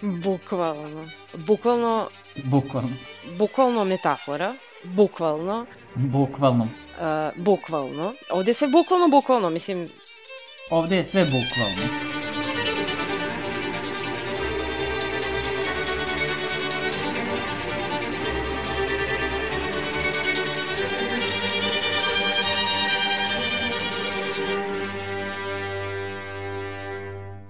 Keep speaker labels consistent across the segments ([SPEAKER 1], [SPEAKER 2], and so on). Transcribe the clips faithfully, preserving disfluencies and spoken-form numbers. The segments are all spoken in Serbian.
[SPEAKER 1] Bukvalno. Bukvalno...
[SPEAKER 2] Bukvalno.
[SPEAKER 1] Bukvalno metafora. Bukvalno.
[SPEAKER 2] Bukvalno.
[SPEAKER 1] Uh, bukvalno. Ovde je sve bukvalno, bukvalno, mislim...
[SPEAKER 2] Ovde je sve bukvalno.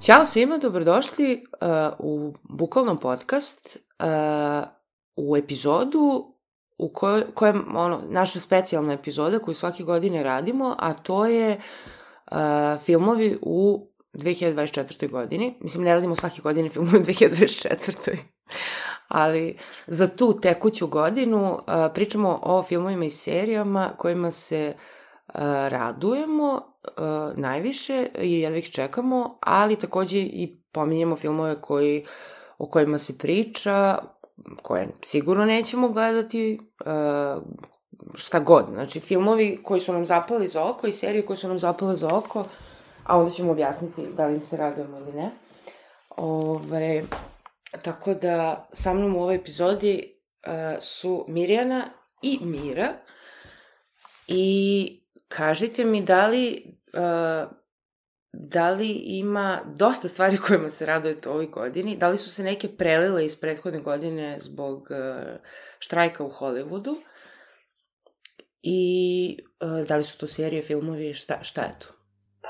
[SPEAKER 1] Ćao svima, dobrodošli uh, u Bukvalnom podcast, uh, u epizodu u kojoj, kojem, ono, naša specijalna epizoda koju svake godine radimo, a to je uh, filmovi u dve hiljade dvadeset četvrtoj godini. Mislim, ne radimo svake godine filmove u dve hiljade dvadeset četvrtoj ali za tu tekuću godinu uh, pričamo o filmovima i serijama kojima se uh, radujemo Uh, najviše i jedva ih čekamo, ali takođe i pominjemo filmove koji, o kojima se priča, koje sigurno nećemo gledati, uh, šta god. Znači, filmovi koji su nam zapali za oko i serije koje su nam zapale za oko, a onda ćemo objasniti da li im se radujemo ili ne. Ove, tako da, sa mnom u ovoj epizodi uh, su Mirjana i Mira i kažite mi da li, uh, da li ima dosta stvari kojima se radujete ovoj godini, da li su se neke prelile iz prethodne godine zbog uh, štrajka u Hollywoodu i uh, da li su to serije, filmovi, šta, šta je to?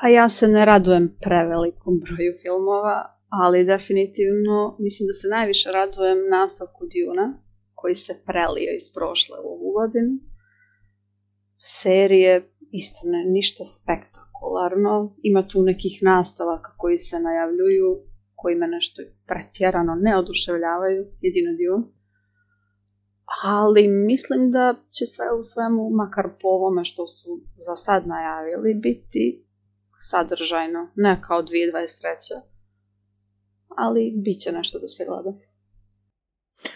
[SPEAKER 3] Pa ja se ne radujem prevelikom broju filmova, ali definitivno mislim da se najviše radujem nastavku Duna, koji se prelio iz prošle u ovu godinu. Serije isto ne, ništa spektakularno. Ima tu nekih nastavaka koji se najavljuju, koji me nešto pretjerano ne oduševljavaju, jedino Dune. Ali mislim da će sve u svemu, makar po ovome što su za sad najavili, biti sadržajno, ne kao dve hiljade dvadeset treće ali bit će nešto da se gleda.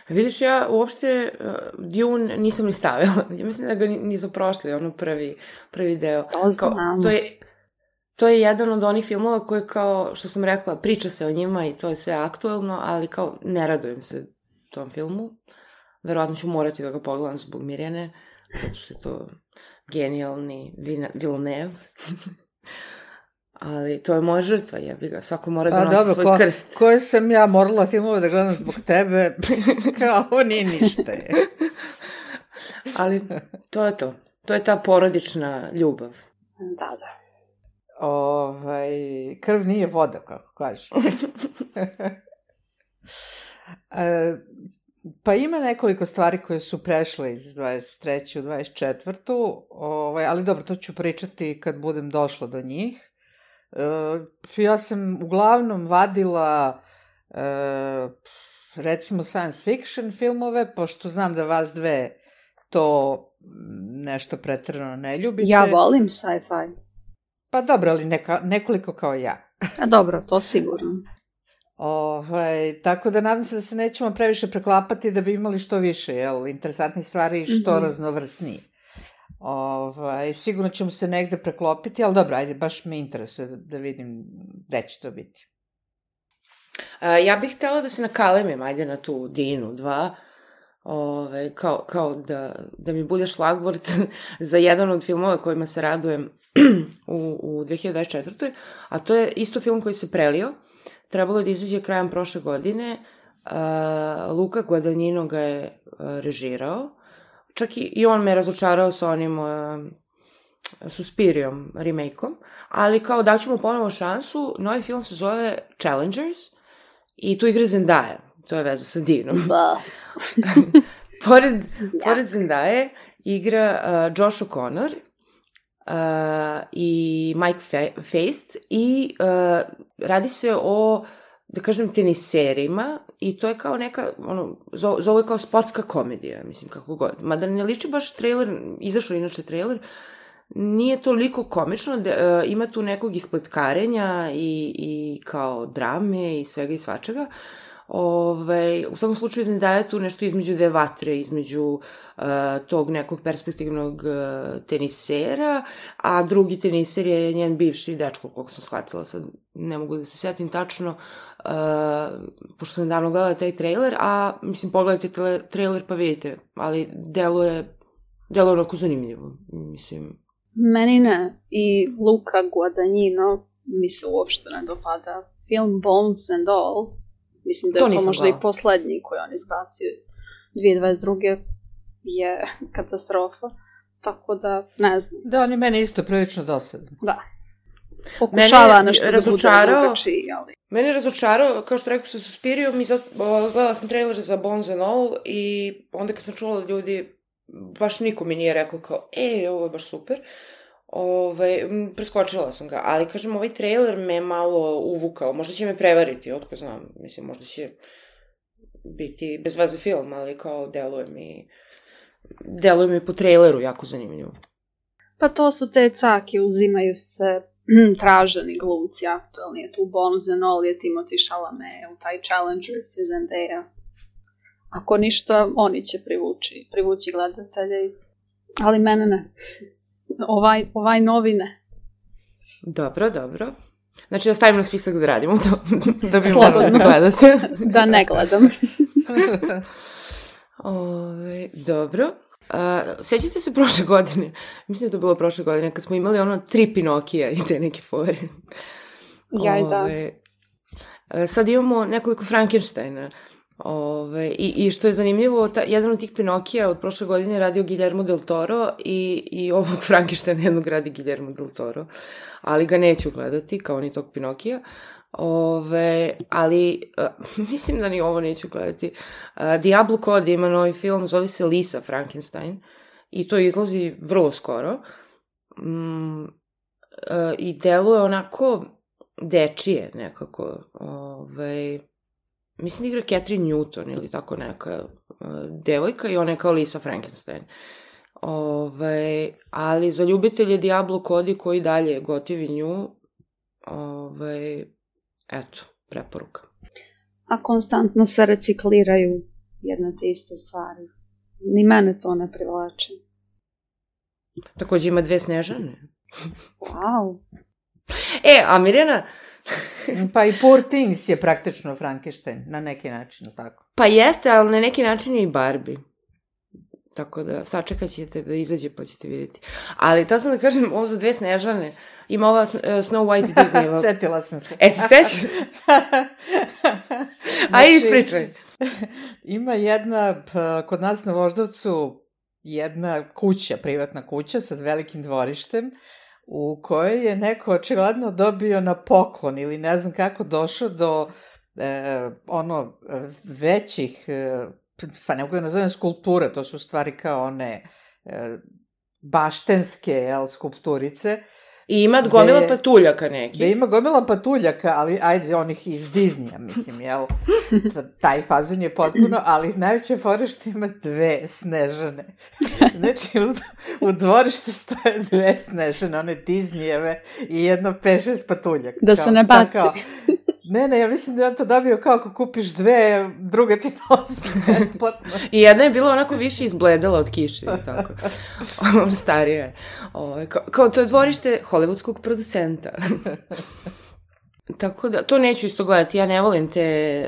[SPEAKER 1] Vidiš, ja uopšte uh, Dune nisam ni stavila. Ja mislim da ga nisam prošli, ono prvi, prvi deo.
[SPEAKER 3] To znam.
[SPEAKER 1] Kao, to, je, to je jedan od onih filmova koje, kao što sam rekla, priča se o njima i to je sve aktuelno, ali kao ne radujem se tom filmu. Verovatno ću morati da ga pogledam zbog Mirjane, zato što je to genijalni Villeneuve. Ali to je moja žrtva, jebi ga. Svako mora da nosi dobro, svoj ko, krst.
[SPEAKER 4] Koje sam ja morala filmove da gledam zbog tebe, kao nije ništa je.
[SPEAKER 1] Ali to je to. To je ta porodična ljubav.
[SPEAKER 3] Da, da.
[SPEAKER 4] Ovaj, krv nije voda, kako kažeš. e, pa ima nekoliko stvari koje su prešle iz dvadeset treće u dvadeset četvrtu Ovaj, ali dobro, to ću pričati kad budem došla do njih. Uh, ja sam uglavnom vadila uh, recimo science fiction filmove, pošto znam da vas dve to nešto preterano ne ljubite.
[SPEAKER 3] Ja volim sci-fi.
[SPEAKER 4] Pa dobro, ali neka, nekoliko kao ja.
[SPEAKER 3] A dobro, to sigurno.
[SPEAKER 4] Ovaj, tako da nadam se da se nećemo previše preklapati da bi imali što više, jel, interesantnih stvari i što mm-hmm. raznovrsniji. Ovaj, sigurno ćemo se negde preklopiti, ali dobro, ajde, baš me interesuje da, da vidim gde će to biti.
[SPEAKER 1] A, ja bih htela da se nakalemim, ajde, na tu Dinu dva, Ove, kao, kao da, da mi bude šlagvort za jedan od filmova kojima se radujem u, u dve hiljade dvadeset četvrtoj a to je isto film koji se prelio. Trebalo je da izađe krajem prošle godine. A, Luca Guadagnino ga je a, režirao. Čak i, i on me razočarao sa onim uh, Suspiriom remake-om, ali kao daću mu ponovo šansu. Novi film se zove Challengers i tu igra Zendaya. To je veza sa Dinom.
[SPEAKER 3] Ba.
[SPEAKER 1] pored, pored Zendaje igra uh, Josh O'Connor uh, i Mike Fe- Feist i uh, radi se o, da kažem, teniserima i to je kao neka, ono, zovu je kao sportska komedija, mislim, kako god. Mada ne liči baš trailer, izašao inače trailer, nije toliko komično, da, uh, ima tu nekog ispletkarenja i, i kao drame i svega i svačega. Ove, u svakom slučaju Zendaya tu nešto između dve vatre, između uh, tog nekog perspektivnog uh, tenisera, a drugi teniser je njen bivši dečko, koliko sam shvatila, sad ne mogu da se setim tačno, uh, pošto sam davno gledala taj trailer, a mislim pogledajte tele, trailer pa vidite, ali deluje, deluje onako zanimljivo, mislim.
[SPEAKER 3] Meni ne, i Luca Guadagnino mi se uopšte ne dopada. Film Bones and All, mislim da je to, to možda gledala. I poslednji koji on izbacio dvije hiljade dvadeset druge je katastrofa, tako da ne znam.
[SPEAKER 4] Da, on je meni isto prilično dosadan.
[SPEAKER 3] Da. Pokušava nešto da bude drugačiji, ali...
[SPEAKER 1] Mene je razočarao, kao što rekao sa Suspirijom, i sad gledala sam trailer za Bones and All i onda kad sam čula od ljudi, baš niko mi nije rekao kao, e, ovo je baš super. Ove, preskočila sam ga, ali kažem, ovaj trailer me malo uvukao, možda će me prevariti, otko znam, mislim, možda će biti bez veze film, ali kao deluje mi, deluje mi po traileru jako zanimljivo.
[SPEAKER 3] Pa to su te cake, uzimaju se traženi glumci aktualni, je tu Bones and All, je Timothée Chalamet, u taj Challengers je Zendaya. Ako ništa, oni će privući, privući gledatelje, ali mene ne. Ovaj, ovaj novi ne.
[SPEAKER 1] Dobro, dobro. Znači da stavim na spisak da radimo to, da bi morali da gledate.
[SPEAKER 3] Da ne gledam.
[SPEAKER 1] Ove, dobro. Uh, sjećate se prošle godine? Mislim da to bilo prošle godine, kad smo imali ono tri Pinokija i te neke fore.
[SPEAKER 3] Jaj, da.
[SPEAKER 1] Uh, sad imamo nekoliko Frankensteina. Ove, i, i što je zanimljivo, ta, jedan od tih Pinokija od prošle godine radio Guillermo del Toro i, i ovog Frankensteina jednog radi Guillermo del Toro, ali ga neću gledati kao ni tog Pinokija. Ove, ali uh, mislim da ni ovo neću gledati. Uh, Diablo Cody ima novi film, zove se Lisa Frankenstein i to izlazi vrlo skoro. Mm, uh, i deluje onako dečije nekako. Ove, mislim da igra Catherine Newton ili tako neka uh, devojka i ona je kao Lisa Frankenstein. Ove, ali za ljubitelje Diablo Cody koji dalje gotivi nju, ove, eto, preporuka.
[SPEAKER 3] A konstantno se recikliraju jedne te iste stvari. Ni mene to ne privlači.
[SPEAKER 1] Takođe ima dve Snežane.
[SPEAKER 3] Wow.
[SPEAKER 1] E, a Mirjana...
[SPEAKER 4] Pa i Poor Things je praktično Frankenstein, na neki način, tako?
[SPEAKER 1] Pa jeste, ali na neki način je i Barbie. Tako da, sačekat ćete da izađe pa ćete vidjeti. Ali, ta sam da kažem, ovo za dve Snežane, ima ova uh, Snow White Disney.
[SPEAKER 4] Setila sam se.
[SPEAKER 1] E, se sećaš? Aj, ispričaj.
[SPEAKER 4] Ima jedna, pa, kod nas na Voždovcu, jedna kuća, privatna kuća sa velikim dvorištem, u kojoj je neko očigledno dobio na poklon ili ne znam kako došao do e, ono većih, e, pa ne mogu da nazovem skulpture, to su stvari kao one e, baštenske, jel, skulpturice.
[SPEAKER 1] I ima gomila de, patuljaka nekih.
[SPEAKER 4] Da ima gomila patuljaka, ali ajde, onih iz Disneya, mislim, jel? Taj fazon je potpuno, ali najveće fora što ima dve Snežane. Znači, u, u dvorištu stoje dve Snežane, one Disneyjeve i jedno pet šest patuljaka.
[SPEAKER 3] Da se ne baci.
[SPEAKER 4] Kao, ne, ne, ja mislim da je on to dobio kao ako kupiš dve, druga ti nosi besplatno.
[SPEAKER 1] I jedna je bila onako više izbledala od kiše, tako. Starija je. O, kao, kao to je dvorište hollywoodskog producenta. Tako da, to neću isto gledati. Ja ne volim te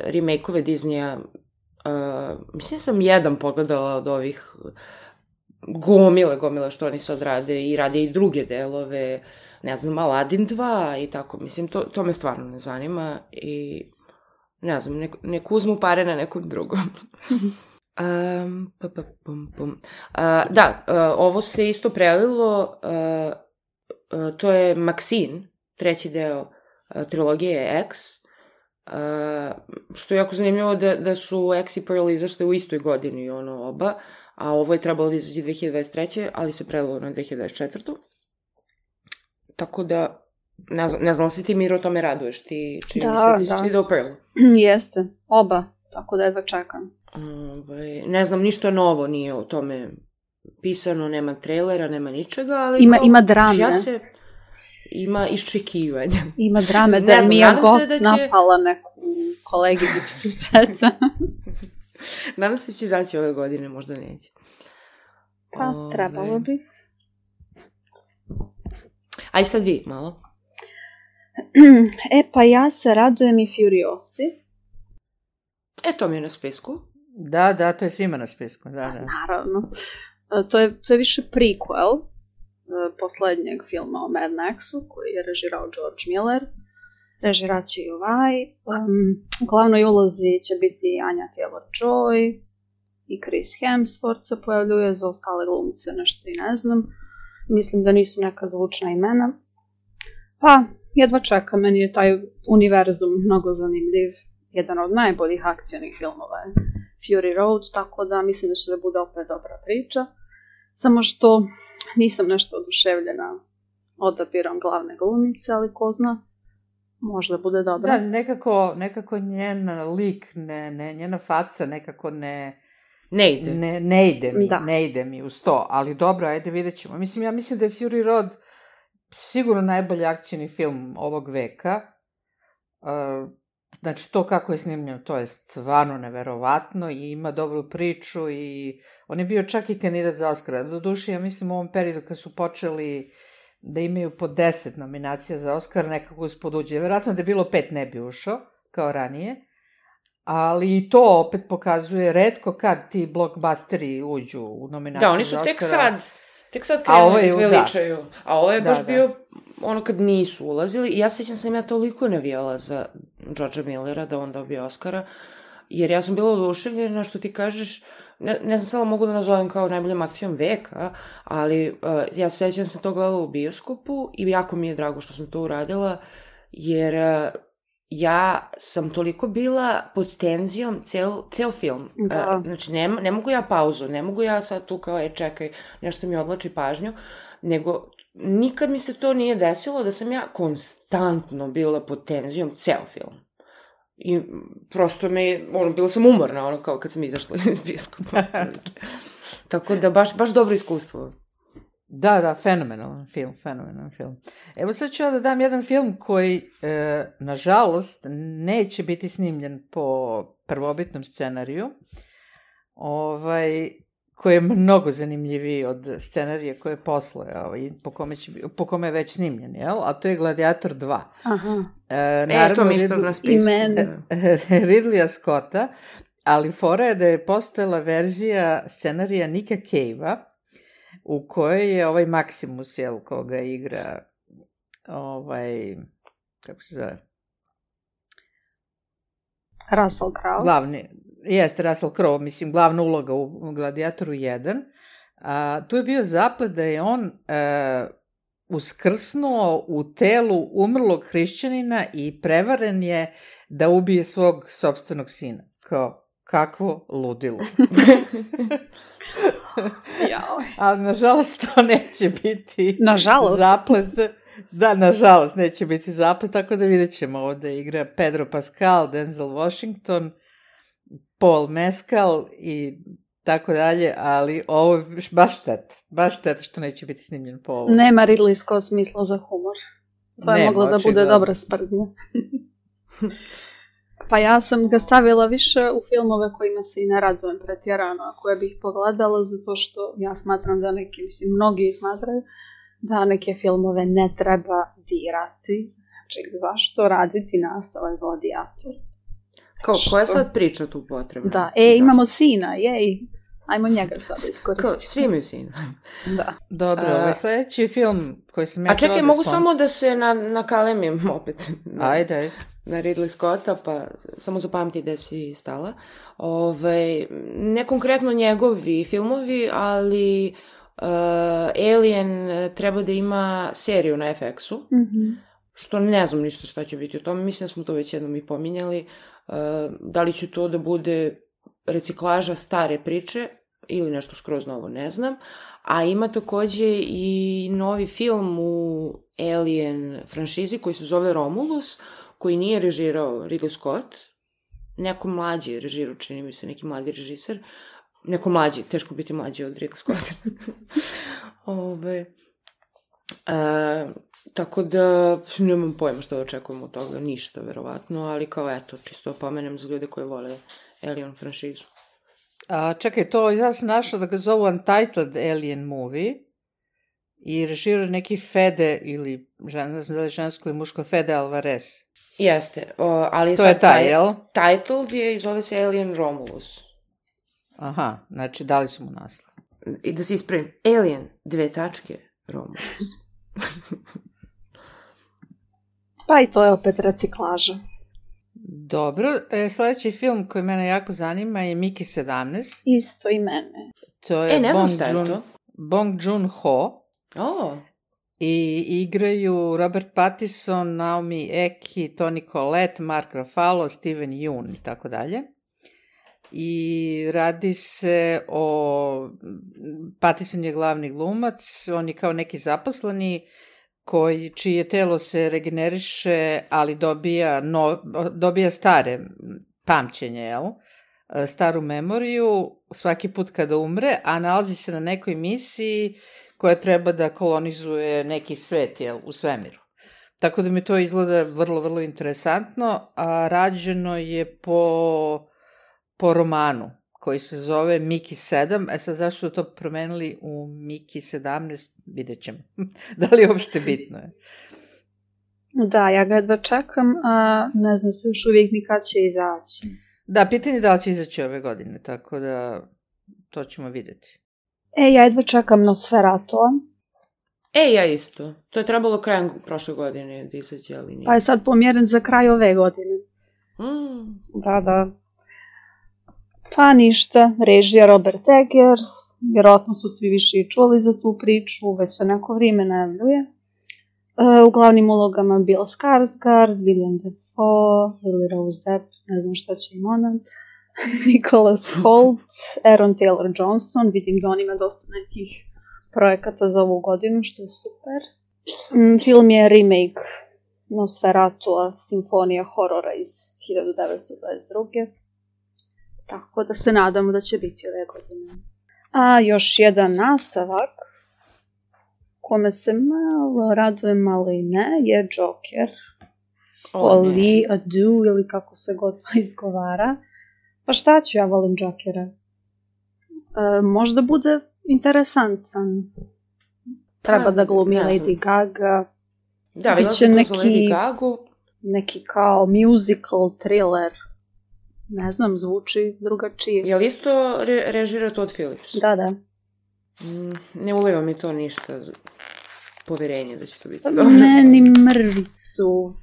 [SPEAKER 1] remake-ove Disneya. Uh, mislim da sam jedan pogledala od ovih gomile, gomile što oni sad rade i rade i druge delove. Ne znam, Aladdin dva i tako. Mislim, to, to me stvarno ne zanima i ne znam, nek, nek uzmu pare na nekom drugom. um, pa, pa, pum, pum. Uh, da, uh, ovo se isto prelilo, uh, uh, to je Maxine, treći deo uh, trilogije X, uh, što je jako zanimljivo da, da su X i Pearl izašle u istoj godini, ono, oba, a ovo je trebalo da izađe dve hiljade dvadeset treće ali se prelilo na dve hiljade dvadeset četvrtu Tako da, ne znam, ne znam se ti, Miro, o tome raduješ, ti čini mi se, ti si video Pearl.
[SPEAKER 3] Jeste, oba, tako da jedva čekam.
[SPEAKER 1] Ove, ne znam, ništa novo nije o tome pisano, nema trailera, nema ničega, ali...
[SPEAKER 3] Ima,
[SPEAKER 1] kao,
[SPEAKER 3] ima drame.
[SPEAKER 1] Ja se, ima iščekivanja.
[SPEAKER 3] Ima drame, da mi je god
[SPEAKER 1] da će...
[SPEAKER 3] napala neku koleginicu sa seta.
[SPEAKER 1] Nadam se će izaći ove godine, možda neće.
[SPEAKER 3] Pa,
[SPEAKER 1] Ove...
[SPEAKER 3] trebalo bi.
[SPEAKER 1] Aj sad vi, malo.
[SPEAKER 3] E, pa ja se radujem i Furiosi.
[SPEAKER 1] E, to mi je na spisku.
[SPEAKER 4] Da, da, to je svima na spisku, da, da.
[SPEAKER 3] Naravno. To je, to je više prequel poslednjeg filma o Mad Maxu, koji je režirao George Miller. Režirat će i ovaj. Um, u glavnoj ulozi će biti Anya Taylor-Joy i Chris Hemsworth se pojavljuje, za ostale glumce nešto i ne znam. Mislim da nisu neka zvučna imena. Pa, jedva čekam, meni je taj univerzum mnogo zanimljiv. Jedan od najboljih akcijnih filmova je Fury Road, tako da mislim da će da bude opet dobra priča. Samo što nisam nešto oduševljena odabirom glavne glumice, ali ko zna, možda bude dobra.
[SPEAKER 4] Da, nekako, nekako njen lik, ne, ne, njena faca nekako ne...
[SPEAKER 1] Ne ide.
[SPEAKER 4] Ne, ne ide mi,
[SPEAKER 3] da.
[SPEAKER 4] ne ide mi uz to, ali dobro, ajde vidjet ćemo. Mislim, ja mislim da je Fury Road sigurno najbolji akcijni film ovog veka. Uh, znači, to kako je snimljeno, to je stvarno neverovatno i ima dobru priču i on je bio čak i kandidat za Oscara. Doduše, ja mislim u ovom periodu kad su počeli da imaju po deset nominacija za Oscar, nekako ispod uđe. Vjerojatno da je bilo pet ne bi ušao, kao ranije. Ali i to opet pokazuje retko kad ti blockbusteri uđu u nominaciju.
[SPEAKER 1] Da, oni su
[SPEAKER 4] za
[SPEAKER 1] tek
[SPEAKER 4] Oscara.
[SPEAKER 1] sad, tek sad krenuli
[SPEAKER 4] je,
[SPEAKER 1] da veličaju. Da. A ovo je baš
[SPEAKER 4] da, da.
[SPEAKER 1] bio ono kad nisu ulazili. I ja sećam sam ja toliko navijala za Georgea Millera da on dobije Oscara, jer ja sam bila oduševljena što ti kažeš, ne, ne znam samo mogu da nazovem kao najboljom akcijom veka, ali uh, ja sećam sam to gledala u bioskopu i jako mi je drago što sam to uradila, jer... Uh, ja sam toliko bila pod tenzijom cel, ceo film.
[SPEAKER 3] Da.
[SPEAKER 1] Uh, znači, ne, ne mogu ja pauzu, ne mogu ja sad tu kao, e, čekaj, nešto mi odlači pažnju, nego nikad mi se to nije desilo da sam ja konstantno bila pod tenzijom ceo film. I prosto me, ono, bila sam umorna, ono, kao kad sam izašla iz bioskopa. Tako da, baš, baš dobro iskustvo.
[SPEAKER 4] Da, da, fenomenalan film, fenomenalan film. Evo sad ću ja da dam jedan film koji, e, nažalost, neće biti snimljen po prvobitnom scenariju, ovaj, koji je mnogo zanimljiviji od scenarija koje je posle, ovaj, po, kome će, po kome je već snimljen, jel? A to je Gladiator dva.
[SPEAKER 3] Aha.
[SPEAKER 1] E, naravno, e to mi isto na spisku.
[SPEAKER 4] Ridleya Scotta, ali fora je da je postojala verzija scenarija Nicka Cave-a, u kojoj je ovaj Maximus, jel, koga igra, ovaj, kako se zove?
[SPEAKER 3] Russell Crowe.
[SPEAKER 4] Glavni, jeste Russell Crowe, mislim, glavna uloga u Gladiatoru jedan. A, tu je bio zaplet da je on a, uskrsnuo u telu umrlog hrišćanina i prevaren je da ubije svog sopstvenog sina. Kao, kakvo ludilo.
[SPEAKER 3] Jao.
[SPEAKER 4] Ali, nažalost, to neće biti
[SPEAKER 3] nažalost.
[SPEAKER 4] zaplet. Da, nažalost, neće biti zaplet, tako da vidjet ćemo ovde igra Pedro Pascal, Denzel Washington, Paul Mescal i tako dalje, ali ovo je baš šteta. Baš šteta što neće biti snimljen po ovo.
[SPEAKER 3] Nema Ridley Scott smisla za humor. To je
[SPEAKER 4] Nema,
[SPEAKER 3] moglo da bude
[SPEAKER 4] očigledno.
[SPEAKER 3] dobra sprdnja. Pa ja sam ga stavila više u filmove kojima se i ne radujem pretjerano, a koje bih pogledala, zato što ja smatram da neki, mislim, mnogi smatraju da neke filmove ne treba dirati. Znači, zašto raditi nastavak Gladiator?
[SPEAKER 1] Kao, koja je sad priča tu potrebna?
[SPEAKER 3] Da, e, imamo sina, jej. Ajmo njega sad iskoristiti.
[SPEAKER 1] Kao, svi imaju sina.
[SPEAKER 3] Da.
[SPEAKER 4] Dobro, ovo je sledeći film koji sam ja...
[SPEAKER 1] A čekaj, mogu samo da se na, nakalemim opet. Na,
[SPEAKER 4] ajde, ajde.
[SPEAKER 1] Na Ridley Scotta, pa samo zapamti gde si stala. Ove, ne konkretno njegovi filmovi, ali uh, Alien treba da ima seriju na F X-u,
[SPEAKER 3] Mm-hmm.
[SPEAKER 1] što ne znam ništa šta će biti u tome. Mislim da smo to već jednom i pominjali. Uh, da li će to da bude reciklaža stare priče ili nešto skroz novo, ne znam. A ima takođe i novi film u Alien franšizi koji se zove Romulus, koji nije režirao Ridley Scott. Neko mlađi je režirao, čini mi se, neki mladi režiser. Neko mlađi, teško biti mlađi od Ridley Scotta. Ove, E, tako da nemam pojma što da očekujemo od toga, ništa verovatno, ali kao eto, čisto opomenem za ljude koji vole Alien franšizu.
[SPEAKER 4] A, čekaj, to ja sam našla da ga zovu Untitled Alien Movie i režira neki Fede ili, ne znam da li žensko ili muško, Fede Alvarez.
[SPEAKER 1] Jeste, o, ali
[SPEAKER 4] to
[SPEAKER 1] sad
[SPEAKER 4] je taj, jel?
[SPEAKER 1] Titled je i zove se Alien Romulus.
[SPEAKER 4] Aha, znači dali su mu naslov.
[SPEAKER 1] I da se ispravim, Alien, dve tačke, Romulus.
[SPEAKER 3] Pa i to je opet reciklaža.
[SPEAKER 4] Dobro, e, sljedeći film koji mene jako zanima je Miki sedamnaest.
[SPEAKER 3] Isto i mene.
[SPEAKER 4] To je
[SPEAKER 1] e, ne znam
[SPEAKER 4] Bong
[SPEAKER 1] šta je
[SPEAKER 4] Joon,
[SPEAKER 1] to.
[SPEAKER 4] Bong Joon-ho.
[SPEAKER 1] Oh.
[SPEAKER 4] I igraju Robert Pattinson, Naomi Eki, Toni Collette, Mark Ruffalo, Steven Yeun i tako dalje. I radi se o... Pattinson je glavni glumac, on je kao neki zaposleni koji, čije telo se regeneriše, ali dobija, no, dobija stare pamćenje, jel? Staru memoriju svaki put kada umre, a nalazi se na nekoj misiji koja treba da kolonizuje neki svet, jel, u svemiru. Tako da mi to izgleda vrlo, vrlo interesantno, a rađeno je po, po romanu koji se zove Miki sedam. E sad, zašto to promenili u Miki sedamnaest, vidjet ćemo. Da li je uopšte bitno je?
[SPEAKER 3] Da, ja ga jedva čekam, a ne znam se još uvijek ni kad će izaći.
[SPEAKER 4] Da, pitanje je da li će izaći ove godine, tako da to ćemo vidjeti.
[SPEAKER 3] E, ja jedva čekam Nosferatoa.
[SPEAKER 1] E, ja isto. To je trebalo krajem prošle godine da izađe, ali nije.
[SPEAKER 3] Pa je sad pomjeren za kraj ove godine.
[SPEAKER 1] Mm.
[SPEAKER 3] Da, da. Pa ništa, režija Robert Eggers, vjerojatno su svi više i čuli za tu priču, već se neko vrijeme najavljuje. E, u glavnim ulogama Bill Skarsgård, William Dafoe, Lily Rose Depp, ne znam što će im ona, Nicholas Hoult, Aaron Taylor Johnson, vidim da on ima dosta nekih projekata za ovu godinu, što je super. Mm, film je remake Nosferatu, simfonija horora iz hiljadu devetsto dvadeset druge. Tako da se nadamo da će biti ove godine. A još jedan nastavak, kome se malo radujem, malo i ne, je Joker. Folie à deux, ili kako se god to izgovara. Pa šta ću, ja volim Jokera. E, možda bude interesantan. Treba da glumi Lady Gaga.
[SPEAKER 1] Da, vidjela sam to za Lady Gagu.
[SPEAKER 3] Neki kao musical thriller. Ne znam, zvuči drugačije.
[SPEAKER 1] Je li isto re- režira Todd Phillips?
[SPEAKER 3] Da, da.
[SPEAKER 1] Mm, ne uliva mi to ništa poverenje da će to biti dobro.
[SPEAKER 3] Meni mrvicu.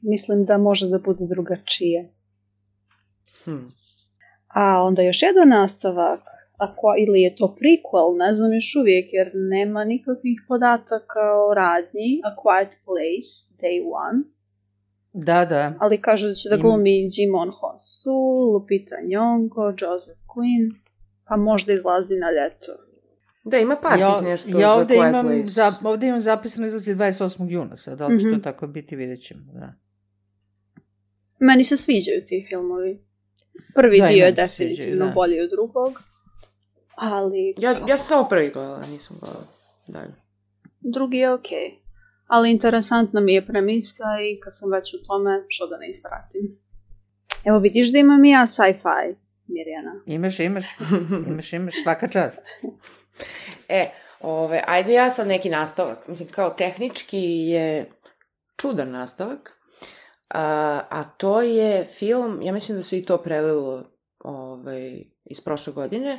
[SPEAKER 3] Mislim da može da bude drugačije.
[SPEAKER 1] Hmm.
[SPEAKER 3] A onda još jedan nastavak, ako, ili je to prequel, ne znam još uvijek, jer nema nikakvih podataka o radnji. A Quiet Place, Day One.
[SPEAKER 4] Da, da.
[SPEAKER 3] Ali kažu da će da glumi Jimon Honsu, Lupita Nyong'o, Joseph Quinn, pa možda izlazi na ljeto.
[SPEAKER 1] Da, ima par
[SPEAKER 4] ja,
[SPEAKER 1] tih nešto
[SPEAKER 4] ja
[SPEAKER 1] za Quiet
[SPEAKER 4] imam,
[SPEAKER 1] Place.
[SPEAKER 4] za, ovdje imam zapisano izlazi dvadeset osmog juna, sad, da li će mm-hmm. to tako biti, vidjet ćemo, da.
[SPEAKER 3] Meni se sviđaju ti filmovi. Prvi
[SPEAKER 4] da,
[SPEAKER 3] dio je definitivno sviđaju, bolji od drugog, ali...
[SPEAKER 1] Ja, ja sam samo prvi gledala, nisam gledala dalje.
[SPEAKER 3] Drugi je okej. Okay. Ali interesantna mi je premisa i kad sam već u tome, što da ne ispratim. Evo vidiš da imam i ja sci-fi, Mirjana.
[SPEAKER 4] Imaš, imaš, imaš, imaš, svaka čast.
[SPEAKER 1] E, ove, ajde ja sad neki nastavak. Mislim, kao tehnički je čudan nastavak, a, a to je film, ja mislim da se i to prelilo ovaj, iz prošle godine,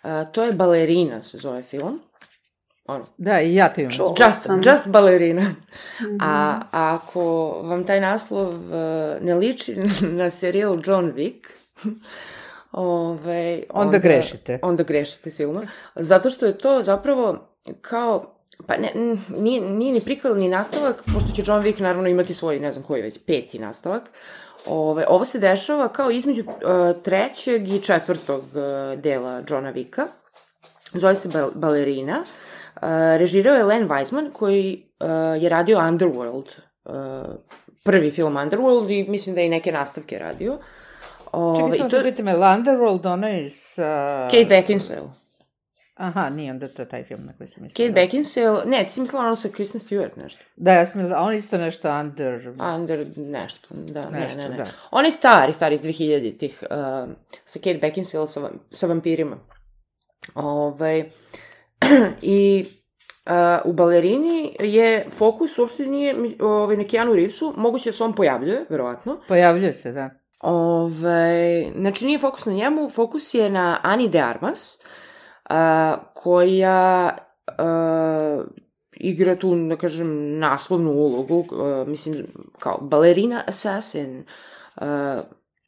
[SPEAKER 1] a, to je Balerina, se zove film. Ono.
[SPEAKER 4] Da, i ja te imam.
[SPEAKER 1] Just, just Balerina. Mm-hmm. A, a ako vam taj naslov uh, ne liči na serijal John Wick, ove, onda,
[SPEAKER 4] onda grešite.
[SPEAKER 1] Onda grešite silno. Zato što je to zapravo kao, pa ne, nije, nije ni prikval ni nastavak, pošto će John Wick naravno imati svoj, ne znam koji već, peti nastavak. Ove, ovo se dešava kao između uh, trećeg i četvrtog uh, dela Johna Wicka. Zove se bal- Balerina. Uh, režirao je Len Wiseman koji uh, je radio Underworld, uh, prvi film Underworld i mislim da je i neke nastavke radio. Uh,
[SPEAKER 4] Čekaj, samo to... da pitam, je Underworld, ona je s... Uh...
[SPEAKER 1] Kate Beckinsale.
[SPEAKER 4] Aha, nije onda to taj film na koji sam mislila.
[SPEAKER 1] Kate Beckinsale, ne, ti si mislila ono sa Kristen Stewart nešto.
[SPEAKER 4] Da, ja sam mislila, on isto nešto under...
[SPEAKER 1] Under nešto, da,
[SPEAKER 4] nešto,
[SPEAKER 1] ne, ne, ne.
[SPEAKER 4] Da.
[SPEAKER 1] On je stari, stari iz dvehiljaditih, uh, sa Kate Beckinsale, sa, sa vampirima. Ovaj, i uh, u Balerini je fokus uopšte nije ovaj, na Keanu Reevesu, moguće da se on pojavljuje, verovatno.
[SPEAKER 4] Pojavljuje se, da.
[SPEAKER 1] Ovaj, znači nije fokus na njemu, fokus je na Ani de Armas, uh, koja uh, igra tu, da kažem, naslovnu ulogu, uh, mislim, kao balerina assassin uh,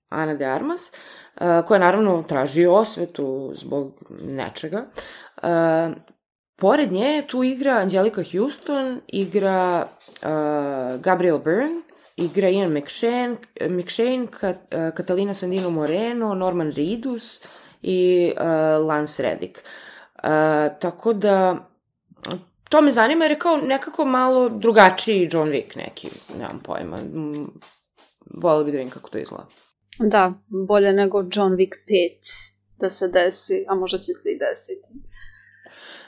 [SPEAKER 1] Ana de Armas, uh, koja naravno traži osvetu zbog nečega. Uh, pored nje tu igra Angelika Houston, igra uh, Gabriel Byrne, igra Ian McShane, McShane Kat, uh, Catalina Sandino Moreno, Norman Reedus i uh, Lance Reddick. Uh, tako da, to me zanima jer je kao nekako malo drugačiji John Wick neki, nemam pojma. Volila bi da vidim kako to izgleda.
[SPEAKER 3] Da, bolje nego John Wick pet da se desi, a možda će se i desiti.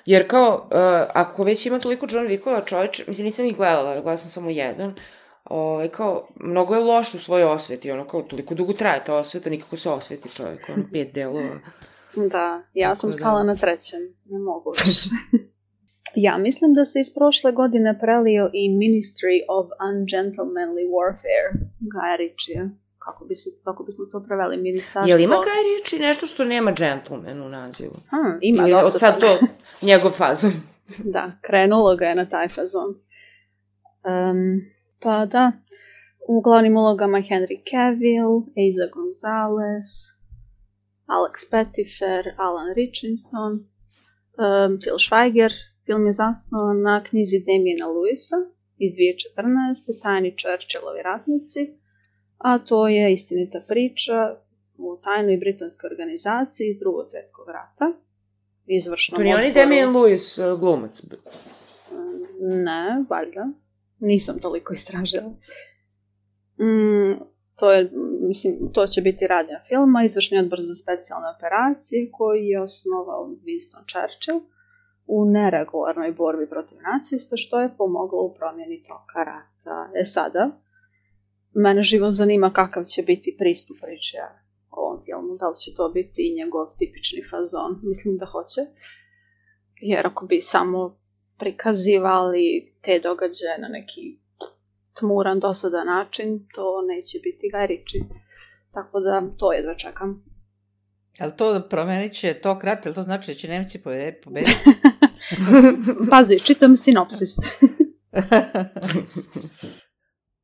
[SPEAKER 1] Jer kao, uh, ako već ima toliko John Wickova, čovječ, mislim, nisam ih gledala, gledala sam samo jedan, ovaj, kao, mnogo je loš u svojoj osveti, ono, kao, toliko dugo traje ta osveta, nikako se osveti čovjek, ono, pet delova.
[SPEAKER 3] Da, ja
[SPEAKER 1] Tako
[SPEAKER 3] sam
[SPEAKER 1] da.
[SPEAKER 3] stala na trećem, ne mogu više. Ja mislim da se iz prošle godine prelio i Ministry of Ungentlemanly Warfare, Gaja Ritchija. Kako, bi se, kako bismo to preveli, ministarstvo...
[SPEAKER 1] Jel ima Guy Ritchie nešto što nema gentleman u nazivu?
[SPEAKER 3] Hmm, ima
[SPEAKER 1] Ili
[SPEAKER 3] dosta
[SPEAKER 1] od sad to njegov fazon?
[SPEAKER 3] Da, krenulo ga je na taj fazon. Um, pa da, u glavnim ulogama Henry Cavill, Eiza Gonzalez, Alex Pettyfer, Alan Richardson, um, Til Schweiger. Film je zasnovan na knjizi Damiena Lewisa iz dvije tisuće četrnaeste. Tajni Churchillovi ratnici, a to je istinita priča u tajnoj britanskoj organizaciji iz drugog svjetskog rata. Izvršnom
[SPEAKER 1] To nije on i
[SPEAKER 3] odboru...
[SPEAKER 1] Damien Lewis uh, glumac?
[SPEAKER 3] Ne, valjda. Nisam toliko istražila. Mm, to je, mislim, to će biti radnja filma, izvršni odbor za specijalne operacije koji je osnovao Winston Churchill u neregularnoj borbi protiv nacista, što je pomoglo u promjeni toka rata. E sada, mene živo zanima kakav će biti pristup priče ovom filmu, da li će to biti njegov tipični fazon. Mislim da hoće, jer ako bi samo prikazivali te događaje na neki tmuran, dosadan način, to neće biti Guy Ritchie. Tako da to jedva čekam.
[SPEAKER 4] Ali to promenit će tok rata, ali to znači da će Nemci pobediti?
[SPEAKER 3] Pazi, čitam sinopsis.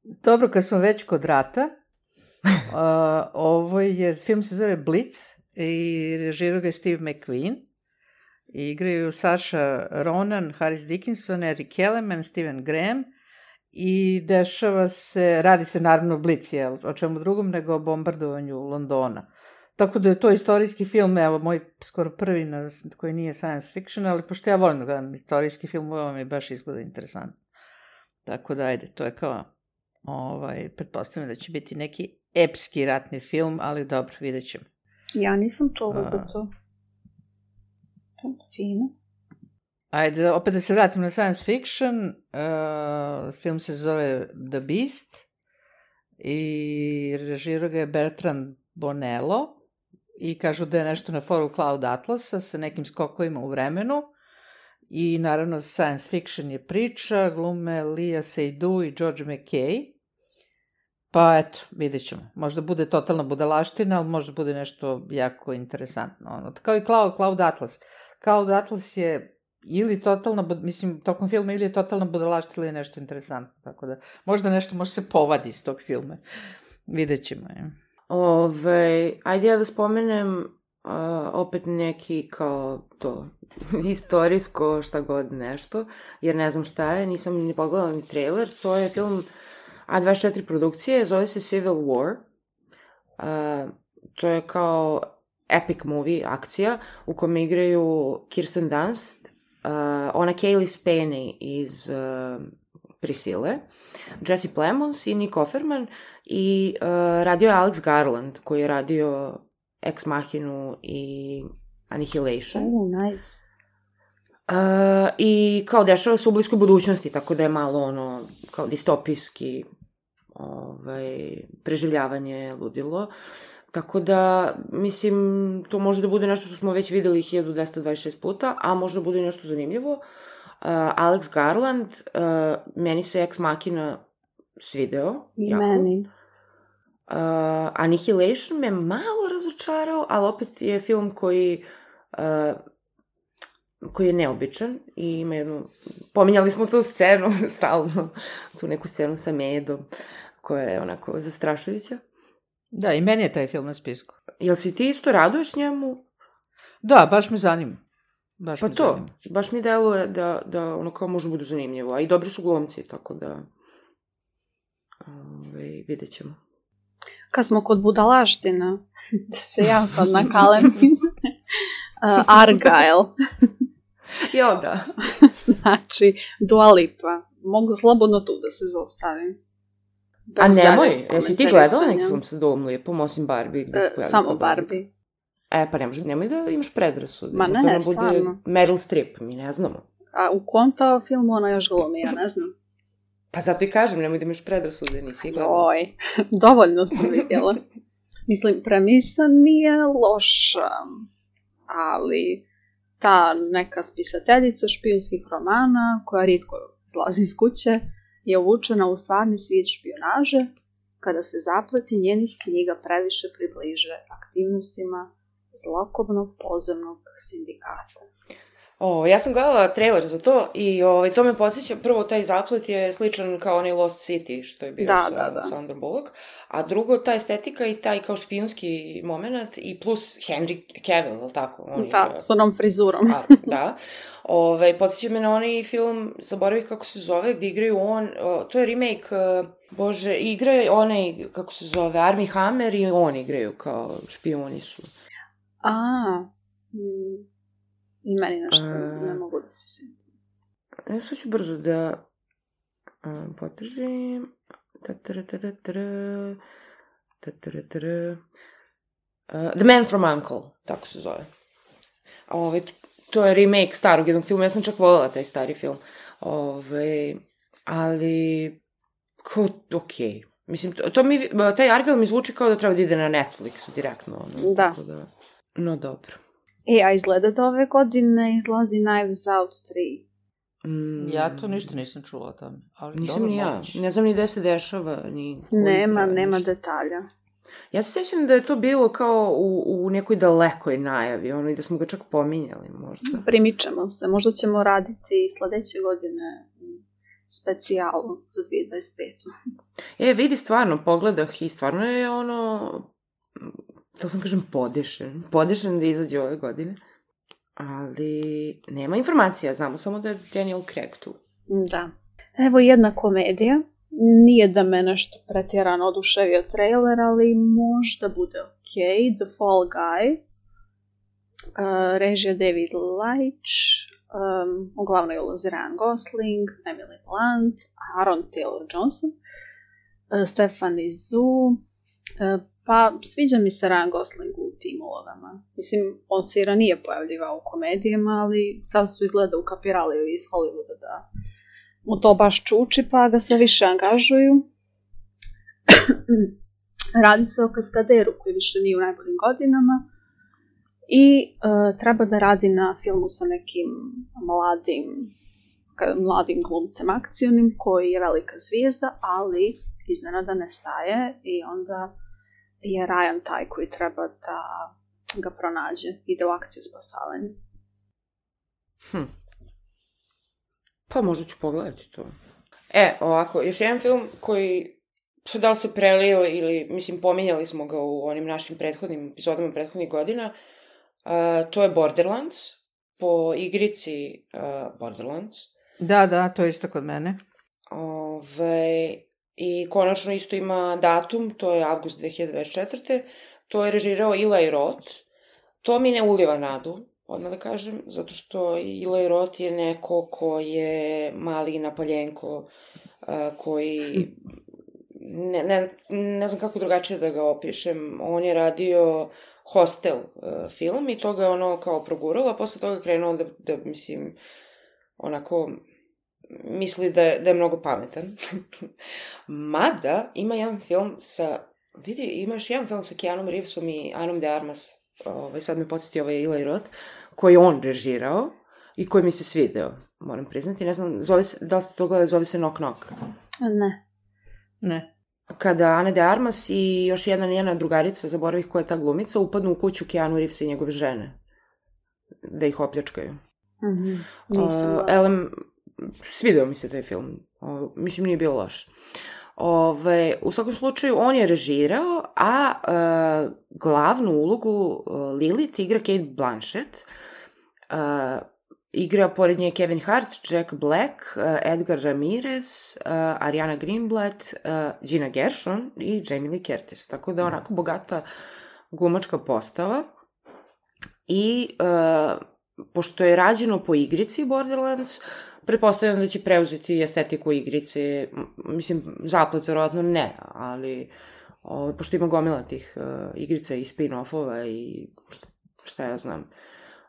[SPEAKER 4] Dobro, kad smo već kod rata, uh, ovo je, film se zove Blitz i režirao ga je Steve McQueen. I igraju Saša Ronan, Harris Dickinson, Eric Kellerman, Stephen Graham i dešava se, radi se naravno Blitz, jel, o čemu drugom nego o bombardovanju Londona. Tako da je to istorijski film, evo, moj skoro prvi na, koji nije science fiction, ali pošto ja volim da gledam istorijski film, ovo mi baš izgleda interesantno. Tako da, ajde, to je kao, ovaj, pretpostavljam da će biti neki epski ratni film, ali dobro, vidjet ćemo.
[SPEAKER 3] Ja nisam čula za to. Fino.
[SPEAKER 4] Ajde, opet da se vratim na science fiction. Uh, film se zove The Beast i režirao ga je Bertrand Bonello i kažu da je nešto na foru Cloud Atlasa sa nekim skokovima u vremenu i naravno science fiction je priča, glume Lea Seydoux i George McKay. Pa eto, vidjet ćemo. Možda bude totalna budalaština, ali možda bude nešto jako interesantno. Ono, kao i Cloud, Cloud Atlas. Cloud Atlas je ili totalna, mislim, tokom filma ili je totalna budalaština ili je nešto interesantno. Tako da, možda nešto može se povadi iz tog filma. Vidjet ćemo. Je.
[SPEAKER 1] Ove, ajde ja da spomenem uh, opet neki kao to istorijsko šta god nešto, jer ne znam šta je, nisam ni pogledala ni trailer. To je film A dvadeset četiri produkcije, zove se Civil War. Uh, to je kao epic movie, akcija, u kome igraju Kirsten Dunst, uh, ona Kaylee Spaney iz uh, Priscille, Jesse Plemons i Nick Offerman i uh, radio je Alex Garland, koji je radio Ex Machinu i Annihilation.
[SPEAKER 3] Oh, nice.
[SPEAKER 1] Uh, I kao dešava se u bliskoj budućnosti, tako da je malo ono, kao distopijski ovaj, preživljavanje ludilo. Tako da, mislim, to može da bude nešto što smo već videli hiljadu dvesta dvadeset šest puta, a može da bude nešto zanimljivo. Uh, Alex Garland, uh, meni se Ex Machina svideo.
[SPEAKER 3] I
[SPEAKER 1] jako.
[SPEAKER 3] meni.
[SPEAKER 1] Uh, Annihilation me malo razočarao, ali opet je film koji... Uh, koji je neobičan i ima jednu... Pominjali smo tu scenu, stalno, tu neku scenu sa Medom, koja je onako zastrašujuća.
[SPEAKER 4] Da, i meni je taj film na spisku.
[SPEAKER 1] Jel si ti isto raduješ njemu?
[SPEAKER 4] Da, baš me zanima. Baš
[SPEAKER 1] Pa
[SPEAKER 4] me
[SPEAKER 1] to,
[SPEAKER 4] zanima.
[SPEAKER 1] baš mi deluje da, da ono kao može bude zanimljivo, a i dobri su glumci, tako da ove, vidjet ćemo.
[SPEAKER 3] Kad smo kod budalaština, da se ja sad nakalemim, uh, Argyle.
[SPEAKER 1] Jo, da.
[SPEAKER 3] Znači, Dua Lipa. Mogu slobodno tu da se zaustavim.
[SPEAKER 1] A
[SPEAKER 3] Bez
[SPEAKER 1] nemoj,
[SPEAKER 3] daljeg
[SPEAKER 1] jesi ti gledala neki
[SPEAKER 3] komentarisanja.
[SPEAKER 1] film sa Duom Lipom, osim Barbie? Gde se
[SPEAKER 3] E,
[SPEAKER 1] pojavi
[SPEAKER 3] samo
[SPEAKER 1] kao
[SPEAKER 3] Barbie.
[SPEAKER 1] E, pa ne može, nemoj da imaš predrasude.
[SPEAKER 3] Ma
[SPEAKER 1] Možda
[SPEAKER 3] ne,
[SPEAKER 1] ona bude
[SPEAKER 3] stvarno.
[SPEAKER 1] Meryl Streep, mi ne znamo.
[SPEAKER 3] A u kom to filmu ona još glumi, ja ne znam.
[SPEAKER 1] Pa zato i kažem, nemoj da imaš predrasude, nisi gledala.
[SPEAKER 3] Oj, dovoljno sam vidjela. Mislim, premisa nije loša, ali ta neka spisateljica špijunskih romana, koja rijetko izlazi iz kuće, je uvučena u stvarni svijet špijunaže, kada se zapleti njenih knjiga previše približe aktivnostima zlokobnog podzemnog sindikata.
[SPEAKER 1] O, ja sam gledala trailer za to i ovaj, to me podsjeća, prvo taj zaplet je sličan kao onaj Lost City što je bio
[SPEAKER 3] Da,
[SPEAKER 1] sa
[SPEAKER 3] da, da.
[SPEAKER 1] Sandra Bullock, a drugo ta estetika i taj kao špijunski moment i plus Henry Cavill, ali tako? On
[SPEAKER 3] Da,
[SPEAKER 1] igra-
[SPEAKER 3] s onom frizurom.
[SPEAKER 1] A, da. Ove, podsjeća me na onaj film, zaboravih kako se zove, gde igraju on, o, to je remake, uh, bože, igra je onaj, kako se zove, Armie Hammer i on igraju kao špijuni su.
[SPEAKER 3] A, mm, i meni nešto
[SPEAKER 1] A.
[SPEAKER 3] ne mogu da se sjetim.
[SPEAKER 1] Ja sad ću brzo da um, potržim. Ta-ta-ra-ta-ra-ta-ra. Ta-ta-ra-ta-ra. Uh, The Man from U N C L E, tako se zove. Ove, to je remake starog jednog filma, ja sam čak voljela taj stari film. Ove, ali, kao, okej. Okay. Mislim, to, to mi, taj Argyle mi zvuči kao da treba da ide na Netflix direktno. Ono,
[SPEAKER 3] Da.
[SPEAKER 1] Tako da. No, dobro.
[SPEAKER 3] E, a izgleda da ove godine izlazi Knives Out tri.
[SPEAKER 1] Mm,
[SPEAKER 4] Ja to ništa nisam čula o tome. Ali
[SPEAKER 1] Nisam
[SPEAKER 4] dobro,
[SPEAKER 1] ni ja.
[SPEAKER 4] moguće.
[SPEAKER 1] Ne znam ni gde se dešava, ni koji
[SPEAKER 3] Nema,
[SPEAKER 1] traje,
[SPEAKER 3] nema
[SPEAKER 1] ništa.
[SPEAKER 3] detalja.
[SPEAKER 1] Ja se sjećam da je to bilo kao u, u nekoj dalekoj najavi, ono, i da smo ga čak pominjali možda.
[SPEAKER 3] Primičemo se. Možda ćemo raditi sledeće godine specijalu za dvije hiljade dvadeset petu.
[SPEAKER 1] E, vidi, stvarno, pogledah i stvarno je ono, to sam kažem podešen, podešen da izađe ove godine, ali nema informacija, znamo samo da je Daniel Craig tu.
[SPEAKER 3] Da. Evo jedna komedija. Nije da me nešto pretjerano oduševio trailer, ali možda bude ok. The Fall Guy. Uh, režija David Leitch. Um, u glavnoj ulozi Ryan Gosling, Emily Blunt, Aaron Taylor-Johnson, uh, Stephanie Zhu. Uh, pa sviđa mi se Ryan Gosling u tim ulogama. Mislim, on se i ranije pojavljivao u komedijama, ali sad su izgleda ukapirali iz Hollywooda da mu to baš čuči, pa ga sve više angažuju. Radi se o kaskaderu koji više nije u najboljim godinama i uh, treba da radi na filmu sa nekim mladim, ka, mladim glumcem akcionim koji je velika zvijezda, ali iznenada nestaje i onda je Ryan taj koji treba da ga pronađe, ide u akciju spasavanja.
[SPEAKER 1] Hm. Pa možda ću pogledati to. E, ovako, još jedan film koji, da li se prelio ili, mislim, pominjali smo ga u onim našim prethodnim epizodama prethodnih godina, uh, to je Borderlands, po igrici uh, Borderlands.
[SPEAKER 4] Da, da, to je isto kod mene.
[SPEAKER 1] Ove, i konačno isto ima datum, to je avgust dve hiljade dvadeset četvrte. To je režirao Eli Roth. To mi ne uliva nadu, odmah da kažem, zato što Eli Roth je neko ko je mali napaljenko, uh, koji, ne, ne, ne znam kako drugačije da ga opišem, on je radio Hostel uh, film i to ga je ono kao proguralo, a posle toga krenuo da, da mislim, onako misli da je, da je mnogo pametan. Mada ima jedan film sa, vidi, ima još jedan film sa Keanom Reevesom i Anom de Armas, ovaj, sad me podsjeti ovaj Eli Roth, koji je on režirao i koji mi se svideo, moram priznati. Ne znam, zove se, da li ste to gledali, zove se Knock Knock?
[SPEAKER 3] Ne.
[SPEAKER 4] Ne.
[SPEAKER 1] Kada Ana de Armas i još jedna njena drugarica, zaboravih koja je ta glumica, upadnu u kuću Keanu Reevesa i njegove žene. Da ih opljačkaju.
[SPEAKER 3] Mm-hmm. Nisam
[SPEAKER 1] uh, Elem, svideo mi se taj film. Uh, mislim, nije bio loš. Ove, u svakom slučaju, on je režirao, a uh, glavnu ulogu uh, Lilith igra Cate Blanchett. Uh, igra pored nje Kevin Hart, Jack Black, uh, Edgar Ramirez, uh, Ariana Greenblatt, uh, Gina Gershon i Jamie Lee Curtis. Tako da onako bogata glumačka postava. I uh, pošto je rađeno po igrici Borderlands, pretpostavljam da će preuzeti estetiku igrice, mislim, zaplet verovatno ne, ali o, pošto ima gomila tih uh, igrica i spin-offova i šta ja znam.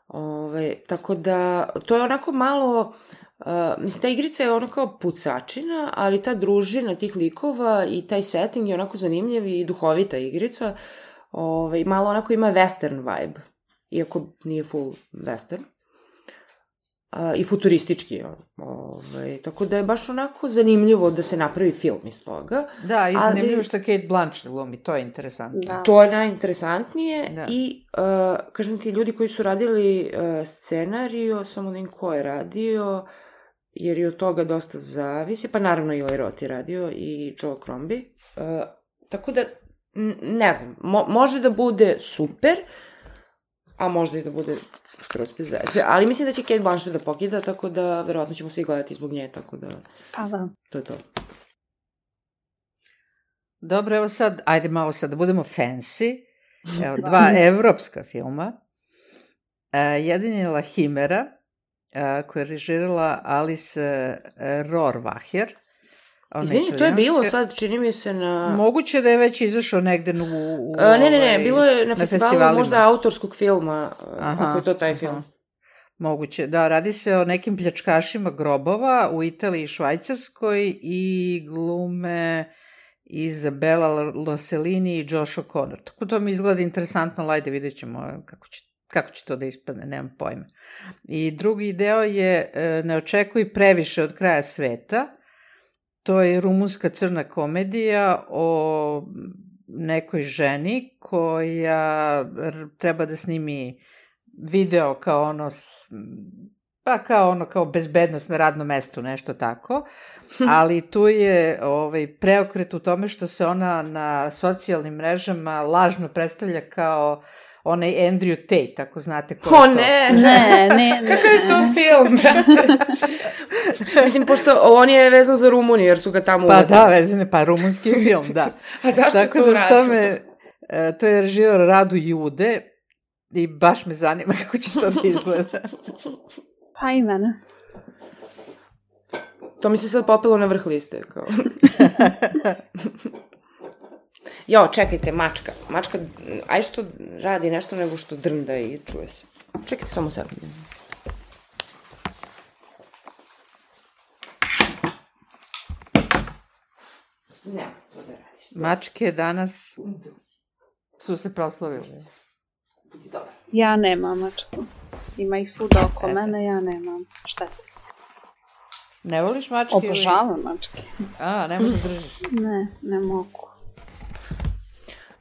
[SPEAKER 1] Ove, tako da, to je onako malo, uh, mislim, ta igrica je onako pucačina, ali ta družina tih likova i taj setting je onako zanimljiv i duhovita igrica. Ove, malo onako ima western vibe, iako nije full western. Uh, i futuristički. Ovaj, tako da je baš onako zanimljivo da se napravi film iz toga.
[SPEAKER 4] Da, i zanimljivo ali, što Cate Blanchett glumi, to je interesantno.
[SPEAKER 1] Da. To je najinteresantnije da. I, uh, kažem ti, ljudi koji su radili uh, scenariju, samo da im ko je radio, jer je od toga dosta zavisi, pa naravno i Eli Roth je radio i Joel Crombie. Uh, tako da, n- ne znam, mo- može da bude super, a možda i da bude skroz bez veze. Ali mislim da će Cate Blanchett da pokida, tako da verovatno ćemo svi gledati zbog nje, tako da...
[SPEAKER 3] Pa da.
[SPEAKER 1] To je to.
[SPEAKER 4] Dobro, evo sad, ajde malo sad da budemo fancy. Evo, dva evropska filma. Uh, jedan je La Himera, uh, koja je režirala Alice uh, Rohrwacher.
[SPEAKER 1] Izvini, to je bilo sad, čini mi se na...
[SPEAKER 4] Moguće da je već izašao negde u... u
[SPEAKER 1] A, ne, ne, ne,
[SPEAKER 4] ovaj,
[SPEAKER 1] bilo je na, na festivalu možda autorskog filma, aha, ako je to taj film.
[SPEAKER 4] Aha. Moguće, da, radi se o nekim pljačkašima grobova u Italiji i Švajcarskoj i glume Izabela Rossellini i Josh O'Connor. Tako to mi izgleda interesantno, ajde vidjet ćemo kako će, kako će to da ispadne, nemam pojma. I drugi deo je Ne očekuj previše od kraja sveta. To je rumunska crna komedija o nekoj ženi koja treba da snimi video kao ono, pa kao ono, kao bezbednost na radnom mestu, nešto tako, ali tu je ovaj, preokret u tome što se ona na socijalnim mrežama lažno predstavlja kao onaj Andrew Tate, ako znate ko je
[SPEAKER 1] o,
[SPEAKER 4] to.
[SPEAKER 1] ne,
[SPEAKER 3] ne, ne, ne.
[SPEAKER 1] Kako je to film, brate? Mislim, pošto on je vezan za Rumuniju, jer su ga tamo
[SPEAKER 4] pa
[SPEAKER 1] uvetili.
[SPEAKER 4] Da, vezan je, pa rumunski film, da.
[SPEAKER 1] A zašto
[SPEAKER 4] tako
[SPEAKER 1] to
[SPEAKER 4] da
[SPEAKER 1] radi?
[SPEAKER 4] Tome, to je režirao Radu Jude i baš me zanima kako će to da izgleda.
[SPEAKER 3] Pa i mene.
[SPEAKER 1] To mi se sad popelo na vrh liste, kao... Jo, čekajte, mačka. Mačka, aj što radi nešto nego što drnda i čuje se. Čekajte samo sekundu. Ne, to da radiš.
[SPEAKER 4] Mačke danas su se proslavile.
[SPEAKER 1] Budi dobar.
[SPEAKER 3] Ja nemam mačku. Ima ih svuda oko e. mene, ja nemam. Šteta.
[SPEAKER 4] Ne voliš mačke?
[SPEAKER 3] Obožavam ili... mačke.
[SPEAKER 4] A, ne možeš da držiš?
[SPEAKER 3] Ne, ne mogu.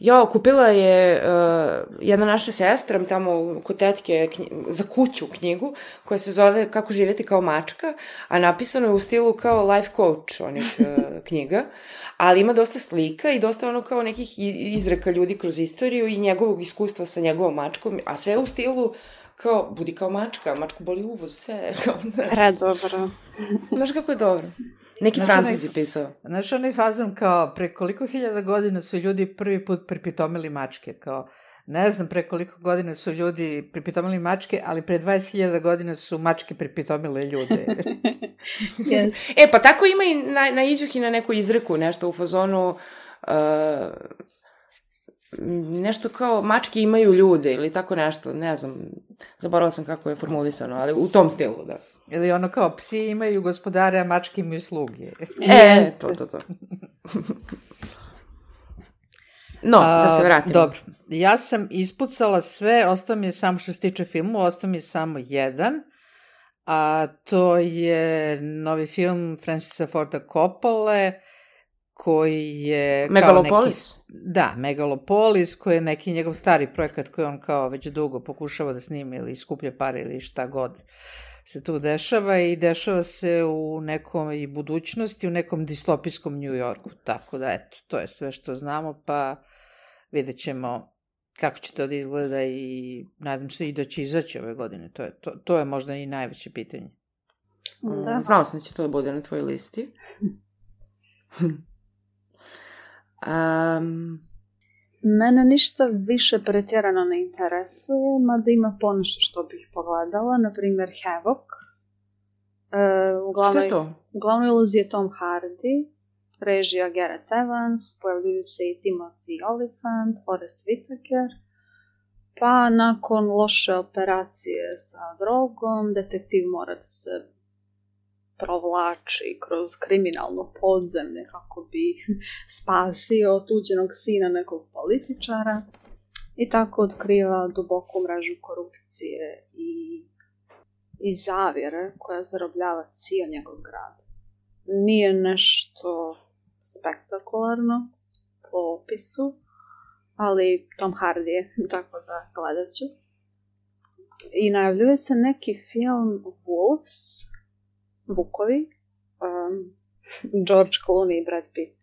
[SPEAKER 1] Jo, kupila je uh, jedna naša sestra tamo kod tetke knji, za kuću knjigu koja se zove Kako živjeti kao mačka, a napisano je u stilu kao life coach onih uh, knjiga, ali ima dosta slika i dosta ono kao nekih izreka ljudi kroz istoriju i njegovog iskustva sa njegovom mačkom, a sve u stilu kao budi kao mačka, mačku boli uvoz, sve.
[SPEAKER 3] Predobro.
[SPEAKER 1] Znaš kako je dobro. Neki Francuz je pisao.
[SPEAKER 4] Znaš, onaj fazon kao pre koliko hiljada godina su ljudi prvi put pripitomili mačke, kao ne znam pre koliko godina su ljudi pripitomili mačke, ali pre dvadeset hiljada godina su mačke pripitomile ljude.
[SPEAKER 3] Yes.
[SPEAKER 1] E, pa tako ima i na, na Iđuhi na neku izreku, nešto u fazonu uh, nešto kao mačke imaju ljude ili tako nešto, ne znam, zaboravila sam kako je formulisano, ali u tom stilu, da.
[SPEAKER 4] Ili ono kao, psi imaju gospodare, a mačke imaju sluge.
[SPEAKER 1] E, to, to, to. No, a, da se vratimo.
[SPEAKER 4] Dobro, ja sam ispucala sve, ostao mi je samo što se tiče filmu, ostao mi je samo jedan, a to je novi film Francisa Forda Coppole, koji je...
[SPEAKER 1] Megalopolis?
[SPEAKER 4] Kao neki, da, Megalopolis, koji je neki njegov stari projekat koji on kao već dugo pokušava da snimi ili skuplja pare ili šta god se tu dešava i dešava se u nekoj budućnosti, u nekom distopijskom New Yorku. Tako da, eto, to je sve što znamo, pa vidjet ćemo kako će to da izgleda i nadam se i da će izaći ove godine. To je, to, to je možda i najveće pitanje.
[SPEAKER 1] Da. Znala sam da će to da bude na tvojoj listi. um...
[SPEAKER 3] Mene ništa više pretjerano ne interesuje, mada ima ponešto što bih pogledala, na primjer Havoc. E, uglavnom,
[SPEAKER 1] što je to?
[SPEAKER 3] Uglavnom ulazi je Tom Hardy, režija Gareth Evans, pojavljuju se i Timothy Olyphant, Forest Whitaker, pa nakon loše operacije sa drogom, detektiv mora da se provlači kroz kriminalno podzemlje kako bi spasio otuđenog sina nekog političara i tako otkriva duboku mrežu korupcije i, i zavjere koja zarobljava cijel njegov grad. Nije nešto spektakularno po opisu, ali Tom Hardy je, tako da gledat ću. I najavljuje se neki film Wolves, Vukovi, um, George Clooney i Brad Pitt.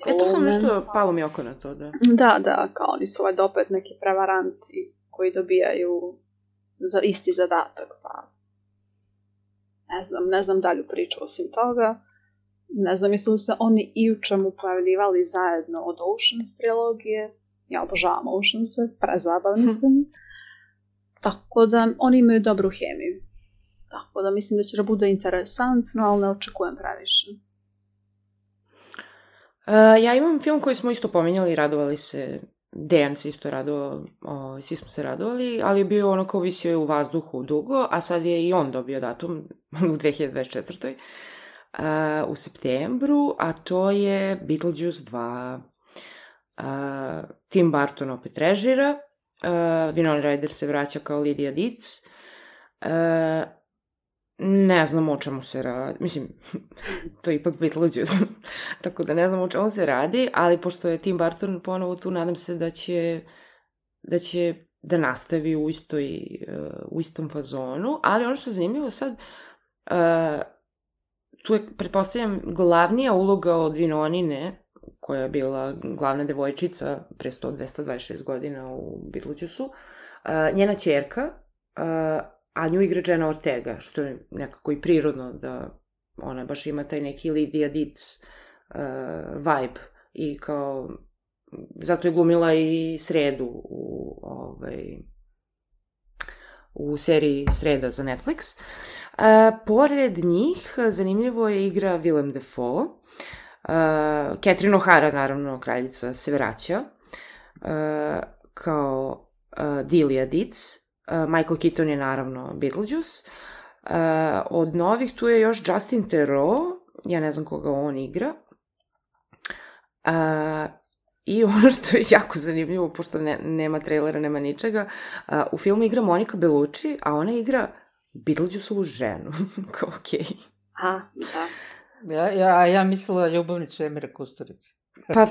[SPEAKER 1] E, to sam nešto, palo mi oko na to, da.
[SPEAKER 3] Da, da, kao oni su valjda opet neki prevaranti koji dobijaju za isti zadatak, pa ne znam, ne znam dalju priču osim toga. Ne znam, jesu li se oni i u čemu pojavljivali zajedno od Oceans trilogije. Ja obožavam Oceanse, prezabavni su mi. Tako da oni imaju dobru hemiju. Tako da mislim da će da bude interesantno, ali ne očekujem previše.
[SPEAKER 1] Uh, ja imam film koji smo isto pominjali i radovali se. Dejan se isto radovao, o, svi smo se radovali, ali je bio ono kao visio je u vazduhu dugo, a sad je i on dobio datum u dve hiljade dvadeset četvrtoj. Uh, u septembru, a to je Beetlejuice dva. Uh, Tim Burton opet režira, uh, Winona Ryder se vraća kao Lydia Deetz. Uh, ne znam o čemu se radi, mislim, to je ipak Beetlejuice, tako da ne znam o čemu se radi, ali pošto je Tim Burton ponovo tu, nadam se da će da će da nastavi u istoj, uh, u istom fazonu, ali ono što je zanimljivo sad, uh, tu je, pretpostavljam, glavnija uloga od Winonine, koja je bila glavna devojčica pre sto do dvesta dvadeset šest godina u Beetlejuiceu, uh, njena ćerka, uh, a nju igra Jenna Ortega, što je nekako i prirodno da ona baš ima taj neki Lydia Deetz uh, vibe i kao, zato je glumila i Sredu u, ovaj, u seriji Sreda za Netflix. Uh, pored njih, zanimljivo je igra Willem Dafoe, uh, Catherine O'Hara, naravno, kraljica, se vraća, uh, kao uh, Delia Deetz. Uh, Michael Keaton je naravno Beetlejuice. Uh, od novih tu je još Justin Theroux, ja ne znam koga on igra. Uh, I ono što je jako zanimljivo, pošto ne, nema trailera, nema ničega, uh, u filmu igra Monica Bellucci, a ona igra Beetlejuiceovu ženu. Kao okej. Okay.
[SPEAKER 3] A, da.
[SPEAKER 4] Ja, ja, ja mislila ljubavnicu Emira Kusturice.
[SPEAKER 1] Pa,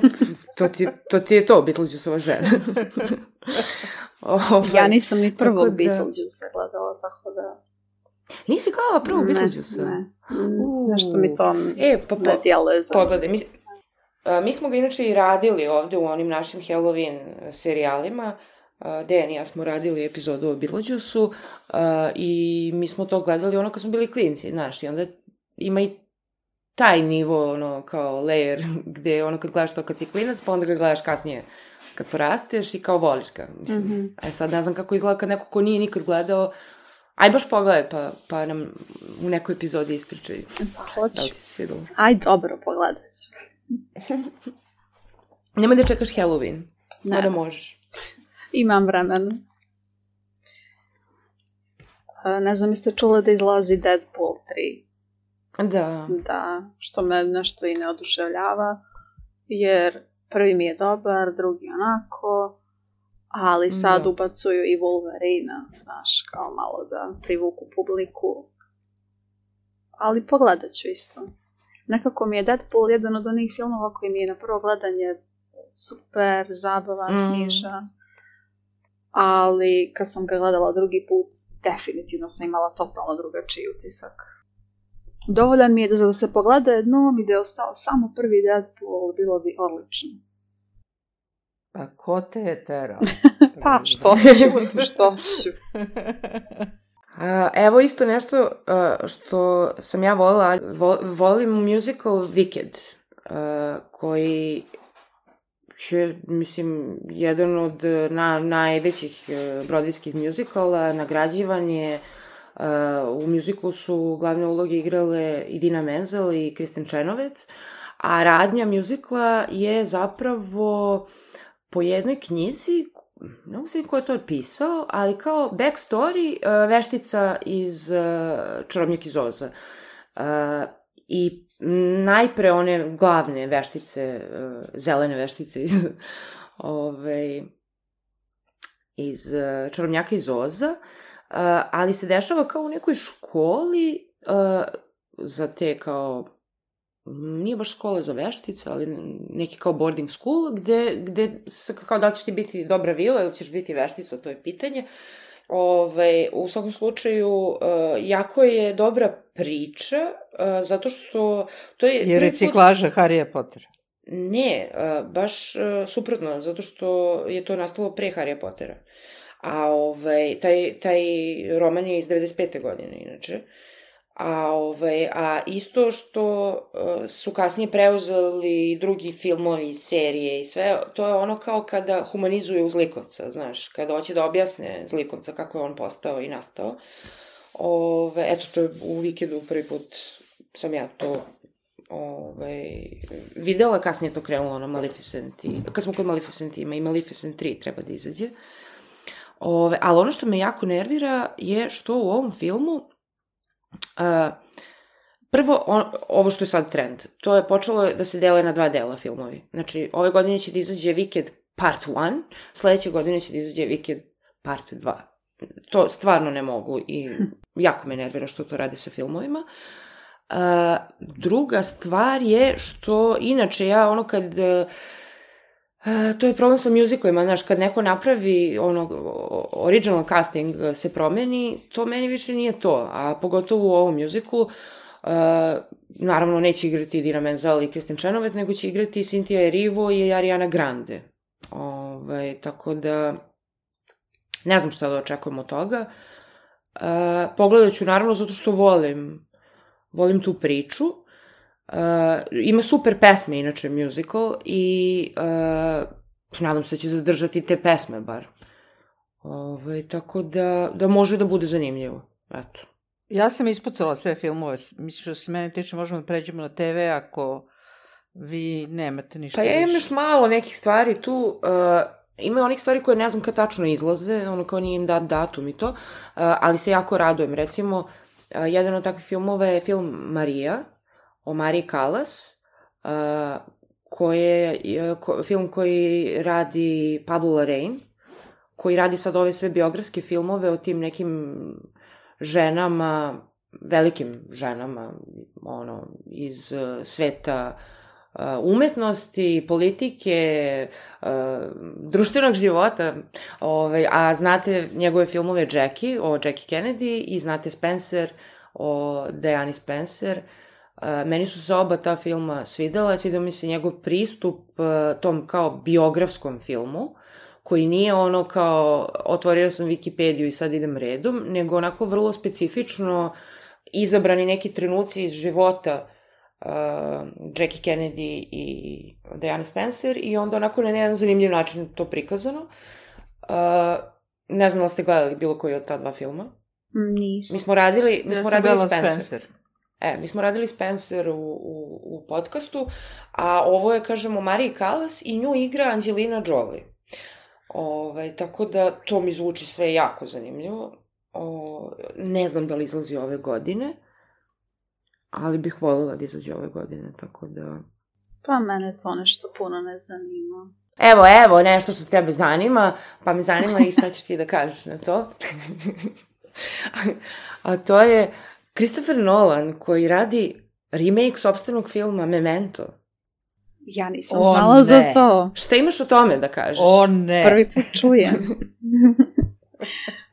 [SPEAKER 1] to ti, to ti je to, Beetlejuiceova žena.
[SPEAKER 3] Ovaj, ja nisam ni prvog da... Beetlejuice gledala, tako da...
[SPEAKER 1] Nisi gledala prvog Beetlejuice?
[SPEAKER 3] Ne, ne. Nešto mi to
[SPEAKER 1] e, pa,
[SPEAKER 3] ne djeluje za...
[SPEAKER 1] Pogledaj, mi, a, mi smo ga inače i radili ovde u onim našim Halloween serijalima. Dejan i ja smo radili epizodu o Beetlejuiceu i mi smo to gledali ono kad smo bili klinci, znaš, i onda ima i taj nivo, ono, kao layer, gde ono kad gledaš to kad si klinac, pa onda ga gledaš kasnije kad porasteš i kao voliš ga, mislim. Mm-hmm. A sad ne znam kako izgleda kad neko ko nije nikad gledao, aj baš pogledaj, pa, pa nam u nekoj epizodi ispričaj.
[SPEAKER 3] Pa hoću.
[SPEAKER 1] Da li ti se svidalo?
[SPEAKER 3] Aj dobro, pogledat ću.
[SPEAKER 1] Nemoj da čekaš Halloween.
[SPEAKER 3] Ne.
[SPEAKER 1] Mada možeš.
[SPEAKER 3] Imam vremena. Ne znam, jeste čuli da izlazi Deadpool tri.
[SPEAKER 1] Da.
[SPEAKER 3] Da, što me nešto i ne oduševljava, jer prvi mi je dobar, drugi onako, ali sad
[SPEAKER 1] da.
[SPEAKER 3] ubacuju i Wolverina, znaš, kao malo da privuku publiku. Ali pogledat ću isto. Nekako mi je Deadpool jedan od onih filmova koji mi je na prvo gledanje super, zabavan, mm. smiješan. Ali kad sam ga gledala drugi put, definitivno sam imala totalno drugačiji utisak. Dovoljan mi je da, da se pogleda jednom i da je ostao samo prvi Deadpool, bilo bi odlično.
[SPEAKER 4] Pa ko te je terao?
[SPEAKER 3] Pa što ću, što ću.
[SPEAKER 1] Uh, evo isto nešto uh, što sam ja volila, Vol, volim musical Wicked, uh, koji je, mislim, jedan od na, najvećih uh, broadwayskih muzikala, nagrađivan je. Uh, u muzikalu su glavne uloge igrale Idina Menzel i Kristen Chenoweth, a radnja muzikla je zapravo po jednoj knjizi, ne mogu se ko je to pisao, ali kao backstory uh, veštica iz uh, Čarobnjak iz Oza. Uh, I najpre one glavne veštice, uh, zelene veštice iz, ove, iz uh, Čarobnjaka iz Oza, uh, ali se dešava kao u nekoj školi uh, za te kao nije baš škola za veštice, ali neki kao boarding school, gde, gde kao da li ćeš ti biti dobra vila ili ćeš biti veštica, to je pitanje. Ove, u svakom slučaju, uh, jako je dobra priča, uh, zato što to je...
[SPEAKER 4] Je reciklaža put... Harrya Pottera?
[SPEAKER 1] Ne, uh, baš uh, suprotno, zato što je to nastalo pre Harrya Pottera. A ovaj, taj, taj roman je iz devedeset pete godine, inače. A, ovaj, a isto što uh, su kasnije preuzeli drugi filmovi, serije i sve, to je ono kao kada humanizuju zlikovca, znaš, kada hoće da objasne zlikovca kako je on postao i nastao. Ove, eto, to je u Wikedu prvi put sam ja to ove, videla, kasnije to krenulo na Maleficent i, kad smo kod Maleficent ima i Maleficent tri treba da izađe. Ove, ali ono što me jako nervira je što u ovom filmu Uh, prvo, on, ovo što je sad trend, to je počelo da se dele na dva dela filmovi. Znači, ove godine će da izađe Wicked Part jedan, sledeće godine će da izađe Wicked Part dva. To stvarno ne mogu i jako me nervira što to rade sa filmovima. Uh, druga stvar je što, inače, ja ono kad... Uh, Uh, to je problem sa musicalima, znaš, kad neko napravi ono, original casting se promeni, to meni više nije to, a pogotovo u ovom musicalu, uh, naravno neće igrati Idina Menzel i Kristen Chenoweth, nego će igrati Cynthia Erivo i Ariana Grande. Ove, tako da, ne znam šta da očekujem od toga. Uh, pogledat ću naravno zato što volim, volim tu priču. Uh, ima super pesme, inače, musical, i uh, nadam se da će zadržati te pesme, bar. Ove, tako da, da može da bude zanimljivo. Eto.
[SPEAKER 4] Ja sam ispucala sve filmove. Mislim što se mene tiče, možemo da pređemo na te ve ako vi nemate ništa
[SPEAKER 1] pa ja
[SPEAKER 4] više.
[SPEAKER 1] imam još malo nekih stvari tu. Uh, ima onih stvari koje ne znam kad tačno izlaze, ono kao nije im dat datum i to, uh, ali se jako radujem. Recimo, uh, jedan od takvih filmova je film Marija, o Mariji Callas, uh, koje, ko, film koji radi Pablo Larraín, koji radi sad ove sve biografske filmove o tim nekim ženama, velikim ženama, ono, iz uh, sveta uh, umetnosti, politike, uh, društvenog života, ovaj, a znate njegove filmove Jackie, o Jackie Kennedy, i znate Spencer, o Diani Spencer. Uh, meni su se oba ta filma svidela, svidao mi se njegov pristup uh, tom kao biografskom filmu, koji nije ono kao otvorio sam Wikipediju i sad idem redom, nego onako vrlo specifično izabrani neki trenuci iz života uh, Jackie Kennedy i Diana Spencer i onda onako na jedan zanimljiv način to prikazano. Uh, ne znam da ste gledali bilo koji od ta dva filma?
[SPEAKER 3] Nisam.
[SPEAKER 1] Mi smo radili, mi
[SPEAKER 4] ja
[SPEAKER 1] smo radili Spencer.
[SPEAKER 4] Spencer.
[SPEAKER 1] E, mi smo radili Spencer u, u, u podcastu, a ovo je, kažemo, Mariji Callas i nju igra Angelina Jolie. Ove, tako da to mi zvuči sve jako zanimljivo. O, ne znam da li izlazi ove godine, ali bih voljela da izađe ove godine, tako da...
[SPEAKER 3] Pa mene to nešto puno ne zanima.
[SPEAKER 1] Evo, evo, nešto što tebe zanima, pa me zanima i šta ćeš ti da kažeš na to. A to je Christopher Nolan koji radi remake sopstvenog filma Memento.
[SPEAKER 3] Ja nisam
[SPEAKER 4] O,
[SPEAKER 3] znala
[SPEAKER 4] ne.
[SPEAKER 3] za to.
[SPEAKER 1] Šta imaš o tome da kažeš?
[SPEAKER 4] O ne.
[SPEAKER 3] Prvi put čujem.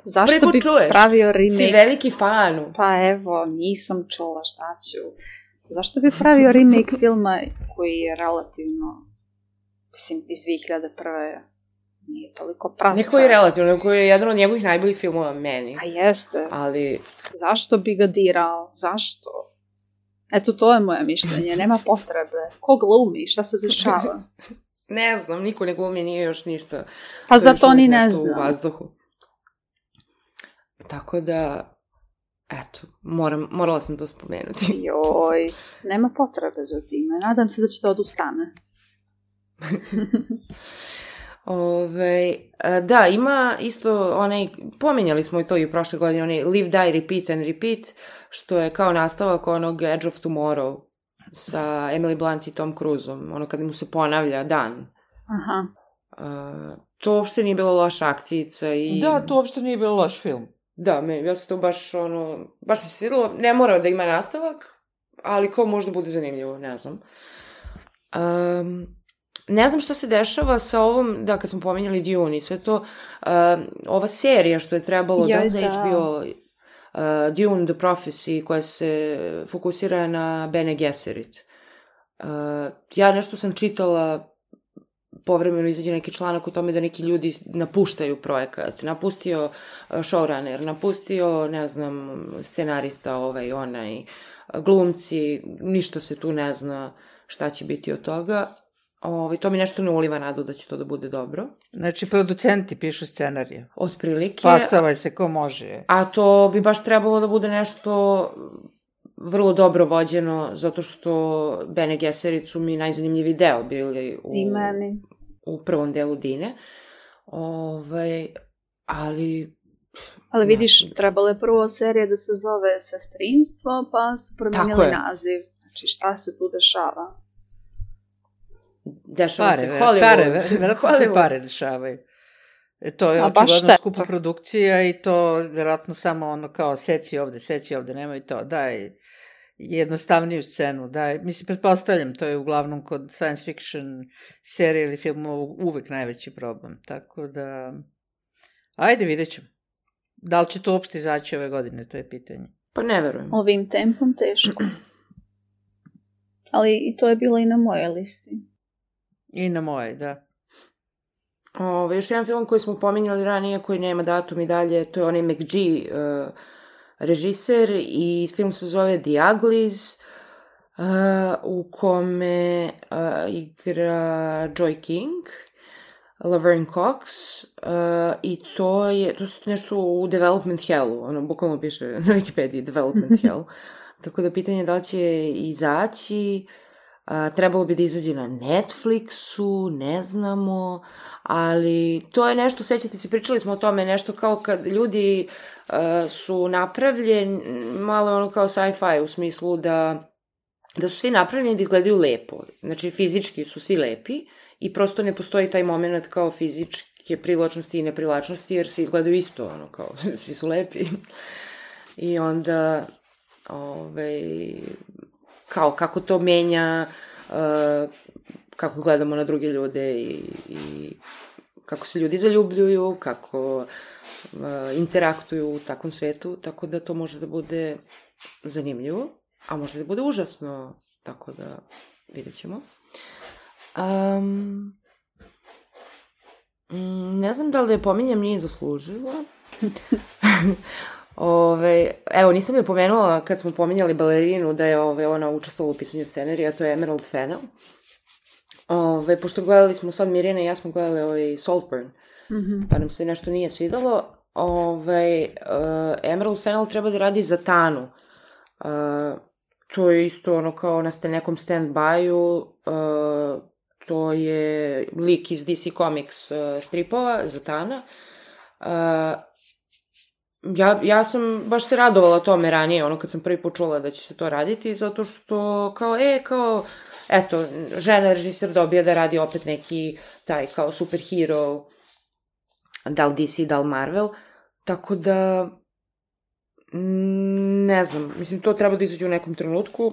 [SPEAKER 3] Zašto
[SPEAKER 1] Prvi put
[SPEAKER 3] bi
[SPEAKER 1] čuješ?
[SPEAKER 3] pravio remake?
[SPEAKER 1] Ti veliki fanu.
[SPEAKER 3] Pa evo, nisam čula, šta ću. Zašto bi pravio remake filma koji je relativno, mislim, iz dve hiljade prve. Nije toliko prasta.
[SPEAKER 1] Neko je relativno, neko je jedan od njegovih najboljih filmova meni.
[SPEAKER 3] A jeste.
[SPEAKER 1] Ali...
[SPEAKER 3] Zašto bi ga dirao? Zašto? Eto, to je moje mišljenje. Nema potrebe. Ko glumi? Šta se dešava?
[SPEAKER 1] Ne znam, niko ne glumi, nije još ništa.
[SPEAKER 3] Pa zato ni ne znam.
[SPEAKER 1] U vazduhu. Tako da, eto, moram, morala sam to spomenuti.
[SPEAKER 3] Joj, nema potrebe za time. Nadam se da će to odustane.
[SPEAKER 1] Ove, da, ima isto onaj, pominjali smo i to i u prošle godine, onaj Live, Die, Repeat and Repeat, što je kao nastavak onog Edge of Tomorrow sa Emily Blunt i Tom Cruiseom, ono kada mu se ponavlja dan.
[SPEAKER 3] Aha.
[SPEAKER 1] Uh, to uopšte nije bila loša akcijica i...
[SPEAKER 4] Da, to uopšte nije bilo loš film.
[SPEAKER 1] Da, me, ja sam to baš, ono, baš mi se svidilo, ne mora da ima nastavak, ali kao možda bude zanimljivo, ne znam. Um, ne znam šta se dešava sa ovom, da, kad smo pominjali Dune i sve to, uh, ova serija što je trebalo
[SPEAKER 3] Joj,
[SPEAKER 1] da za
[SPEAKER 3] da.
[SPEAKER 1] H B O, uh, Dune The Prophecy, koja se fokusira na Bene Gesserit. Uh, ja nešto sam čitala, povremeno izađe neki članak o tome da neki ljudi napuštaju projekat. Napustio showrunner, napustio, ne znam, scenarista ovaj, onaj, glumci, ništa se tu ne zna šta će biti od toga. Ovaj, to mi nešto ne uliva nadu da će to da bude dobro.
[SPEAKER 4] Znači, producenti pišu scenarije.
[SPEAKER 1] Otprilike.
[SPEAKER 4] Spasavaj se ko može.
[SPEAKER 1] A to bi baš trebalo da bude nešto vrlo dobro vođeno, zato što Bene Gesserit su mi najzanimljiviji deo bili u,
[SPEAKER 3] I meni.
[SPEAKER 1] u prvom delu Dine. Ovaj, ali...
[SPEAKER 3] Ali vidiš,
[SPEAKER 1] Znači,
[SPEAKER 3] trebalo je prvo serija da se zove Sestrinstvo, pa su promenili
[SPEAKER 1] je.
[SPEAKER 3] naziv. Znači, šta se tu dešava?
[SPEAKER 1] dešava
[SPEAKER 4] Pare,
[SPEAKER 1] se
[SPEAKER 4] ver,
[SPEAKER 1] Hollywood.
[SPEAKER 4] pare, ver, verovatno se
[SPEAKER 1] Hollywood.
[SPEAKER 4] pare dešavaju. E, to je
[SPEAKER 3] A baš
[SPEAKER 4] očigledno
[SPEAKER 3] šteta.
[SPEAKER 4] skupa produkcija i to verovatno samo ono kao seci ovde, seci ovde, nemoj to, daj jednostavniju scenu, daj, mislim, pretpostavljam, to je uglavnom kod science fiction serije ili filmova uvek najveći problem, tako da, ajde, vidjet ćemo. Da li će to uopšte izaći ove godine, to je pitanje.
[SPEAKER 1] Pa ne verujem.
[SPEAKER 3] Ovim tempom teško. Ali i to je bilo i na mojoj listi.
[SPEAKER 4] I na moje, da.
[SPEAKER 1] Ove, još jedan film koji smo pominjali ranije, koji nema datum i dalje, to je onaj McGee, uh, režiser, i film se zove The Uglies, uh, u kome uh, igra Joy King, Laverne Cox, uh, i to je, to su nešto u Development Hellu, ono, bukvalno piše na Wikipediji Development Hell. Tako da pitanje je da li će izaći, a, trebalo bi da izađe na Netflixu, ne znamo, ali to je nešto, sećate se, pričali smo o tome, nešto kao kad ljudi a, su napravljeni, malo ono kao sci-fi u smislu da, da su svi napravljeni da izgledaju lepo, znači fizički su svi lepi i prosto ne postoji taj moment kao fizičke privlačnosti i neprivlačnosti, jer svi izgledaju isto, ono kao, svi su lepi. I onda... Ove, kao kako to menja uh, kako gledamo na druge ljude i, i kako se ljudi zaljubljuju, kako uh, interaktuju u takvom svetu, tako da to može da bude zanimljivo, a može da bude užasno, tako da vidjet ćemo. Um, ne znam da li da je pominjem, nije zaslužila. Ove, evo, nisam je pomenula kad smo pominjali balerinu da je ove, ona učestvovala u pisanju scenarija, to je Emerald Fennell. Ove, pošto gledali smo sad, Mirjana i ja smo gledali ovaj Saltburn, mm-hmm. pa nam se nešto nije svidalo. Ove, uh, Emerald Fennell treba da radi za Tanu. Uh, to je isto ono kao na ste nekom stand-by-u, uh, to je lik iz D C Comics uh, stripova, Zatanna. Uh, ja, ja sam baš se radovala tome ranije, ono kad sam prvi put čula da će se to raditi, zato što kao, e, kao, eto, žena režiser dobija da radi opet neki taj kao superhero, da li D C, da li Marvel, tako da ne znam, mislim, to treba da izađe u nekom trenutku,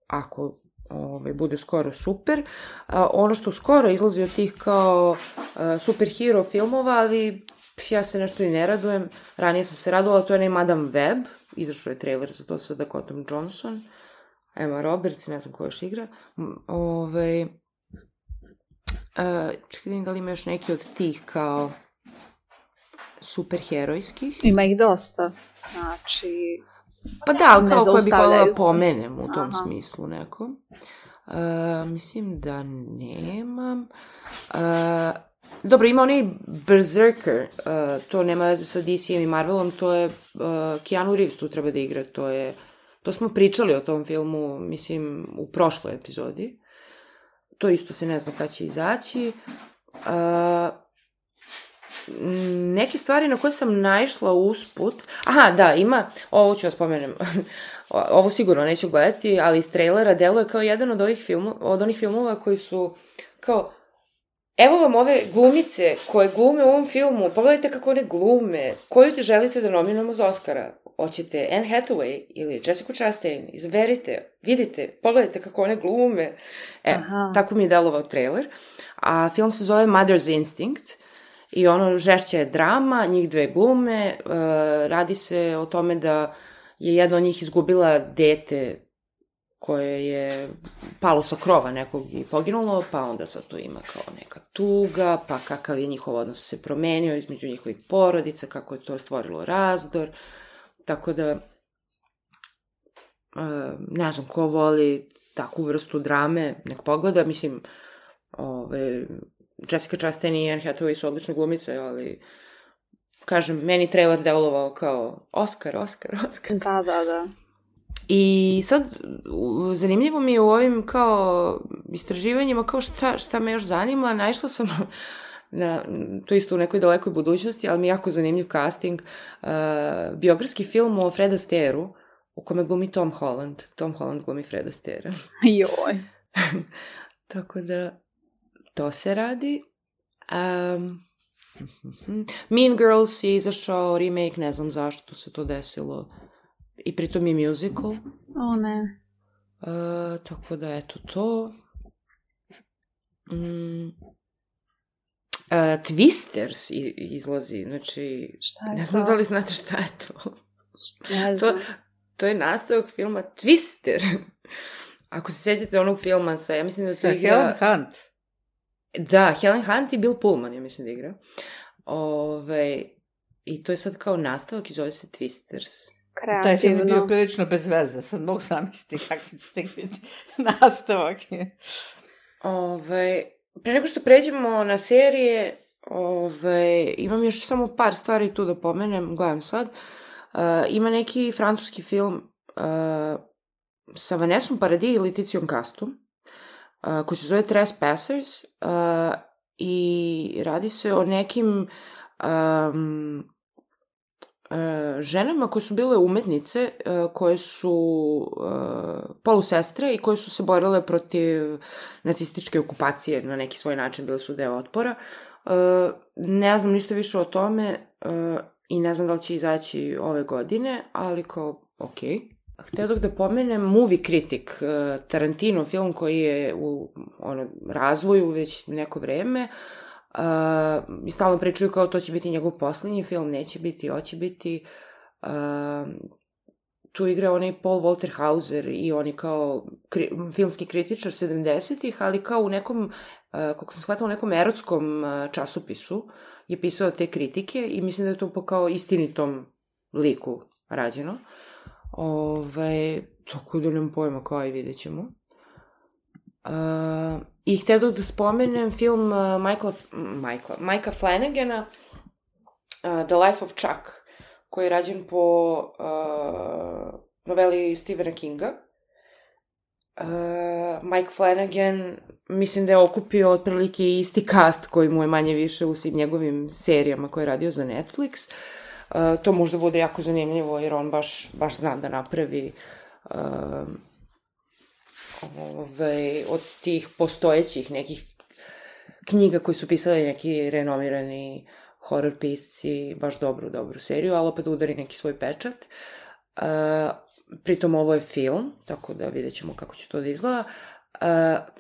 [SPEAKER 1] ako ovaj, bude skoro super. A, ono što skoro izlazi od tih kao a, superhero filmova, ali ja se nešto i ne radujem. Ranije sam se radovala, to je onaj Madame Web, izašao je trailer za to sa Dakotom Johnson, Emma Roberts, ne znam ko još igra. Ove, a, čekaj da li ima još neki od tih kao superherojskih.
[SPEAKER 3] Ima ih dosta, znači...
[SPEAKER 1] Pa da, ali kao koje bih volila pomenem u tom Aha. smislu neko. Uh, mislim da nemam. Uh, dobro, ima onaj Berserker, uh, to nema veze sa D C-em i Marvelom, to je uh, Keanu Reeves tu treba da igra, to je, to smo pričali o tom filmu, mislim, u prošloj epizodi. To isto se ne zna kada će izaći. Uh, neke stvari na koje sam naišla usput, aha, da, ima, ovo ću vas pomenem, ovo sigurno neću gledati, ali iz trailera deluje kao jedan od ovih filmova, od onih filmova koji su kao, evo vam ove glumice koje glume u ovom filmu, pogledajte kako one glume, koju te želite da nominujemo za Oscara, hoćete Anne Hathaway ili Jessica Chastain, izberite, vidite, pogledajte kako one glume, e, Aha. tako mi je delovao trailer, a film se zove Mother's Instinct. I ono, žešća je drama, njih dve glume, uh, radi se o tome da je jedna od njih izgubila dete koje je palo sa krova nekog i poginulo, pa onda sad tu ima kao neka tuga, pa kakav je njihov odnos se promenio između njihovih porodica, kako je to stvorilo razdor, tako da uh, ne znam ko voli takvu vrstu drame, nek pogleda, mislim, ove... Jessica Chastain i Anne Hathaway su odlične glumice, ali kažem, meni trailer devolovao kao Oscar, Oscar, Oscar.
[SPEAKER 3] Da, da, da.
[SPEAKER 1] I sad, zanimljivo mi je u ovim kao istraživanjima, kao šta, šta me još zanima, naišla sam na, to isto u nekoj dalekoj budućnosti, ali mi je jako zanimljiv casting, uh, biografski film o Fred Astairu, u kome glumi Tom Holland. Tom Holland glumi Fred Astaira.
[SPEAKER 3] Joj.
[SPEAKER 1] Tako da, to se radi. Um, Mean Girls je izašao remake, ne znam zašto se to desilo. I pritom je musical.
[SPEAKER 3] O ne.
[SPEAKER 1] Uh, tako da, eto to. Mm. Uh, Twisters izlazi, znači...
[SPEAKER 3] Šta je
[SPEAKER 1] ne znam
[SPEAKER 3] to?
[SPEAKER 1] da li znate šta je to.
[SPEAKER 3] Ne znam.
[SPEAKER 1] To, to je nastavak filma Twister. Ako se sjećate onog filma sa, ja mislim da se igra...
[SPEAKER 4] Helen Hunt.
[SPEAKER 1] Da, Helen Hunt i Bill Pullman, ja mislim da igra. Ove, I to je sad kao nastavak i zove se Twisters.
[SPEAKER 3] Kreativno.
[SPEAKER 4] Taj film je bio prilično bez veze, sad mogu zamisliti kakvi će tek biti nastavak.
[SPEAKER 1] Ove, pre nego što pređemo na serije, ove, imam još samo par stvari tu da pomenem, gledam sad. Uh, ima neki francuski film uh, sa Vanessom Paradis i Leticiom Castom, uh, koji se zove Trespassers, uh, i radi se o nekim um, uh, ženama koje su bile umetnice, uh, koje su uh, polusestre i koje su se borile protiv nacističke okupacije na neki svoj način, bile su deo otpora. Uh, ne znam ništa više o tome uh, i ne znam da li će izaći ove godine, ali kao, okej. Okay. Hteo dok da pomenem Movie Critic, Tarantino film koji je u ono, razvoju već neko vreme. Uh, I stalno pričaju kao to će biti njegov poslednji film, neće biti, hoće biti. Uh, tu igra onaj Paul Walter Hauser i on je kao kri, filmski kritičar sedamdesetih, ali kao u nekom, uh, kako sam shvatila, u nekom erotskom uh, časopisu je pisao te kritike i mislim da je to po kao istinitom liku rađeno. Ove, tako da nemam pojma kao i vidjet ćemo. Uh, I htio da spomenem film uh, Michaela, Michaela, Mikea Flanagana, uh, The Life of Chuck, koji je rađen po uh, noveli Stephena Kinga. Uh, Mike Flanagan, mislim da je okupio otprilike isti cast koji mu je manje više u svim njegovim serijama koje je radio za Netflix. Uh, to možda bude jako zanimljivo jer on baš, baš zna da napravi uh, ovaj, od tih postojećih nekih knjiga koji su pisali neki renomirani horror pisci, baš dobru, dobru seriju, ali opet udari neki svoj pečat. Uh, pritom ovo je film, tako da vidjet ćemo kako će to da izgleda. Uh,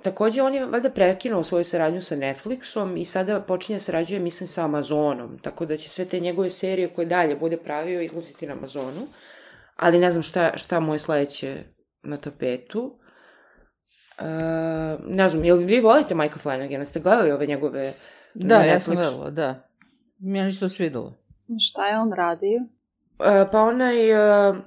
[SPEAKER 1] takođe, on je valjda prekinuo svoju saradnju sa Netflixom i sada počinje sarađuje, mislim, sa Amazonom, tako da će sve te njegove serije koje dalje bude pravio izlaziti na Amazonu, ali ne znam šta, šta mu je sledeće na tapetu. Uh, ne znam, jel vi volite Mike'a Flanagana? Ste gledali ove njegove
[SPEAKER 4] da,
[SPEAKER 1] na Netflixu?
[SPEAKER 4] Ja sam gledala, da. Meni se to svidelo.
[SPEAKER 3] Šta je on radio?
[SPEAKER 1] Uh, pa onaj... Uh,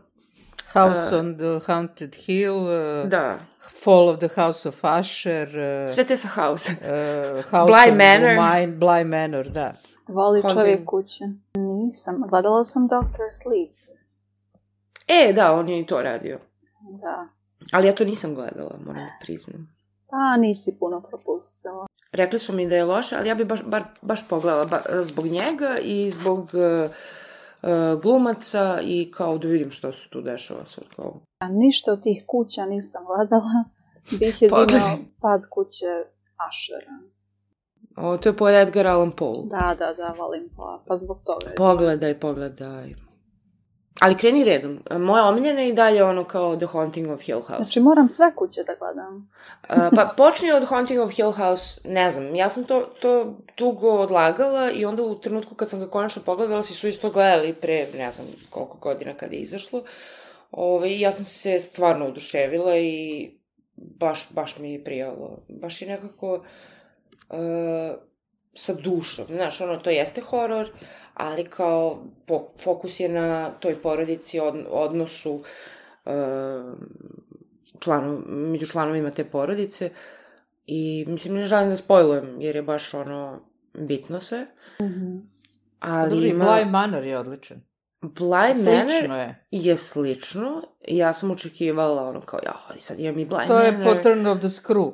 [SPEAKER 4] House uh, on the Haunted Hill, uh,
[SPEAKER 1] da.
[SPEAKER 4] Fall of the House of Usher, uh,
[SPEAKER 1] sve te sa House.
[SPEAKER 4] uh, House
[SPEAKER 1] Bly
[SPEAKER 4] of
[SPEAKER 1] Manor.
[SPEAKER 4] Mine, Bly Manor, da.
[SPEAKER 3] Voli
[SPEAKER 1] Haunted.
[SPEAKER 3] čovjek kuće. Nisam. Gledala sam doktor Sleep.
[SPEAKER 1] E, da, on je i to radio.
[SPEAKER 3] Da.
[SPEAKER 1] Ali ja to nisam gledala, moram da priznam.
[SPEAKER 3] Pa, nisi puno propustila.
[SPEAKER 1] Rekli su mi da je loše, ali ja bi baš, bar, baš pogledala ba, zbog njega i zbog uh, uh, glumaca i kao da vidim što se tu dešava sad kao.
[SPEAKER 3] A ništa od tih kuća nisam gledala. Bih jedino Pad kuće Ushera.
[SPEAKER 1] O, to je po Edgar Allan Poe.
[SPEAKER 3] Da, da, da, volim pa, pa zbog toga.
[SPEAKER 1] Pogledaj, pogledaj. Ali kreni redom. Moja omiljena je i dalje ono kao The Haunting of Hill House.
[SPEAKER 3] Znači moram sve kuće da gledam.
[SPEAKER 1] uh, pa počni od Haunting of Hill House, ne znam, ja sam to, to dugo odlagala i onda u trenutku kad sam ga konačno pogledala, svi su isto gledali pre, ne znam koliko godina kada je izašlo. Ove, ja sam se stvarno oduševila i baš, baš mi je prijalo. Baš je nekako uh, sa dušom. Znaš, ono, to jeste horor, ali kao fokus je na toj porodici, od, odnosu uh, članov, među članovima te porodice i mislim ne želim da spojlujem jer je baš ono bitno sve.
[SPEAKER 3] Mm-hmm.
[SPEAKER 1] Ali
[SPEAKER 4] Dobri,
[SPEAKER 1] ima...
[SPEAKER 4] Bly Manor je odličan.
[SPEAKER 1] Bly
[SPEAKER 4] Slično
[SPEAKER 1] Manor
[SPEAKER 4] je.
[SPEAKER 1] je slično. Ja sam očekivala ono kao, ja, ali sad imam i Bly
[SPEAKER 4] to
[SPEAKER 1] Manor.
[SPEAKER 4] To je po Turn of the Screw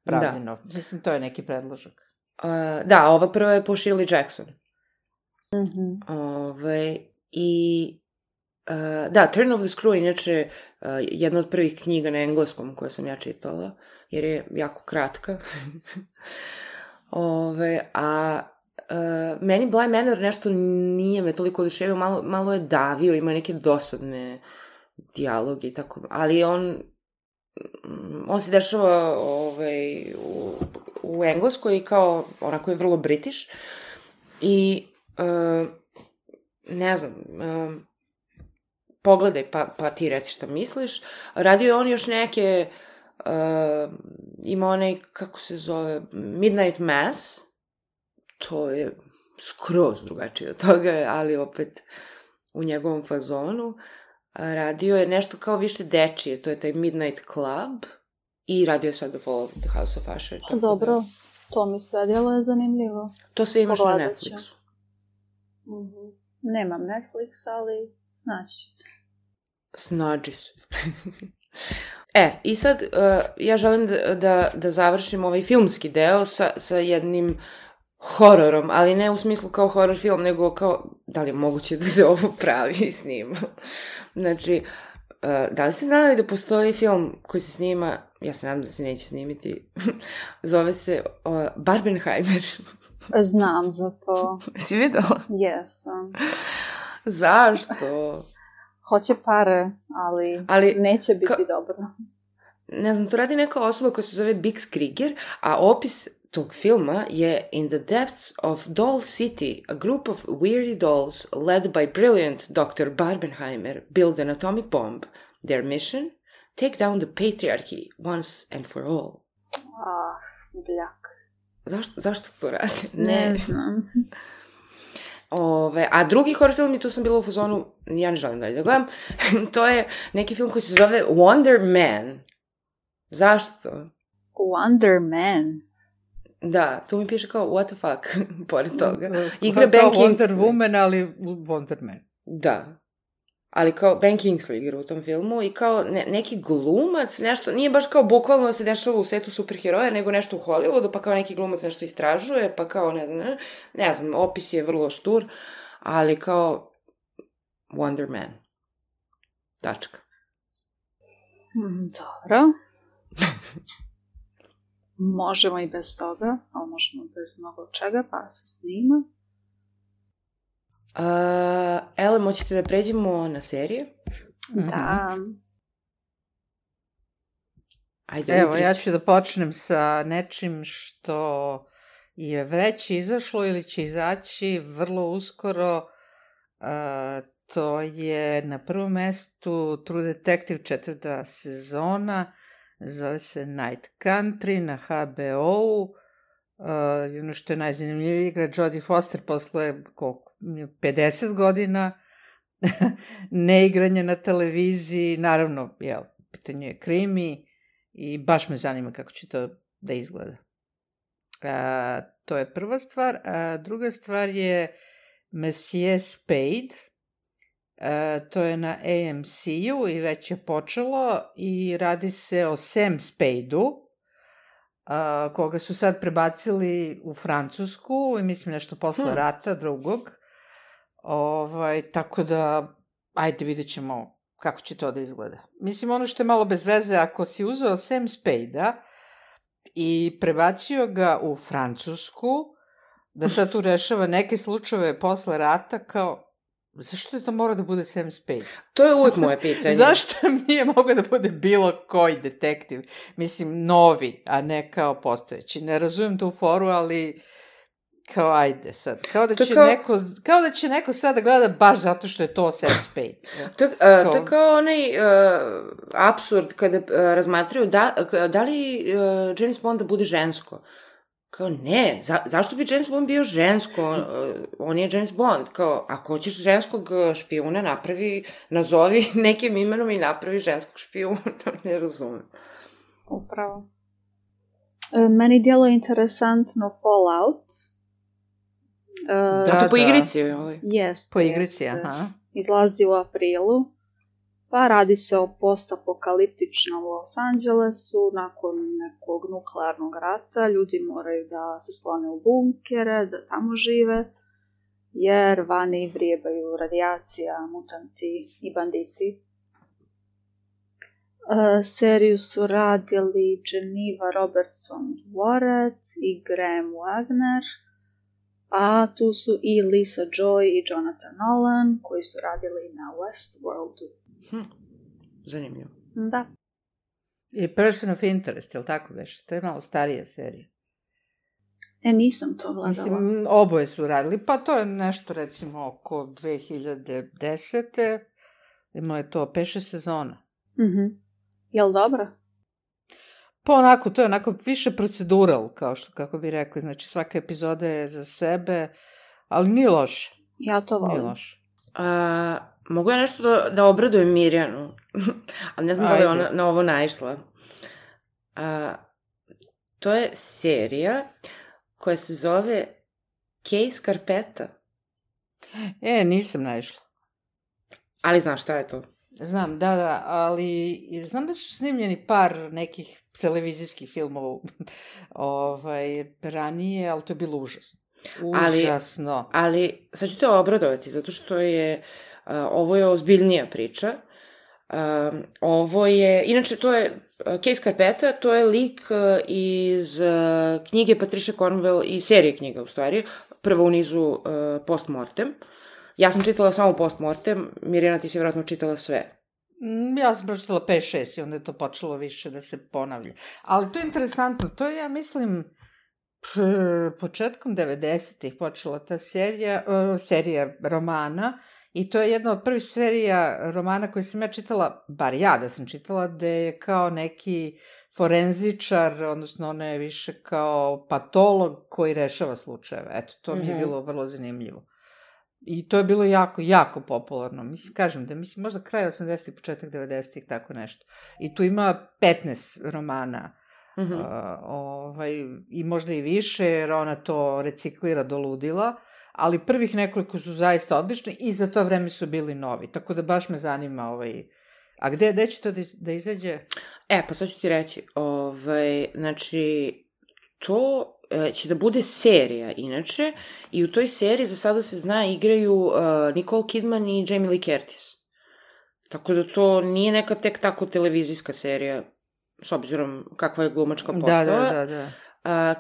[SPEAKER 4] pravljeno.
[SPEAKER 1] Da.
[SPEAKER 4] Mislim, to je neki predložak.
[SPEAKER 1] Uh, da, ova prva je po Shirley Jackson.
[SPEAKER 3] Mm-hmm.
[SPEAKER 1] Ove, i uh, da, Turn of the Screw inače uh, jedna od prvih knjiga na engleskom koje sam ja čitala, jer je jako kratka. Ove, a uh, meni Bly Manor nešto nije me toliko oduševio, malo, malo je davio, ima neke dosadne dijaloge i tako, ali on on se dešava ovaj, u, u engleskoj i kao onako je vrlo British i Uh, ne znam, uh, pogledaj pa, pa ti reci šta misliš. Radio je on još neke, uh, ima onaj, kako se zove, Midnight Mass, to je skroz drugačije od toga, ali opet u njegovom fazonu. Radio je nešto kao više dečije, to je taj Midnight Club i radio je sad The Fall of the House of Usher.
[SPEAKER 3] Pa dobro, da. To mi sve djelo je zanimljivo.
[SPEAKER 1] To sve imaš na Netflixu.
[SPEAKER 3] Mm-hmm. Nemam Netflix, ali snaći ću se.
[SPEAKER 1] Snađi se. e, i sad uh, ja želim da, da, da završim ovaj filmski deo sa, sa jednim hororom, ali ne u smislu kao horor film, nego kao da li je moguće da se ovo pravi i snima. Znači, uh, da li ste znali da postoji film koji se snima, ja se nadam da se neće snimiti, zove se uh, Barbenheimer.
[SPEAKER 3] Znam za to.
[SPEAKER 1] Si videla?
[SPEAKER 3] Jesam.
[SPEAKER 1] Zašto?
[SPEAKER 3] Hoće pare, ali, ali neće biti ka... dobro.
[SPEAKER 1] Ne znam, to radi neka osoba koja se zove Bix Krieger, a opis tog filma je In the depths of Doll City, a group of weary dolls led by brilliant doctor Barbenheimer build an atomic bomb. Their mission? Take down the patriarchy once and for all.
[SPEAKER 3] Ah, bljak.
[SPEAKER 1] Zašto, zašto to radi?
[SPEAKER 3] Ne, ne znam.
[SPEAKER 1] Ove, a drugi horror film, i tu sam bila u fazonu, ja ne želim dalje da gledam, to je neki film koji se zove Wonder Man. Zašto?
[SPEAKER 3] Wonder Man?
[SPEAKER 1] Da, tu mi piše kao what the fuck, pored toga.
[SPEAKER 4] Igra Ben Kingsley. Wonder Woman, ali Wonder Man.
[SPEAKER 1] Da. ali kao Ben Kingsley igra u tom filmu i kao ne, neki glumac, nešto, nije baš kao bukvalno da se dešava u svetu superheroja, nego nešto u Hollywoodu, pa kao neki glumac nešto istražuje, pa kao ne znam, ne, ne znam, opis je vrlo štur, ali kao Wonder Man. Tačka.
[SPEAKER 3] Hmm, dobro. Možemo i bez toga, ali možemo bez mnogo čega, pa se snima.
[SPEAKER 1] Uh, Ele, moćete da pređemo na serije?
[SPEAKER 3] Da.
[SPEAKER 1] Ajde,
[SPEAKER 4] Evo,
[SPEAKER 1] Vitri.
[SPEAKER 4] ja ću da počnem sa nečim što je već izašlo ili će izaći vrlo uskoro. Uh, to je na prvom mestu True Detective četvrta sezona, zove se Night Country na ha be ou. Uh, ono što je najzanimljivije, igra Jodie Foster posle koliko, pedeset godina neigranja na televiziji, naravno, jel, pitanje je krimi i baš me zanima kako će to da izgleda. Uh, to je prva stvar. A druga stvar je Monsieur Spade. Uh, to je na A M C u i već je počelo i radi se o Sam Spade-u, uh, koga su sad prebacili u Francusku i mislim nešto posle hmm. rata drugog. Ovaj, tako da, ajde vidjet ćemo kako će to da izgleda. Mislim, ono što je malo bez veze, ako si uzeo Sam Spade-a i prebacio ga u Francusku, da sad tu rešava neke slučajeve posle rata, kao, zašto je to mora da bude Sam Spade?
[SPEAKER 1] To je uvijek moje pitanje.
[SPEAKER 4] Zašto nije mogao da bude bilo koji detektiv? Mislim, novi, a ne kao postojeći. Ne razumijem tu foru, ali kao ajde sad. Kao da će, kao... Neko, kao da će neko sad da gleda baš zato što je to Sam Spade.
[SPEAKER 1] To, uh, kao... to je kao onaj uh, apsurd kada uh, razmatraju da, da li uh, James Bond da bude žensko. Kao, ne, za, zašto bi James Bond bio žensko? On, on je James Bond. Kao, ako hoćeš ženskog špijuna, napravi, nazovi nekim imenom i napravi ženskog špijuna. Ne razumem.
[SPEAKER 3] Upravo. E, meni djelo je interesantno Fallout. E,
[SPEAKER 1] da, to po igrici je ovaj.
[SPEAKER 3] Jest.
[SPEAKER 4] Po igrici, aha.
[SPEAKER 3] Izlazi u aprilu. Pa radi se o postapokaliptičnom Los Angelesu, nakon nekog nuklearnog rata, ljudi moraju da se sklone u bunkere, da tamo žive, jer vani vrijebaju radijacija, mutanti i banditi. E, seriju su radili Geneva Robertson-Dworet i Graham Wagner, a tu su i Lisa Joy i Jonathan Nolan, koji su radili na Westworldu.
[SPEAKER 1] Hm, zanimljivo.
[SPEAKER 3] Da.
[SPEAKER 4] I Person of Interest, je li tako već? To je malo starija serija.
[SPEAKER 3] E, nisam to gledala.
[SPEAKER 4] Mislim, oboje su radili, pa to je nešto recimo oko dve hiljade desete. Imao je to pet šest sezona.
[SPEAKER 3] Mhm. Jel dobro?
[SPEAKER 4] Pa onako, to je onako više procedural, kao što, kako bi rekli. Znači, svaka epizoda je za sebe, ali nije loše.
[SPEAKER 3] Ja to volim.
[SPEAKER 4] Nije loše.
[SPEAKER 1] A, mogu ja nešto da, da obradujem Mirjanu, ali ne znam da li je ona na ovo naišla. A, to je serija koja se zove Kej Scarpetta.
[SPEAKER 4] E, nisam naišla.
[SPEAKER 1] Ali znaš šta je to?
[SPEAKER 4] Znam, da, da, ali znam da su snimljeni par nekih televizijskih filmova ovaj, ranije, ali to je bilo užasno. Užasno.
[SPEAKER 1] Ali, ali sad ću te obradovati, zato što je, uh, ovo je ozbiljnija priča. Uh, ovo je, inače to je, uh, Kej Scarpetta, to je lik uh, iz uh, knjige Patricia Cornwell i serije knjiga, u stvari, prvo u nizu uh, Postmortem. Ja sam čitala samo Postmortem, Mirjana, ti si vjerojatno čitala sve.
[SPEAKER 4] Ja sam pročitala pet šest i onda je to počelo više da se ponavlja. Ali to je interesantno, to je, ja mislim, početkom devedesetih počela ta serija, uh, serija romana i to je jedna od prvih serija romana koje sam ja čitala, bar ja da sam čitala, gde je kao neki forenzičar, odnosno ona je više kao patolog koji rešava slučajeve. Eto, to mi je mm-hmm. bilo vrlo zanimljivo. I to je bilo jako, jako popularno. Mislim, kažem da mislim, možda kraj osamdesetih, početak devedesetih, tako nešto. I tu ima petnaest romana. Mm-hmm. Uh, ovaj, i možda i više, jer ona to reciklira do ludila, ali prvih nekoliko su zaista odlični i za to vreme su bili novi, tako da baš me zanima ovaj... A gde, gde će to da, iz, da izađe?
[SPEAKER 1] E, pa sad ću ti reći, ovaj, znači, to e, će da bude serija, inače, i u toj seriji za sada se zna igraju uh, Nicole Kidman i Jamie Lee Curtis. Tako da to nije neka tek tako televizijska serija, s obzirom kakva je glumačka postava.
[SPEAKER 4] Da, da, da. da.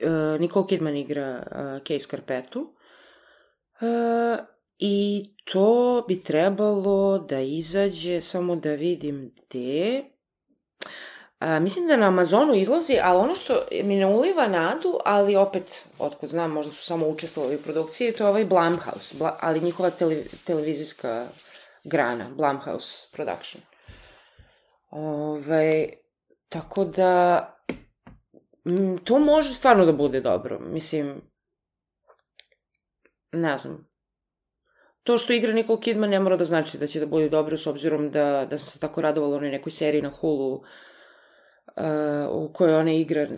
[SPEAKER 1] Uh, uh, Nicole Kidman igra uh, Kay Scarpettu. Uh, I to bi trebalo da izađe, samo da vidim gde. A, mislim da na Amazonu izlazi, ali ono što mi ne uliva nadu, ali opet, otkud znam, možda su samo učestvovali u produkciji, to je ovaj Blumhouse, Bla, ali njihova tele, televizijska grana, Blumhouse Production. Ove, tako da, m, to može stvarno da bude dobro. Mislim, ne znam. To što igra Nicole Kidman ne mora da znači da će da bude dobro, s obzirom da, da sam se tako radovala onoj nekoj seriji na Hulu uh, u kojoj ona igra uh,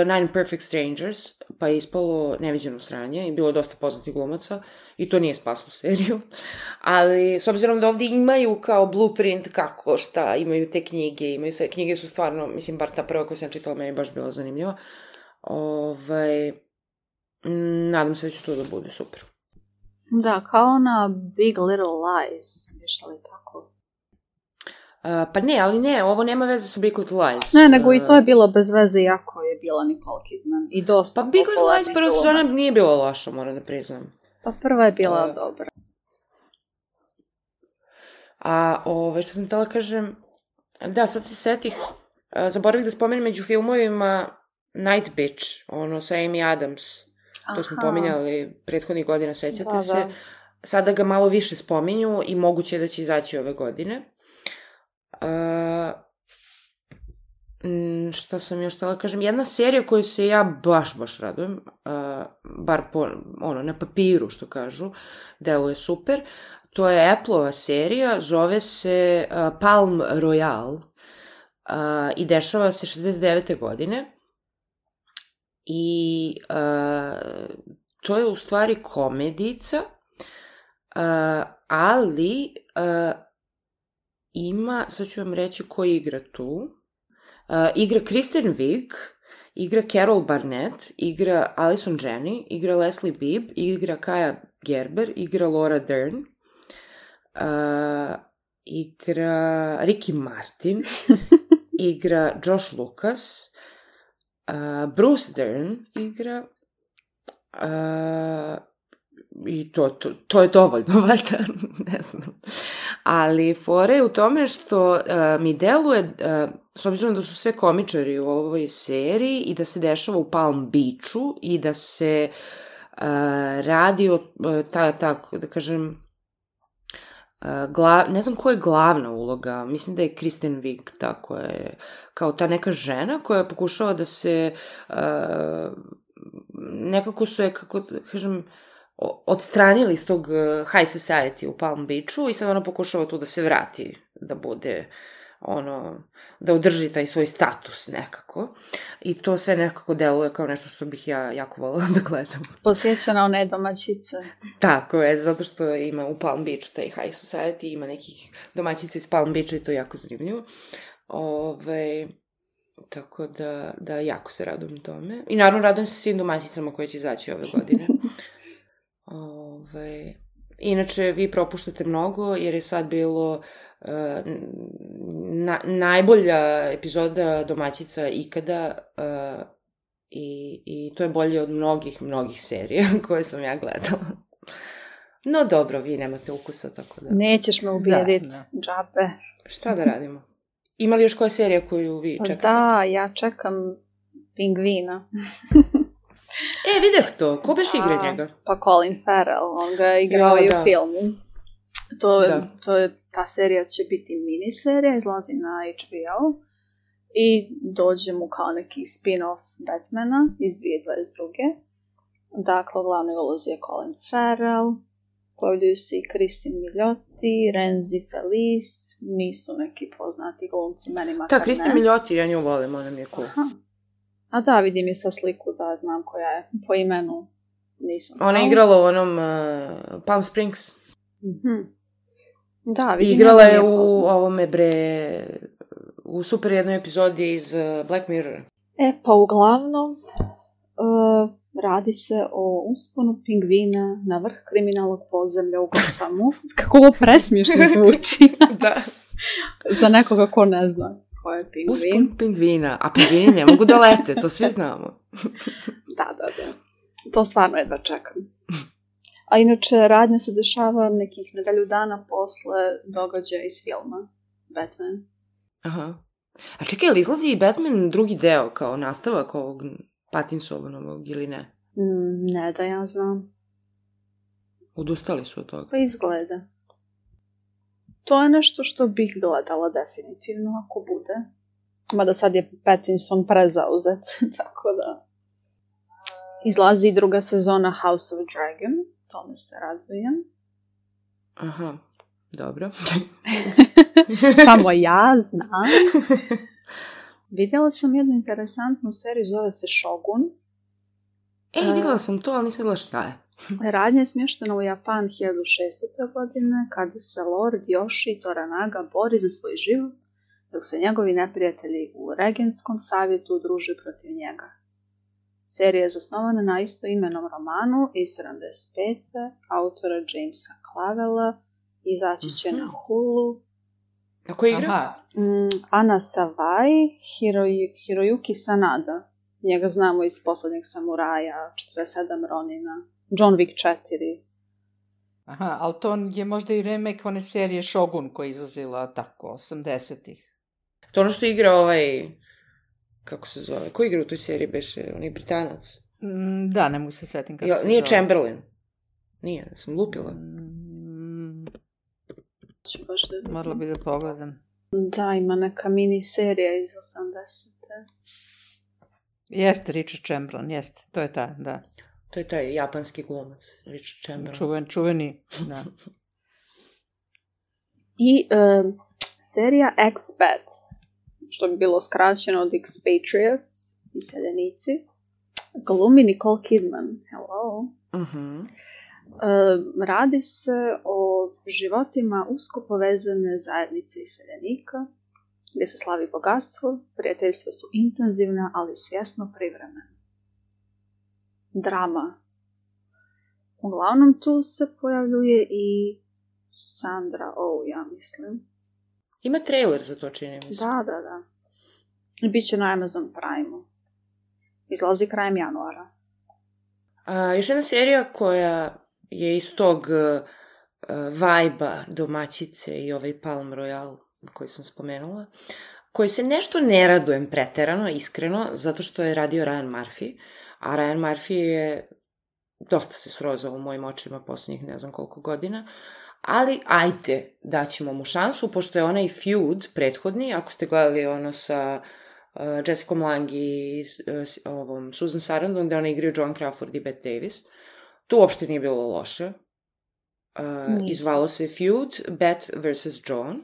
[SPEAKER 1] Nine Perfect Strangers, pa je ispalo neviđeno sranje i bilo je dosta poznatih glumaca i to nije spaslo seriju. Ali s obzirom da ovdje imaju kao blueprint kako, šta, imaju te knjige, imaju sve, knjige su stvarno, mislim, bar ta prva koju sam čitala meni baš bila zanimljiva. Ovaj, nadam se da će to da bude super.
[SPEAKER 3] Da, kao ona Big Little Lies, više li tako?
[SPEAKER 1] Uh, pa ne, ali ne, ovo nema veze sa Big Little Lies.
[SPEAKER 3] Ne, nego uh, i to je bilo bez veze, jako je bila Nicole Kidman. I dosta
[SPEAKER 1] pa Big Little Lies prva sezona nije bila loša, moram da priznam.
[SPEAKER 3] Pa prva je bila
[SPEAKER 1] uh,
[SPEAKER 3] dobra.
[SPEAKER 1] A ove, što sam htjela kažem, da, sad se setih, uh, zaboravih da spomenem među filmovima Night Bitch, ono sa Amy Adams. To smo Aha. pominjali prethodnih godina, sećate da, se. Da. Sada ga malo više spominju i moguće da će izaći ove godine. Uh, šta sam još htjela kažem? Jedna serija koju se ja baš, baš radujem, uh, bar po, ono, na papiru, što kažu, deluje super. To je Apple-ova serija, zove se uh, Palm Royale uh, i dešava se šezdeset devete godine. I uh, to je u stvari komedica, uh, ali uh, ima, sad ću vam reći ko igra tu, uh, igra Kristen Wiig, igra Carol Barnett, igra Allison Janney, igra Leslie Bibb, igra Kaja Gerber, igra Laura Dern, uh, igra Ricky Martin, igra Josh Lucas, Uh, Bruce Dern igra uh, i to, to, to je dovoljno, valjda, ne znam. Ali fora je u tome što uh, mi deluje, uh, s obzirom da su sve komičari u ovoj seriji i da se dešava u Palm Beachu i da se uh, radi o, uh, ta, tako, da kažem, Uh, glav, ne znam ko je glavna uloga, mislim da je Kristen Wiig, tako je, kao ta neka žena koja pokušava da se, uh, nekako su je, kako da kažem, odstranili iz tog high society u Palm Beachu i sad ona pokušava tu da se vrati, da bude, ono, da održi taj svoj status nekako. I to sve nekako deluje kao nešto što bih ja jako voljela da gledam.
[SPEAKER 3] Posjeća na one domaćice.
[SPEAKER 1] Tako je, zato što ima u Palm Beachu taj high society, ima nekih domaćica iz Palm Beacha i to je jako zanimljivo. Ove, tako da, da jako se radujem tome. I naravno radujem se svim domaćicama koje će izaći ove godine. Ove, inače, vi propuštate mnogo jer je sad bilo uh, na, najbolja epizoda domaćica ikada uh, i, i to je bolje od mnogih, mnogih serija koje sam ja gledala. No dobro, vi nemate ukusa, tako da...
[SPEAKER 3] Nećeš me ubijediti, da, da. Džabe.
[SPEAKER 1] Šta da radimo? Ima li još koja serija koju vi čekate?
[SPEAKER 3] Da, ja čekam Pingvina.
[SPEAKER 1] E, videh to. Ko beš igra njega?
[SPEAKER 3] Pa Colin Farrell, on ga igrao i u filmu. To, to je, ta serija će biti miniserija, izlazi na H B O i dođe mu kao neki spin-off Batmana iz dvije tisuće dvadeset druge. Dakle, u glavnoj ulozi je Colin Farrell, pojavljuju se i Kristin Milioti, Renzi Felice, nisu neki poznati glumci, meni makar ne.
[SPEAKER 1] Da, Kristin Milioti, ja nju volim, ona mi je cool.
[SPEAKER 3] Aha. A da, vidim je sa sliku da znam koja je po imenu. Nisam
[SPEAKER 1] Ona je igrala u onom uh, Palm Springs.
[SPEAKER 3] Mm-hmm. Da,
[SPEAKER 1] vidim. Igrala je u ovome, bre, u super jednoj epizodi iz uh, Black Mirror.
[SPEAKER 3] E, pa uglavnom, uh, radi se o usponu pingvina na vrh kriminalnog podzemlja u Gothamu. Kako ovo presmiješno zvuči.
[SPEAKER 1] Da.
[SPEAKER 3] Za nekoga ko ne zna ko je pingvin.
[SPEAKER 1] Uspon pingvina, a pingvini ne mogu da lete, to svi znamo.
[SPEAKER 3] Da, da, da. To stvarno jedva čekam. A inače, radnja se dešava nekih nedelju dana posle događaja iz filma Batman.
[SPEAKER 1] Aha. A čekaj, ali izlazi i Batman drugi deo kao nastavak ovog Pattinsonovog ili ne?
[SPEAKER 3] Mm, ne da ja znam.
[SPEAKER 1] Odustali su od toga.
[SPEAKER 3] Pa izgleda. To je nešto što bih gledala definitivno ako bude. Mada sad je Pattinson prezauzet, tako da... Izlazi i druga sezona House of Dragon, tome se radujem.
[SPEAKER 1] Aha, dobro.
[SPEAKER 3] Samo ja znam. Vidjela sam jednu interesantnu seriju, zove se Shogun.
[SPEAKER 1] Ej, vidjela sam to, ali nisam vidjela šta je.
[SPEAKER 3] Radnja je smještena u Japan hiljadu šeststote. godine, kada se Lord Yoshi Toranaga bori za svoj život, dok se njegovi neprijatelji u Regentskom savjetu druže protiv njega. Serija je zasnovana na istoimenom romanu iz sedamdeset pete autora Jamesa Clavella, izaći će na Hulu.
[SPEAKER 1] A ko igra?
[SPEAKER 2] Aha.
[SPEAKER 3] Mm, Ana Sawai, Hiroi, Hiroyuki Sanada. Njega znamo iz Poslednjeg samuraja, četrdeset sedam Ronina, John Wick četiri.
[SPEAKER 4] Aha, ali to je možda i remake one serije Shogun koja je izlazila tako, osamdesetih.
[SPEAKER 1] To ono što igra ovaj... Kako se zove? Ko igra u toj seriji beše? On je Britanac.
[SPEAKER 4] Mm, da, ne mogu se svetim kako
[SPEAKER 1] ja,
[SPEAKER 4] se
[SPEAKER 1] nije
[SPEAKER 4] zove.
[SPEAKER 1] Chamberlain. Nije, sam lupila.
[SPEAKER 4] Mm,
[SPEAKER 3] Ću baš da vidim.
[SPEAKER 4] morala bi da pogledam.
[SPEAKER 3] Da, ima neka mini serija iz osamdesete.
[SPEAKER 4] Jeste, Richard Chamberlain, jeste. To je ta, da.
[SPEAKER 1] To je taj japanski glumac, Richard Chamberlain.
[SPEAKER 4] Čuven, čuveni, da.
[SPEAKER 3] I um, serija Expat, što bi bilo skraćeno od Expatriates, iseljenici. Glumi Nicole Kidman. Hello.
[SPEAKER 1] Mhm.
[SPEAKER 3] Um, radi se o životima usko povezane zajednice iseljenika, gdje se slavi bogatstvo, prijateljstva su intenzivna, ali svjesno privremena. Drama. Uglavnom tu se pojavljuje i Sandra Oh, ja mislim.
[SPEAKER 1] Ima trailer za to, čini mi se.
[SPEAKER 3] Da, da, da. Biće na Amazon Prime-u. Izlazi krajem januara.
[SPEAKER 1] A, još jedna serija koja je iz tog uh, vibe-a domaćice i ovaj Palm Royale koji sam spomenula, koji se nešto ne radujem preterano, iskreno, zato što je radio Ryan Murphy, a Ryan Murphy je dosta se srozao u mojim očima posljednjih ne znam koliko godina, ali ajde, daćemo mu šansu, pošto je onaj feud prethodni, ako ste gledali ono sa uh, Jessicom Lange i uh, ovom Susan Sarandon, da ona igraju John Crawford i Bette Davis, to uopšte nije bilo loše. Uh, izvalo se feud Bette versus John.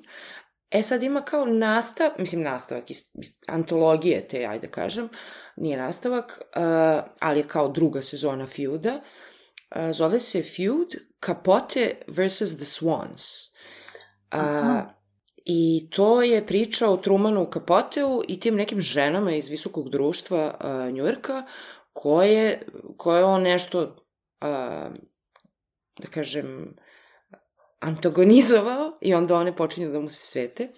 [SPEAKER 1] E sad ima kao nastav, mislim nastavak iz, iz antologije te, ajde kažem, nije nastavak, uh, ali je kao druga sezona feuda. Uh, zove se feud Capote versus the Swans. Uh, I to je priča o Trumanu Capoteu i tim nekim ženama iz visokog društva uh, Njujorka koje, koje on nešto, uh, da kažem, antagonizovao i onda one počinju da mu se svete.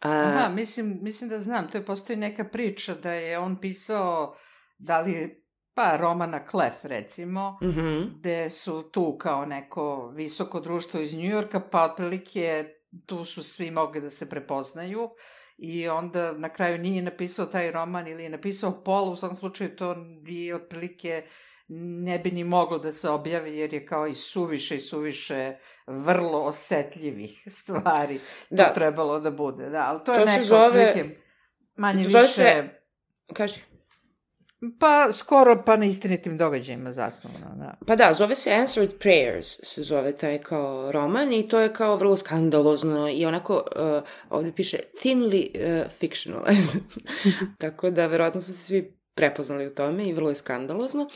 [SPEAKER 1] A...
[SPEAKER 4] Aha, mislim, mislim da znam, to je postoji neka priča da je on pisao, da li, pa romana Klef recimo,
[SPEAKER 1] Mm-hmm.
[SPEAKER 4] gde su tu kao neko visoko društvo iz Njujorka, pa otprilike tu su svi mogli da se prepoznaju i onda na kraju nije napisao taj roman ili je napisao pola, u svakom slučaju to bi otprilike ne bi ni moglo da se objavi jer je kao i suviše i suviše vrlo osetljivih stvari
[SPEAKER 1] da.
[SPEAKER 4] to trebalo da bude. Da, ali to,
[SPEAKER 1] to
[SPEAKER 4] je neko
[SPEAKER 1] zove...
[SPEAKER 4] otprilike manje
[SPEAKER 1] zove
[SPEAKER 4] više...
[SPEAKER 1] Se... Kaži.
[SPEAKER 4] Pa skoro pa na istinitim događajima zasnovano, da.
[SPEAKER 1] Pa da, zove se Answered Prayers, se zove taj kao roman i to je kao vrlo skandalozno i onako, uh, ovdje piše thinly uh, fictionalized. Tako da, verovatno su se svi prepoznali u tome i vrlo je skandalozno.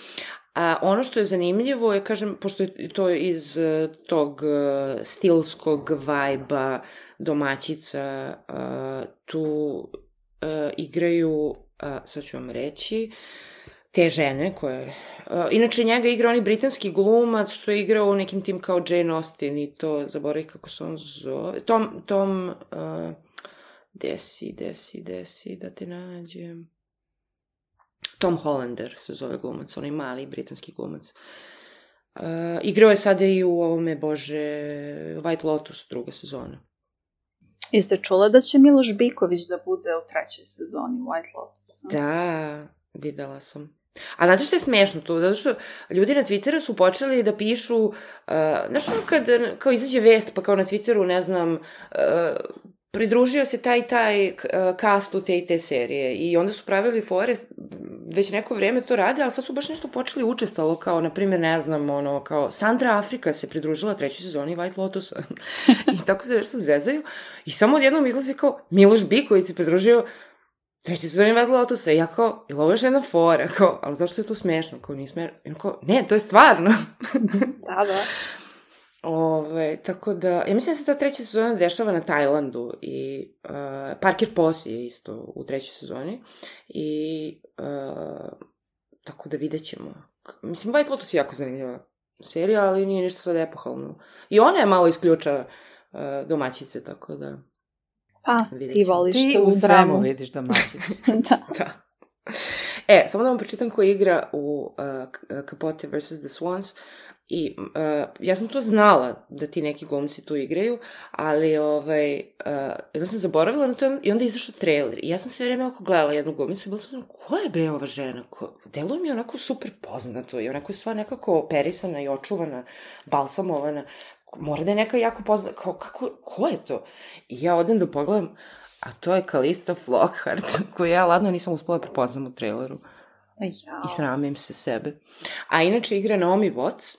[SPEAKER 1] A ono što je zanimljivo je, kažem, pošto je to iz uh, tog uh, stilskog vajba domaćica, uh, tu uh, igraju, uh, sad ću vam reći, te žene koje... Uh, inače, njega igra onaj britanski glumac što je igrao u nekim tim kao Jane Austen i to, zaboravim kako se on zove, Tom, Tom, uh, desi, desi, desi, da te nađem... Tom Hollander se zove glumac, onaj mali britanski glumac. Uh, igrao je sada i u ovome, bože, White Lotus druga sezona.
[SPEAKER 3] Jeste čula da će Miloš Biković da bude u trećoj sezoni White Lotus?
[SPEAKER 1] Da, videla sam. A znate što je smešno tu? Zato što ljudi na Twitteru su počeli da pišu, uh, znaš ono kad kao izađe vest, pa kao na Twitteru, ne znam, uh, pridružio se taj taj uh, kastu te i te serije i onda su pravili fore, već neko vreme to rade, ali sad su baš nešto počeli učestalo, kao, na primjer, ne znam, ono, kao Sandra Afrika se pridružila trećoj sezoni White Lotusa i tako se nešto zezaju i samo odjednom izlazi kao Miloš Biković se pridružio trećoj sezoni White Lotusa i ja kao, ili ovo još jedna fora, kao, ali zašto je to smešno, kao, nije smešno, i kao, ne, to je stvarno.
[SPEAKER 3] Da, da.
[SPEAKER 1] Ove, tako da, ja mislim da se ta treća sezona dešava na Tajlandu i uh, Parker Posey je isto u trećoj sezoni i uh, tako da vidjet ćemo. Mislim, White Lotus je jako zanimljiva serija, ali nije ništa sad epohalno. I ona je malo isključa uh, domaćice, tako da...
[SPEAKER 3] Pa, ti voliš tu
[SPEAKER 4] dramu. Ti u svemu vidiš domaćice.
[SPEAKER 3] Da.
[SPEAKER 1] Da. E, samo da vam pročitam ko igra u uh, Capote versus the Swans. I uh, ja sam to znala da ti neki glumci tu igraju, ali ovaj, uh, jedno sam zaboravila na to i onda je izašao trailer. I ja sam sve vreme oko gledala jednu glumicu i bila sam, ko je bre ova žena? Ko... Deluje mi onako super poznato i onako je sva nekako operisana i očuvana, balsamovana. Mora da je neka jako poznata. Kao, kako, ko je to? I ja odem da pogledam, a to je Calista Flockhart, koju ja ladno nisam uspela prepoznam u traileru.
[SPEAKER 3] Ja.
[SPEAKER 1] I sramim se sebe. A inače igra Naomi Watts,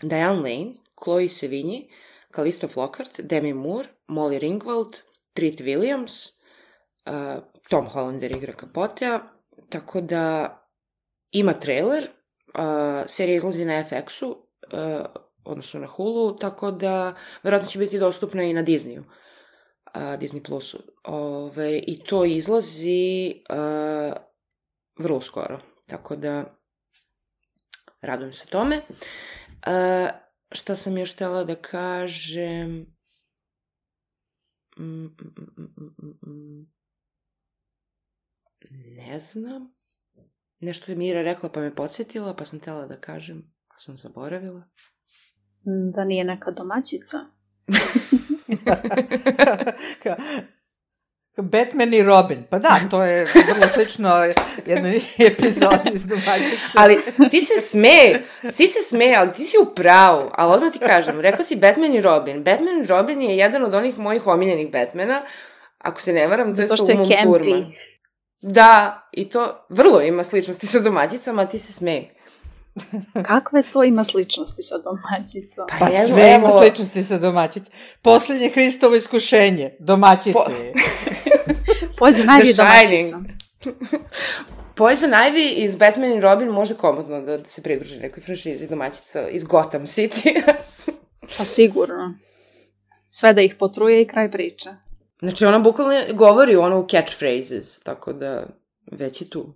[SPEAKER 1] Diane Lane, Chloe Sevigny, Calista Flockhart, Demi Moore, Molly Ringwald, Treat Williams, uh, Tom Hollander igra Capotea, tako da ima trailer, uh, serija izlazi na F X-u, uh, odnosno na Hulu, tako da verovatno će biti dostupna i na Disneyu, uh, Disney Plusu. Ove, I to izlazi uh, vrlo skoro, tako da radujem se tome. Uh, šta sam još htjela da kažem? Mm, mm, mm, mm, mm. Ne znam. Nešto je Mira rekla pa me podsjetila, pa sam htjela da kažem, pa sam zaboravila.
[SPEAKER 3] Da nije neka domaćica.
[SPEAKER 4] Batman i Robin. Pa da, to je vrlo slično jednoj epizodi iz domaćice.
[SPEAKER 1] Ali ti se smeje, ti se smeje, ali ti si u pravu. Ali odmah ti kažem, rekla si Batman i Robin. Batman i Robin je jedan od onih mojih omiljenih Batmana. Ako se ne varam, to je sa Umom Thurman. Da, i to vrlo ima sličnosti sa domaćicama, a ti se smeje.
[SPEAKER 3] Kakve to ima sličnosti sa domaćicom?
[SPEAKER 4] Pa, pa sve evo... ima sličnosti sa domaćicom. Posljednje Hristovo iskušenje, domaćice. Po...
[SPEAKER 3] Poison Ivy domaćica.
[SPEAKER 1] Poison Ivy iz Batman i Robin može komodno da se pridruži nekoj franšizi domaćica iz Gotham City.
[SPEAKER 3] Pa sigurno. Sve da ih potruje i kraj priče.
[SPEAKER 1] Znači ona bukvalno govori ono u catchphrases, tako da već je tu.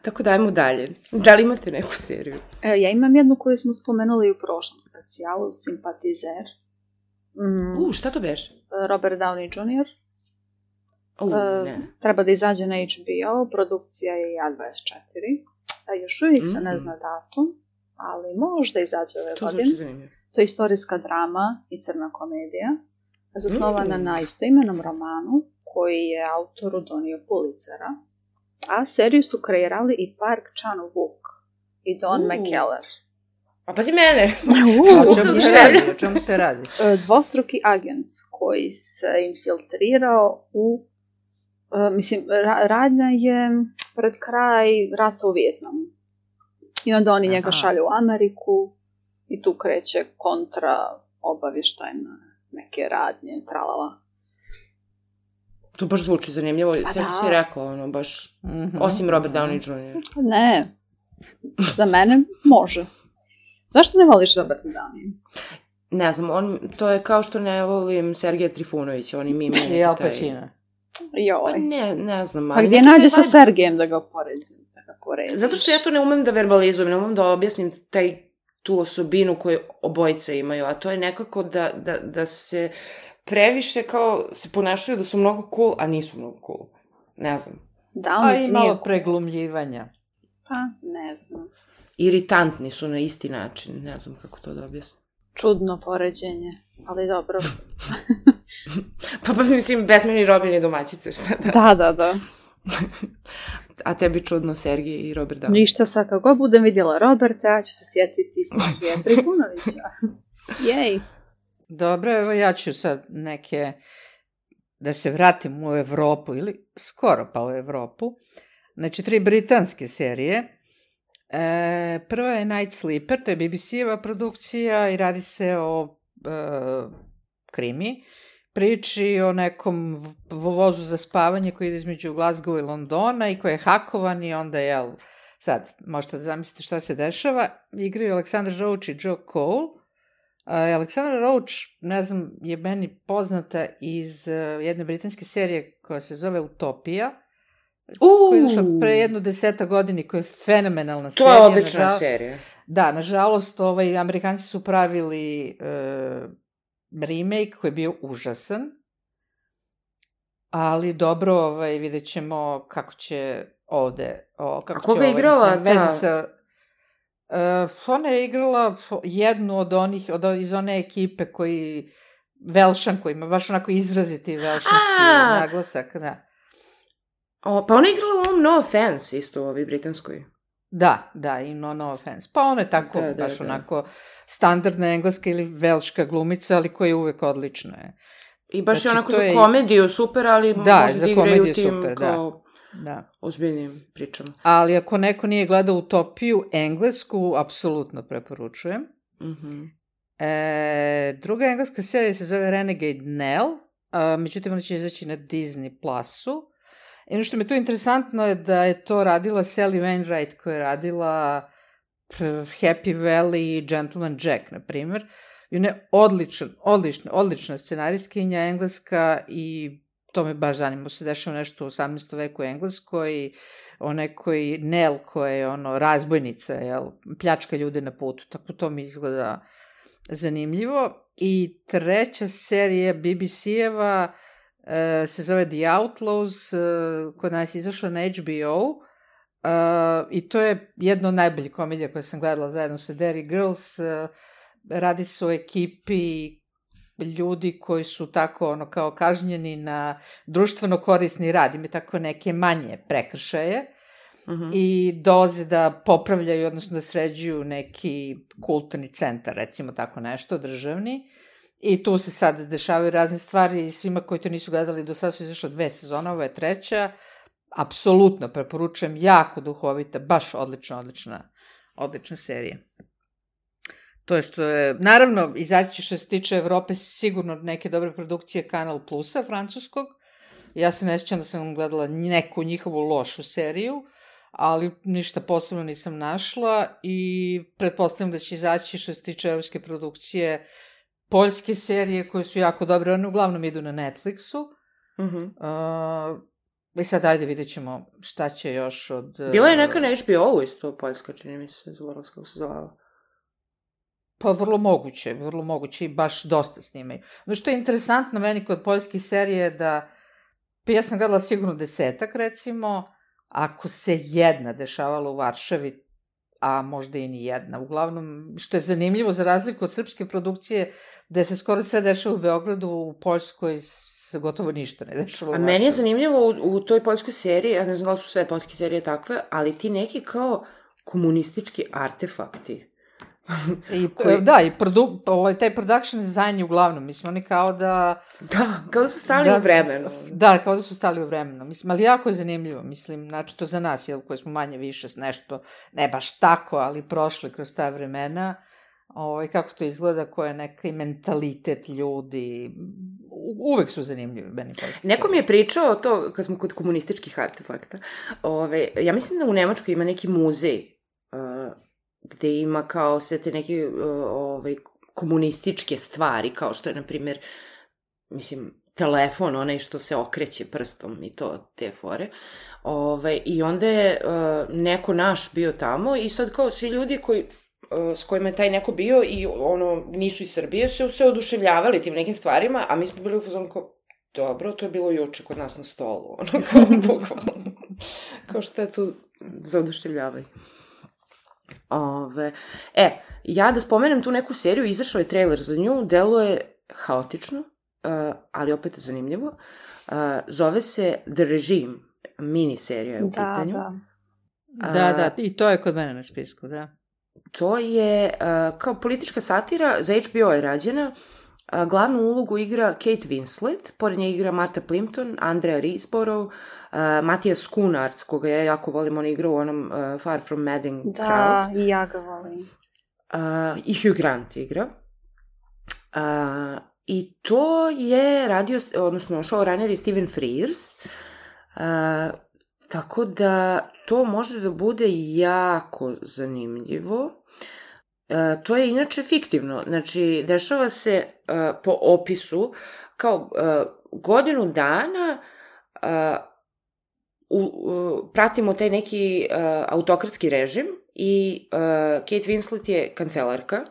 [SPEAKER 1] Tako da ajmo dalje. Da li imate neku seriju?
[SPEAKER 3] E, ja imam jednu koju smo spomenuli u prošlom specijalu, Simpatizer.
[SPEAKER 1] Mm. U, šta to beš?
[SPEAKER 3] Robert Downey junior
[SPEAKER 1] U, uh, ne.
[SPEAKER 3] Treba da izađe na H B O, produkcija je A dvadeset četiri. A još uvijek se ne zna datum, ali možda izađe ove
[SPEAKER 1] to
[SPEAKER 3] godine.
[SPEAKER 1] To zvuči zanimljivo.
[SPEAKER 3] To je istorijska drama i crna komedija, zasnovana mm. na istoimenom romanu, koji je autoru donio Pulitzera. A seriju su kreirali i Park Chan-wook i Don uh. McKellar.
[SPEAKER 1] A pazi mene!
[SPEAKER 4] O čemu se radi? O čemu se radi?
[SPEAKER 3] Dvostruki agent koji se infiltrirao u... Uh, mislim, ra- radnja je pred kraj rata u Vijetnamu. I onda oni Aha. njega šalju u Ameriku i tu kreće kontra obavještajne neke radnje, tralala.
[SPEAKER 1] To baš zvuči zanimljivo,
[SPEAKER 3] Pa
[SPEAKER 1] sve što
[SPEAKER 3] da.
[SPEAKER 1] si rekla, ono, baš,
[SPEAKER 4] Mhm,
[SPEAKER 1] osim Robert
[SPEAKER 4] mhm.
[SPEAKER 1] Downey junior
[SPEAKER 3] Ne, za mene može. Zašto ne voliš Roberta Downey?
[SPEAKER 1] Ne znam, on, to je kao što ne volim Sergeja Trifunovića, oni mi imaju
[SPEAKER 4] I Al
[SPEAKER 1] neki taj...
[SPEAKER 4] Pacino.
[SPEAKER 1] Pa
[SPEAKER 3] Joj.
[SPEAKER 1] ne, ne znam,
[SPEAKER 3] Pa
[SPEAKER 1] ali...
[SPEAKER 3] gdje
[SPEAKER 1] neki taj
[SPEAKER 3] nađe sa
[SPEAKER 1] vibe-
[SPEAKER 3] Sergejem da ga poređujem? Da ga porediš?
[SPEAKER 1] Zato što ja to ne umem da verbalizujem, ne umem da objasnim taj, tu osobinu koju obojice imaju, a to je nekako da, da, da se previše kao se ponašaju da su mnogo cool, a nisu mnogo cool. Ne znam.
[SPEAKER 3] Da,
[SPEAKER 4] A
[SPEAKER 3] li
[SPEAKER 4] i
[SPEAKER 3] ti
[SPEAKER 4] malo
[SPEAKER 3] nije...
[SPEAKER 4] preglumljivanja.
[SPEAKER 3] Pa, ne znam.
[SPEAKER 1] Iritantni su na isti način, ne znam kako to da objasnim.
[SPEAKER 3] Čudno poređenje, ali dobro.
[SPEAKER 1] Pa, pa mislim, Batman i Robin i domaćice, šta da?
[SPEAKER 3] Da, da, da.
[SPEAKER 1] A tebi čudno Sergij i Robert Downey.
[SPEAKER 3] Ništa, sad kako god budem vidjela Roberta, ja ću se sjetiti Sergeja Trifunovića. Jej.
[SPEAKER 4] Dobro, evo ja ću sad neke, da se vratim u Evropu, ili skoro pa u Evropu. Znači, tri britanske serije. E, prva je Night Sleeper, to je B B C-eva produkcija i radi se o e, krimi. Priči o nekom v- vozu za spavanje koji ide između Glasgow i Londona i koji je hakovan i onda, jel, sad, možete da zamislite šta se dešava. Igraju Aleksandar Roach i Joe Cole. Uh, Aleksandra Roach, ne znam, je meni poznata iz uh, jedne britanske serije koja se zove Utopija, koja je izašla pre jednu deseta godini, koja je fenomenalna
[SPEAKER 1] To
[SPEAKER 4] serija.
[SPEAKER 1] je odlična
[SPEAKER 4] nažal-
[SPEAKER 1] serija.
[SPEAKER 4] Da, nažalost, ovaj, Amerikanci su pravili uh, remake koji je bio užasan, ali dobro, ovaj, vidjet ćemo kako će ovde... O, kako
[SPEAKER 1] A koga
[SPEAKER 4] će,
[SPEAKER 1] je igrala?
[SPEAKER 4] mislim, veze
[SPEAKER 1] Da.
[SPEAKER 4] sa... Uh, ona je igrala jednu od onih, od, iz one ekipe koji, Velšan, koji ima baš onako izraziti velšanski
[SPEAKER 1] A!
[SPEAKER 4] naglasak, da.
[SPEAKER 1] O, pa ona je igrala u ovom No Offense, isto u ovoj britanskoj.
[SPEAKER 4] Da, da, i no, no offense. Pa ona je tako,
[SPEAKER 1] Da, da,
[SPEAKER 4] baš
[SPEAKER 1] da.
[SPEAKER 4] onako standardna engleska ili velška glumica, ali koja je uvek odlična. Je.
[SPEAKER 1] I baš
[SPEAKER 4] Znači,
[SPEAKER 1] je onako
[SPEAKER 4] to
[SPEAKER 1] za
[SPEAKER 4] je-
[SPEAKER 1] komediju super, ali
[SPEAKER 4] Da,
[SPEAKER 1] može
[SPEAKER 4] za
[SPEAKER 1] da igraju
[SPEAKER 4] komediju
[SPEAKER 1] tim
[SPEAKER 4] super, da.
[SPEAKER 1] kao
[SPEAKER 4] Da.
[SPEAKER 1] ozbiljnim pričama.
[SPEAKER 4] Ali ako neko nije gledao Utopiju englesku, apsolutno preporučujem.
[SPEAKER 1] Mhm.
[SPEAKER 4] E, druga engleska serija se zove Renegade Nell, a, međutim ona će izaći na Disney Plusu. I ono što mi je tu interesantno je da je to radila Sally Wainwright, koja je radila p, Happy Valley i Gentleman Jack, na primjer. I ona je odličan, odlična, odlična scenaristkinja engleska i to me baš zanima, se dešava nešto u osamnaestom veku u Engleskoj i o nekoj Nell koja je ono razbojnica, jel, pljačka ljude na putu, tako to mi izgleda zanimljivo. I treća serija B B C-eva e, se zove The Outlaws, e, kod nas je izašla na H B O e, i to je jedna od najboljih komedija koje sam gledala zajedno sa Derry Girls. E, radi se o ekipi ljudi koji su tako ono kao kažnjeni na društveno korisni rad, imaju tako neke manje prekršaje
[SPEAKER 1] Mhm.
[SPEAKER 4] i dolaze da popravljaju, odnosno da sređuju neki kulturni centar, recimo tako nešto, državni. I tu se sad dešavaju razne stvari i svima koji to nisu gledali, do sada su izašle dve sezone, ovo je treća. Apsolutno preporučujem, jako duhovita, baš odlična, odlična, odlična serija. To je što je, naravno, izaći će što se tiče Evrope sigurno neke dobre produkcije Kanal Plusa, francuskog. Ja se ne sjećam da sam gledala neku njihovu lošu seriju, ali ništa posebno nisam našla i pretpostavljam da će izaći što se tiče evropske produkcije poljske serije koje su jako dobre, one uglavnom idu na Netflixu.
[SPEAKER 1] Mhm.
[SPEAKER 4] Uh, I sad ajde vidjet ćemo šta će još od...
[SPEAKER 1] Bila je neka na H B O-u isto, poljska, čini mi se, zaboravila kako se zvala.
[SPEAKER 4] Pa vrlo moguće, vrlo moguće i baš dosta snimaju. No što je interesantno meni kod poljskih serija je da, pa ja sam gledala sigurno desetak recimo, ako se jedna dešavala u Varšavi, a možda i ni jedna. Uglavnom, što je zanimljivo za razliku od srpske produkcije, da se skoro sve dešava u Beogradu, u Poljskoj se gotovo ništa ne dešava u
[SPEAKER 1] A
[SPEAKER 4] Varšavi.
[SPEAKER 1] meni je zanimljivo u, u toj poljskoj seriji, ja ne znam da li su sve poljske serije takve, ali ti neki kao komunistički artefakti.
[SPEAKER 4] I,
[SPEAKER 1] koji-
[SPEAKER 4] Da, i produ, ovaj, taj production design je uglavnom, mislim, oni kao da...
[SPEAKER 1] Da, kao da su stali
[SPEAKER 4] Da.
[SPEAKER 1] u vremenu.
[SPEAKER 4] Da, kao da su stali u vremenu. Mislim, ali jako je zanimljivo, mislim, znači to za nas, jel, koji smo manje više s nešto, ne baš tako, ali prošli kroz ta vremena, ovaj, kako to izgleda, koja je neki mentalitet ljudi uvek su zanimljivi meni.
[SPEAKER 1] Neko mi je pričao to, kad smo kod komunističkih artefakta, ove, ja mislim da u Nemačkoj ima neki muzej uh, gde ima kao sve te neke uh, ove, komunističke stvari, kao što je, na primjer, mislim, telefon, onaj što se okreće prstom i to, te fore. Ove, I onda je uh, neko naš bio tamo i sad kao svi ljudi koji s kojima je taj neko bio i ono, nisu iz Srbije, su se oduševljavali tim nekim stvarima, a mi smo bili u fazonu kao, dobro, to je bilo juče kod nas na stolu, ono, kao, bukvalno, kao što je tu za oduševljavanje. Ove, e, ja da spomenem tu neku seriju, izašao je trailer za nju, delo je haotično, uh, ali opet zanimljivo, uh, zove se The Regime, mini serija je u
[SPEAKER 3] da,
[SPEAKER 1] pitanju.
[SPEAKER 3] Da,
[SPEAKER 4] da. Da, i to je kod mene na spisku, da.
[SPEAKER 1] To je uh, kao politička satira, za H B O je rađena, uh, glavnu ulogu igra Kate Winslet, pored nje igra Martha Plimpton, Andrea Riseborough, uh, Matijas Kunarc, koga ja jako volim, on igra u onom uh, Far From Madding
[SPEAKER 3] da,
[SPEAKER 1] Crowd.
[SPEAKER 3] Da, i ja ga volim.
[SPEAKER 1] Uh, I Hugh Grant igra. Uh, I to je radio, odnosno showrunner je Stephen Frears, uh, tako da to može da bude jako zanimljivo. E, to je inače fiktivno, znači dešava se e, po opisu kao e, godinu dana e, u, u, pratimo taj neki e, autokratski režim i e, Kate Winslet je kancelarka.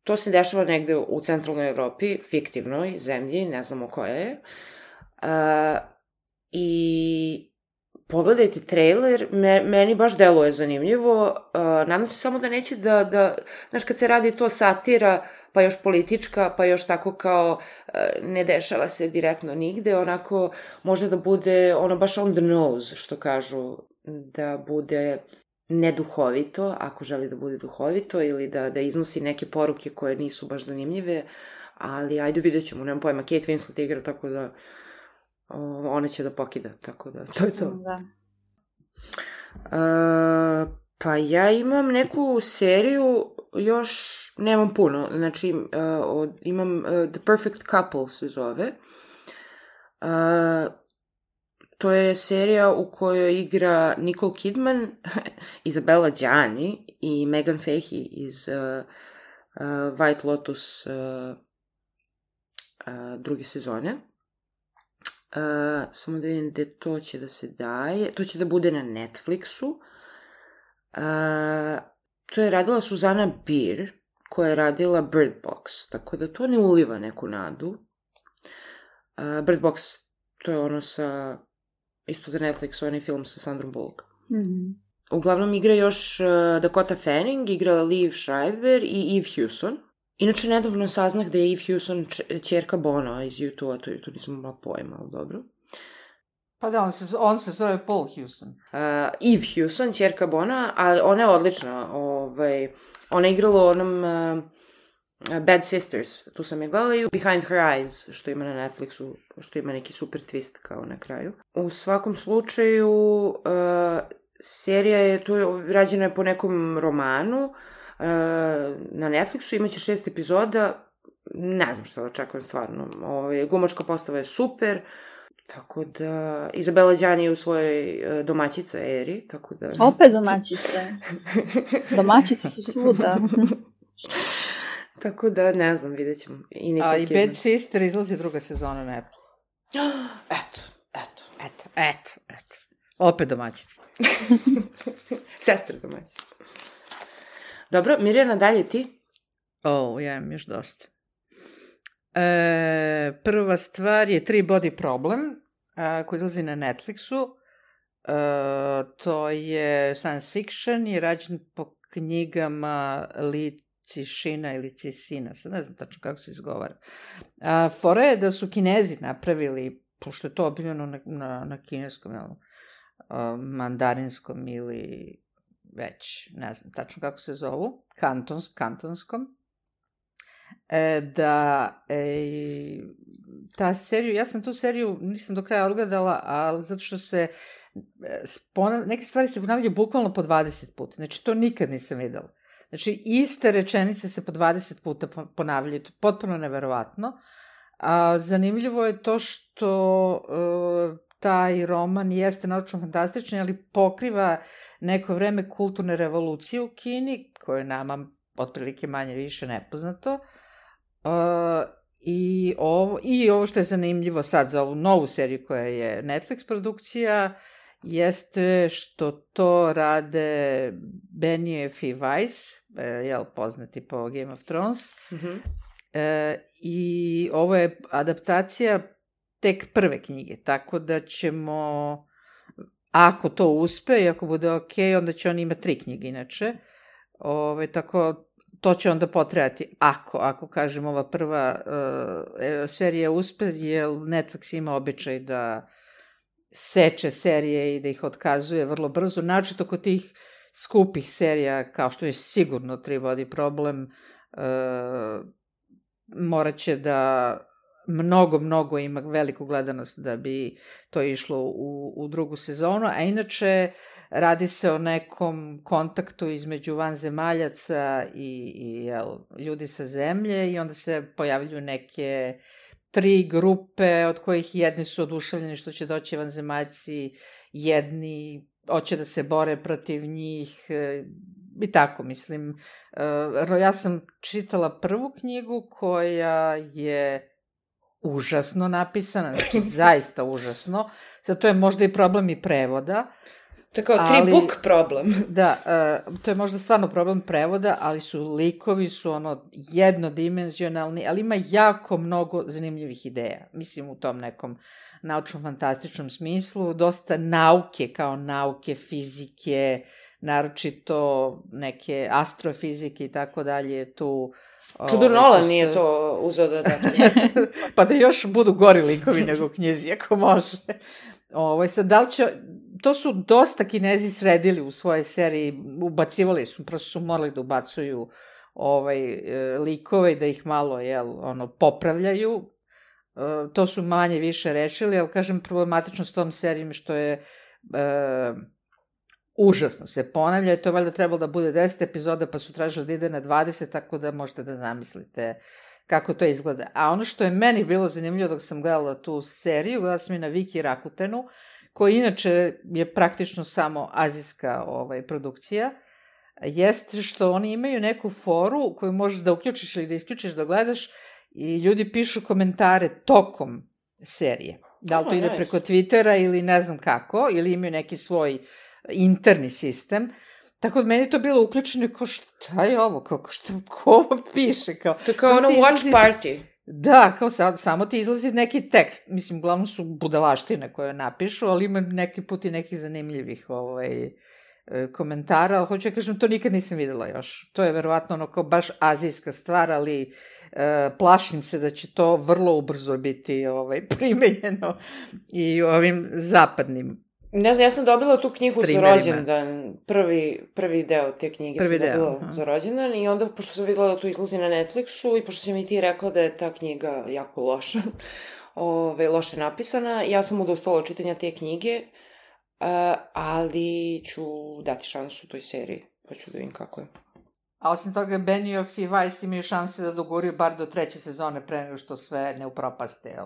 [SPEAKER 1] To se dešava negde u centralnoj Evropi, fiktivnoj zemlji, ne znamo koja je. E, I pogledajte trailer, me, meni baš deluje zanimljivo, uh, nadam se samo da neće da, da, znaš, kad se radi to satira, pa još politička, pa još tako kao uh, ne dešava se direktno nigde, onako može da bude ono baš on the nose, što kažu, da bude neduhovito, ako želi da bude duhovito, ili da, da iznosi neke poruke koje nisu baš zanimljive, ali ajde vidjet ćemo, nemam pojma, Kate Winslet igra, tako da ona će da pokida, tako da, to je to. Da. Uh, pa ja imam neku seriju, još nemam puno, znači uh, od, imam uh, The Perfect Couple se zove. Uh, to je serija u kojoj igra Nicole Kidman, Isabella Gianni i Megan Fahey iz uh, uh, White Lotus uh, uh, druge sezone. Uh, samo da vidim gde to će da se daje. To će da bude na Netflixu. Uh, to je radila Suzana Bier, koja je radila Bird Box, tako da to ne uliva neku nadu. Uh, Bird Box, to je ono sa, isto za Netflix, onaj film sa Sandrom Bullock.
[SPEAKER 3] Mm-hmm.
[SPEAKER 1] Uglavnom igra još uh, Dakota Fanning, igra Liv Schreiber i Eve Hewson. Inače, nedavno saznah da je Eve Hewson ćerka Bono iz U dva, to, to nisam imala pojma, ali dobro.
[SPEAKER 4] Pa da, on se, on se zove Paul Hewson.
[SPEAKER 1] Uh, Eve Hewson, ćerka Bona, a ona je odlična. Ovaj, ona je igrala u onom uh, Bad Sisters, tu sam je gledala, i Behind Her Eyes, što ima na Netflixu, što ima neki super twist kao na kraju. U svakom slučaju, uh, serija je, tu je, rađena je po nekom romanu, na Netflixu, imaće šest epizoda, ne znam šta da očekujem stvarno. Ove, glumačka postava je super, tako da Isabella Gianni je u svojoj domaćica eri, tako da...
[SPEAKER 3] Opet domaćice. Domaćice su svuda.
[SPEAKER 1] Tako da, ne znam, vidjet ćemo.
[SPEAKER 4] I A i Bad Sister izlazi druga sezona na Apple.
[SPEAKER 1] Eto, eto.
[SPEAKER 4] Eto, eto, eto. Opet domaćica.
[SPEAKER 1] Sestra domaćica. Dobro, Mirjana, dalje ti?
[SPEAKER 4] O, ja imam još dosta. E, prva stvar je Three Body Problem, a, koji izlazi na Netflixu. E, to je science fiction i rađen po knjigama Li Cixina ili Cixina, sad ne znam tačno kako se izgovara. A, fora je da su Kinezi napravili, pošto je to objavljeno na, na, na kineskom, jel, mandarinskom ili već, ne znam tačno kako se zovu, kantons, kantonskom, e, da e, ta seriju, ja sam tu seriju nisam do kraja odgledala, ali zato što se ponavlja, neke stvari se ponavljaju bukvalno po dvadeset puta, znači to nikad nisam videla. Znači, iste rečenice se po dvadeset puta ponavljaju, to je potpuno neverovatno. A zanimljivo je to što uh, taj roman jeste naučno-fantastični, ali pokriva neko vreme kulturne revolucije u Kini, koje je nama otprilike manje više nepoznato. Uh, i, ovo, I ovo što je zanimljivo sad za ovu novu seriju koja je Netflix produkcija, jeste što to rade Benioff i Weiss, jel, poznati po Game of Thrones. Mm-hmm. E, I ovo je adaptacija tek prve knjige, tako da ćemo, ako to uspe i ako bude ok, onda će on imati tri knjige inače. Ove, tako, to će onda potrajati, ako, ako kažem, ova prva uh, serija uspe, jer Netflix ima običaj da seče serije i da ih otkazuje vrlo brzo, naročito kod tih skupih serija, kao što je sigurno Tri vodi problem, uh, morat će da mnogo, mnogo ima veliku gledanost da bi to išlo u, u drugu sezonu, a inače radi se o nekom kontaktu između vanzemaljaca i, i jel, ljudi sa zemlje i onda se pojavljuju neke tri grupe od kojih jedni su oduševljeni što će doći vanzemaljci, jedni hoće da se bore protiv njih i tako, mislim. Ja sam čitala prvu knjigu koja je užasno napisana, znači zaista užasno. Sad to je možda i problem i prevoda.
[SPEAKER 1] To je kao tri ali, book problem.
[SPEAKER 4] Da, uh, to je možda stvarno problem prevoda, ali su likovi su ono jednodimenzionalni, ali ima jako mnogo zanimljivih ideja. Mislim u tom nekom naučno-fantastičnom smislu, dosta nauke kao nauke, fizike, naročito neke astrofizike i tako dalje tu.
[SPEAKER 1] Čudo Nolan nije to uzeo da da.
[SPEAKER 4] Pa da još budu gori likovi nego u knjizi, ako može. Ovo, sad, da li će, to su dosta Kinezi sredili u svoje seriji, ubacivali su, prosto su morali da ubacuju ovaj, likove i da ih malo, jel, ono, popravljaju. E, to su manje više rešili, ali kažem, problematično s tom serijom što je e, užasno se ponavlja i to je valjda trebalo da bude deset epizoda, pa su tražili da ide na dvadeset, tako da možete da zamislite kako to izgleda. A ono što je meni bilo zanimljivo dok sam gledala tu seriju, gledala sam i na Viki Rakutenu, koja inače je praktično samo azijska ovaj, produkcija, jeste što oni imaju neku foru koju možeš da uključiš ili da isključiš da gledaš i ljudi pišu komentare tokom serije. Da li to oh, ide nice. Preko Twittera ili ne znam kako, ili imaju neki svoj interni sistem. Tako da meni je to bilo uključeno kao šta je ovo, kao šta, ko ovo piše? Kao,
[SPEAKER 1] to kao ono watch izlazi, party.
[SPEAKER 4] Da, kao sam, samo ti izlazi neki tekst. Mislim, uglavnom su budalaštine koje napišu, ali ima neki put i nekih zanimljivih ovaj, komentara. Ali hoću ja kažem, to nikad nisam videla još. To je verovatno ono kao baš azijska stvar, ali e, plašim se da će to vrlo ubrzo biti ovaj, primenjeno i ovim zapadnim.
[SPEAKER 1] Ne znam, ja sam dobila tu knjigu za rođendan, prvi, prvi deo te knjige prvi sam deo, dobila aha. za rođendan i onda, pošto sam videla da to izlazi na Netflixu i pošto si mi ti rekla da je ta knjiga jako loša, ove, loše napisana, ja sam odustala od čitanja te knjige, uh, ali ću dati šansu toj seriji, pa ću da vidim kako je.
[SPEAKER 4] A osim toga, Benioff i Weiss imaju šanse da doguraju bar do treće sezone pre nego što sve ne upropaste.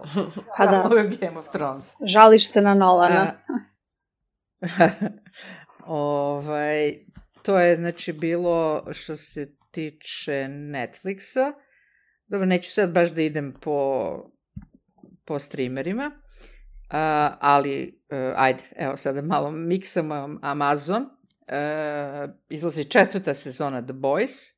[SPEAKER 3] Pa da.
[SPEAKER 4] Game of Thrones.
[SPEAKER 3] Žališ se na Nolana.
[SPEAKER 4] ovaj, to je znači bilo što se tiče Netflixa. Dobro, neću sad baš da idem po, po streamerima, uh, ali uh, ajde, evo sada malo miksam Amazon. Uh, izlazi četvrta sezona The Boys,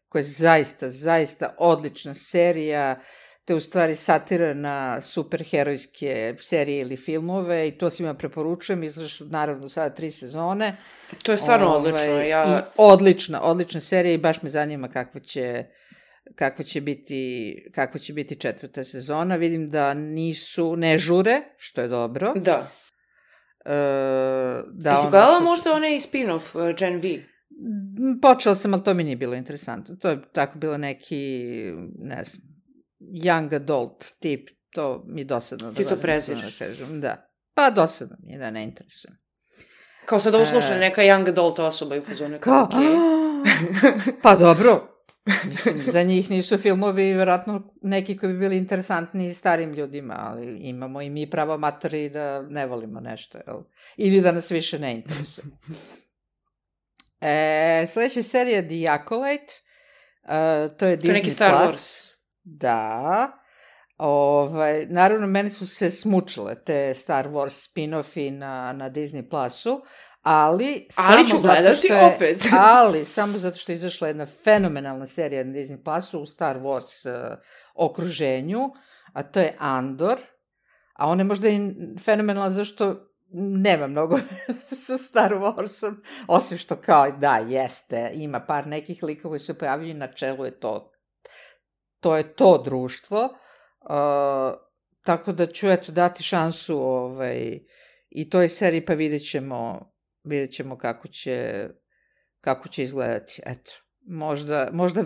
[SPEAKER 4] koja je zaista, zaista odlična serija. To je u stvari satira na superherojske serije ili filmove i to svima preporučujem, izlaže su naravno sada tri sezone.
[SPEAKER 1] To je stvarno Ove, odlično. Ja...
[SPEAKER 4] I odlična, odlična serija i baš me zanima kakva će, kakva će biti, kakva će biti četvrta sezona. Vidim da nisu, ne žure, što je dobro.
[SPEAKER 1] Da.
[SPEAKER 4] Uh, da
[SPEAKER 1] Jesi gledala možda onaj spin-off, uh, Gen V?
[SPEAKER 4] Počela sam, ali to mi nije bilo interesantno. To je tako bilo neki, ne znam, young adult tip, to mi je dosadno.
[SPEAKER 1] Ti da to preziraš.
[SPEAKER 4] Da. Pa dosadno mi je, da ne interesujem.
[SPEAKER 1] Kao sad ovo sluša e... neka young adult osoba i u fazonu.
[SPEAKER 4] Kao,
[SPEAKER 1] okay.
[SPEAKER 4] Pa dobro, Mislim, za njih nisu filmovi vjerojatno neki koji bi bili interesantni starim ljudima, ali imamo i mi pravo matori da ne volimo nešto, jel? Ili da nas više ne interesuje. E, sljedeća serija The Acolyte, uh, to je Disney
[SPEAKER 1] to je neki Star
[SPEAKER 4] Plus.
[SPEAKER 1] Wars.
[SPEAKER 4] Da. Ovaj, naravno, meni su se smučile te Star Wars spin-offi na, na Disney Plusu, ali...
[SPEAKER 1] Ali ću gledati
[SPEAKER 4] je,
[SPEAKER 1] opet.
[SPEAKER 4] ali samo zato što je izašla jedna fenomenalna serija na Disney Plusu u Star Wars uh, okruženju, a to je Andor, a on je možda i fenomenalna zašto nema mnogo sa Star Warsom, osim što kao, da, jeste, ima par nekih likova koji se pojavljaju, na čelu je to, to je to društvo, uh, tako da ću, eto, dati šansu ovaj, i toj seriji, pa vidjet ćemo, vidjet ćemo kako će, kako će izgledati, eto, možda, možda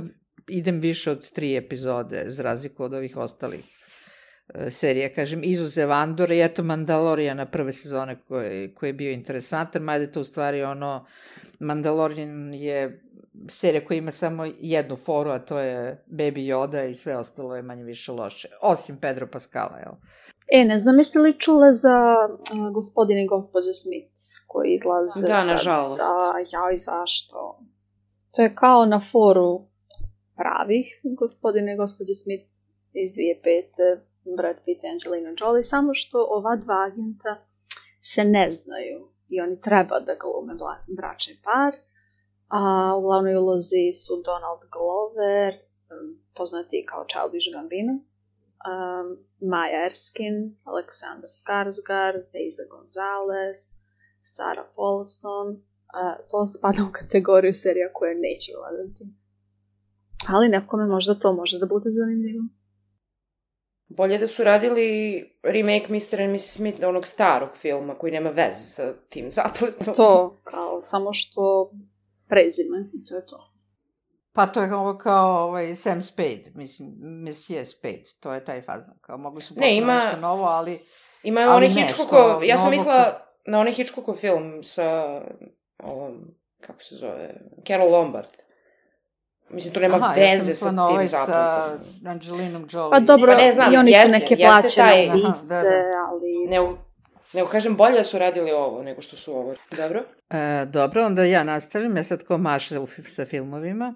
[SPEAKER 4] idem više od tri epizode, za razliku od ovih ostalih serija, kažem, izuzev Andora i eto Mandalorijana prve sezone koji, koji je bio interesantan, mada je to u stvari ono, Mandalorian je serija koja ima samo jednu foru, a to je Baby Yoda i sve ostalo je manje više loše, osim Pedro Pascala, jel?
[SPEAKER 3] E, ne znam, jeste li čule za uh, gospodin i gospođa Smith koji izlaze?
[SPEAKER 1] Da, nažalost.
[SPEAKER 3] Da, ja i zašto? To je kao na foru pravih gospodine i gospođa Smith iz dvije hiljade pete. Brad Pitt i Angelina Jolie, samo što ova dva agenta se ne znaju i oni treba da glume bračni par, a u glavnoj ulozi su Donald Glover, poznati kao Childish Gambino, um, Maya Erskine, Alexander Skarsgård, Eiza Gonzalez, Sarah Paulson, uh, to spada u kategoriju serija koje neću gledati. Ali nekome možda to može da bude zanimljivo.
[SPEAKER 1] Bolje da su radili remake mister and missis Smith onog starog filma koji nema veze sa tim zapletom.
[SPEAKER 3] To, kao, samo što prezime i to je to.
[SPEAKER 4] Pa to je ovo kao ovaj Sam Spade, mislim, Monsieur Spade, to je taj fazan. Kao mogli su potpuno
[SPEAKER 1] ima,
[SPEAKER 4] nešto novo, ali...
[SPEAKER 1] Ima onaj Hitchcockov, ja sam mislila na onaj Hitchcockov film sa ovom, kako se zove, Carol Lombard. Mislim, to nema
[SPEAKER 4] Aha,
[SPEAKER 1] veze
[SPEAKER 4] ja
[SPEAKER 1] sa tim
[SPEAKER 4] ovaj
[SPEAKER 1] zapletom.
[SPEAKER 4] Sa Angelinom Jolie.
[SPEAKER 3] Pa dobro,
[SPEAKER 1] pa ne znam,
[SPEAKER 3] i oni
[SPEAKER 1] jeste,
[SPEAKER 3] su neke
[SPEAKER 1] jeste
[SPEAKER 3] plaćene
[SPEAKER 1] taj,
[SPEAKER 3] lice,
[SPEAKER 4] aha, da, da.
[SPEAKER 3] ali...
[SPEAKER 1] Ne, nego kažem, bolje da su radili ovo nego što su ovo. Dobro?
[SPEAKER 4] E, dobro, onda ja nastavljam. Ja sad ko maša sa filmovima.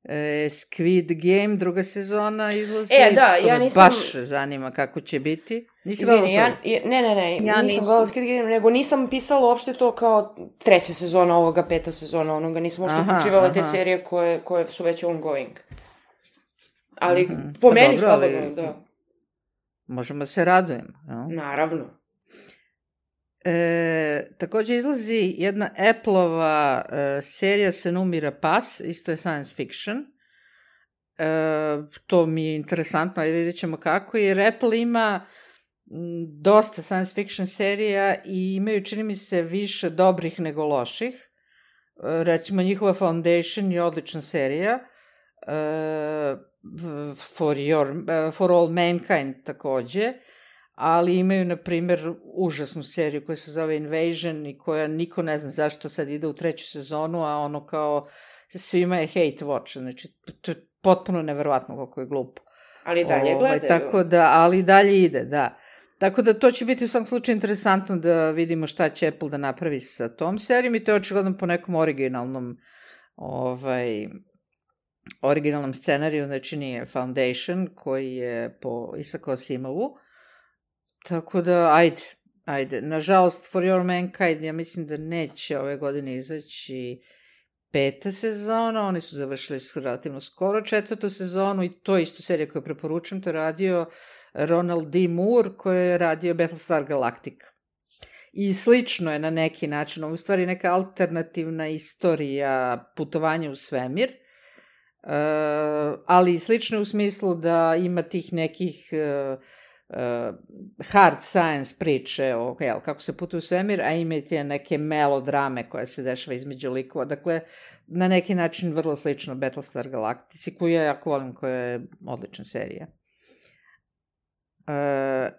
[SPEAKER 4] E, Squid Game, druga sezona izlazi.
[SPEAKER 1] E, da, ja nisam...
[SPEAKER 4] Baš zanima kako će biti.
[SPEAKER 1] Izvini, ja, ne, ne, ne,
[SPEAKER 3] ja
[SPEAKER 1] nisam gledala Squid Game, nego nisam pisala uopšte to kao treća sezona ovoga, peta sezona onoga, nisam uopšte uključivala te serije koje, koje su već ongoing. Ali mm-hmm. po
[SPEAKER 4] pa
[SPEAKER 1] meni
[SPEAKER 4] dobro,
[SPEAKER 1] slobodno,
[SPEAKER 4] ali...
[SPEAKER 1] da.
[SPEAKER 4] Možemo se radujemo. No?
[SPEAKER 1] Naravno.
[SPEAKER 4] E, također izlazi jedna Apple-ova e, serija Se numira pas, isto je science fiction. E, to mi je interesantno, ali vidjet ćemo kako, jer Apple ima m, dosta science fiction serija i imaju, čini mi se, više dobrih nego loših. E, recimo, njihova Foundation je odlična serija. E, for, your, for All Mankind također. Ali imaju, na primjer, užasnu seriju koja se zove Invasion i koja niko ne zna zašto sad ide u treću sezonu, a ono kao svima je hate watch, znači to je potpuno neverovatno koliko je glupo.
[SPEAKER 1] Ali dalje
[SPEAKER 4] ovaj,
[SPEAKER 1] gledaju.
[SPEAKER 4] Tako da, ali dalje ide, da. Tako da to će biti u svakom slučaju interesantno da vidimo šta će Apple da napravi sa tom serijom i to je očigledno po nekom originalnom ovaj, originalnom scenariju, znači nije Foundation koji je po Isaacu Asimovu. Tako da, ajde, ajde. Nažalost, For Your Mankind, ja mislim da neće ove godine izaći peta sezona, oni su završili relativno skoro četvrtu sezonu i to je isto serija koju preporučujem, to je radio Ronald D. Moore koji je radio Battlestar Galactica. I slično je na neki način, ovo je u stvari neka alternativna istorija putovanja u svemir, uh, ali slično je u smislu da ima tih nekih... Uh, Uh, hard science priče o jel, kako se putuje u svemir, a imate neke melodrame koje se dešava između likova. Dakle, na neki način vrlo slično Battlestar Galactici, koju ja jako volim, koja je odlična serija. Uh,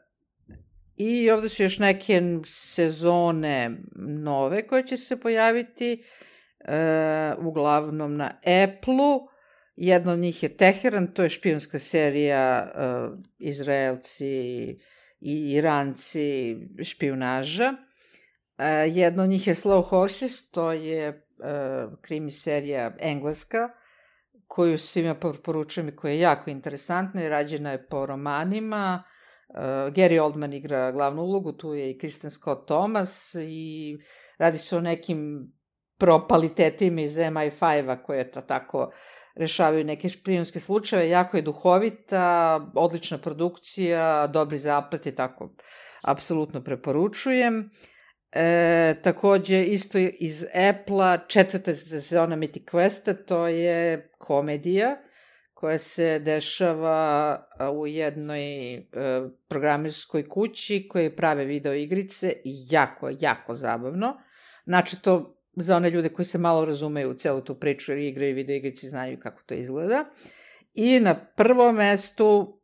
[SPEAKER 4] I ovdje su još neke sezone nove koje će se pojaviti, uh, uglavnom na Apple-u. Jedna od njih je Teheran, to je špijunska serija uh, Izraelci i Iranci špijunaža. Uh, jedna od njih je Slow Horses, to je uh, krimi serija engleska, koju svima poručujem i koja je jako interesantna i rađena je po romanima. Uh, Gary Oldman igra glavnu ulogu, tu je i Kristen Scott Thomas i radi se o nekim propalitetima iz M I five-a koje to tako rešavaju neke špijunske slučajeve. Jako je duhovita, odlična produkcija, dobri zaplet i tako. Apsolutno preporučujem. E, takođe, isto iz Apple-a, četvrta sezona Mythic Questa, to je komedija koja se dešava u jednoj e, programerskoj kući koje prave video igrice i jako, jako zabavno. Znači, to za one ljude koji se malo razumeju u celu tu priču, jer igre i video igrici znaju kako to izgleda. I na prvom mestu,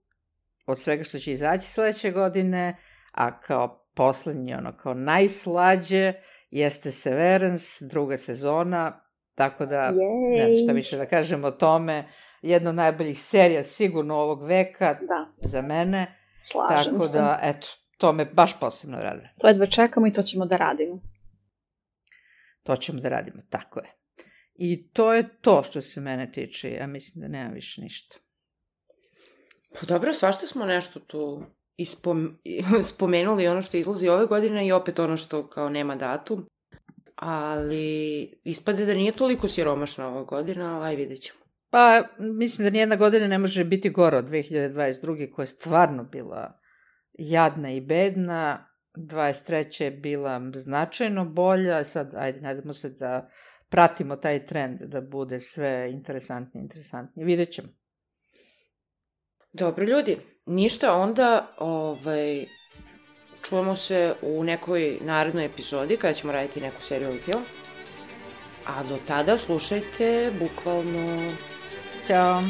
[SPEAKER 4] od svega što će izaći sledeće godine, a kao poslednji, ono, kao najslađe, jeste Severance, druga sezona, tako da, Jej. ne znam šta više da kažem o tome, jedna od najboljih serija sigurno ovog veka,
[SPEAKER 3] da.
[SPEAKER 4] za mene.
[SPEAKER 3] Slažem
[SPEAKER 4] tako
[SPEAKER 3] se.
[SPEAKER 4] Tako da, eto, to me baš posebno raduje.
[SPEAKER 3] To jedva čekamo i to ćemo da radimo.
[SPEAKER 4] To ćemo da radimo, tako je. I to je to što se mene tiče, ja mislim da nema više ništa.
[SPEAKER 1] Pa dobro, svašta smo nešto tu ispom, spomenuli, ono što izlazi ove godine i opet ono što kao nema datum. Ali ispade da nije toliko siromašna ova godina, ali aj vidjet ćemo.
[SPEAKER 4] Pa, mislim da nijedna godina ne može biti gora od dve hiljade dvadeset druge koja je stvarno bila jadna i bedna. dvadeset treća je bila značajno bolja, sad, ajde, nadamo se da pratimo taj trend, da bude sve interesantnije, interesantnije. Vidjet ćemo.
[SPEAKER 1] Dobro, ljudi, ništa, onda ovaj, čujemo se u nekoj narednoj epizodi kada ćemo raditi neku seriju ili film. A do tada slušajte bukvalno...
[SPEAKER 4] Ćao!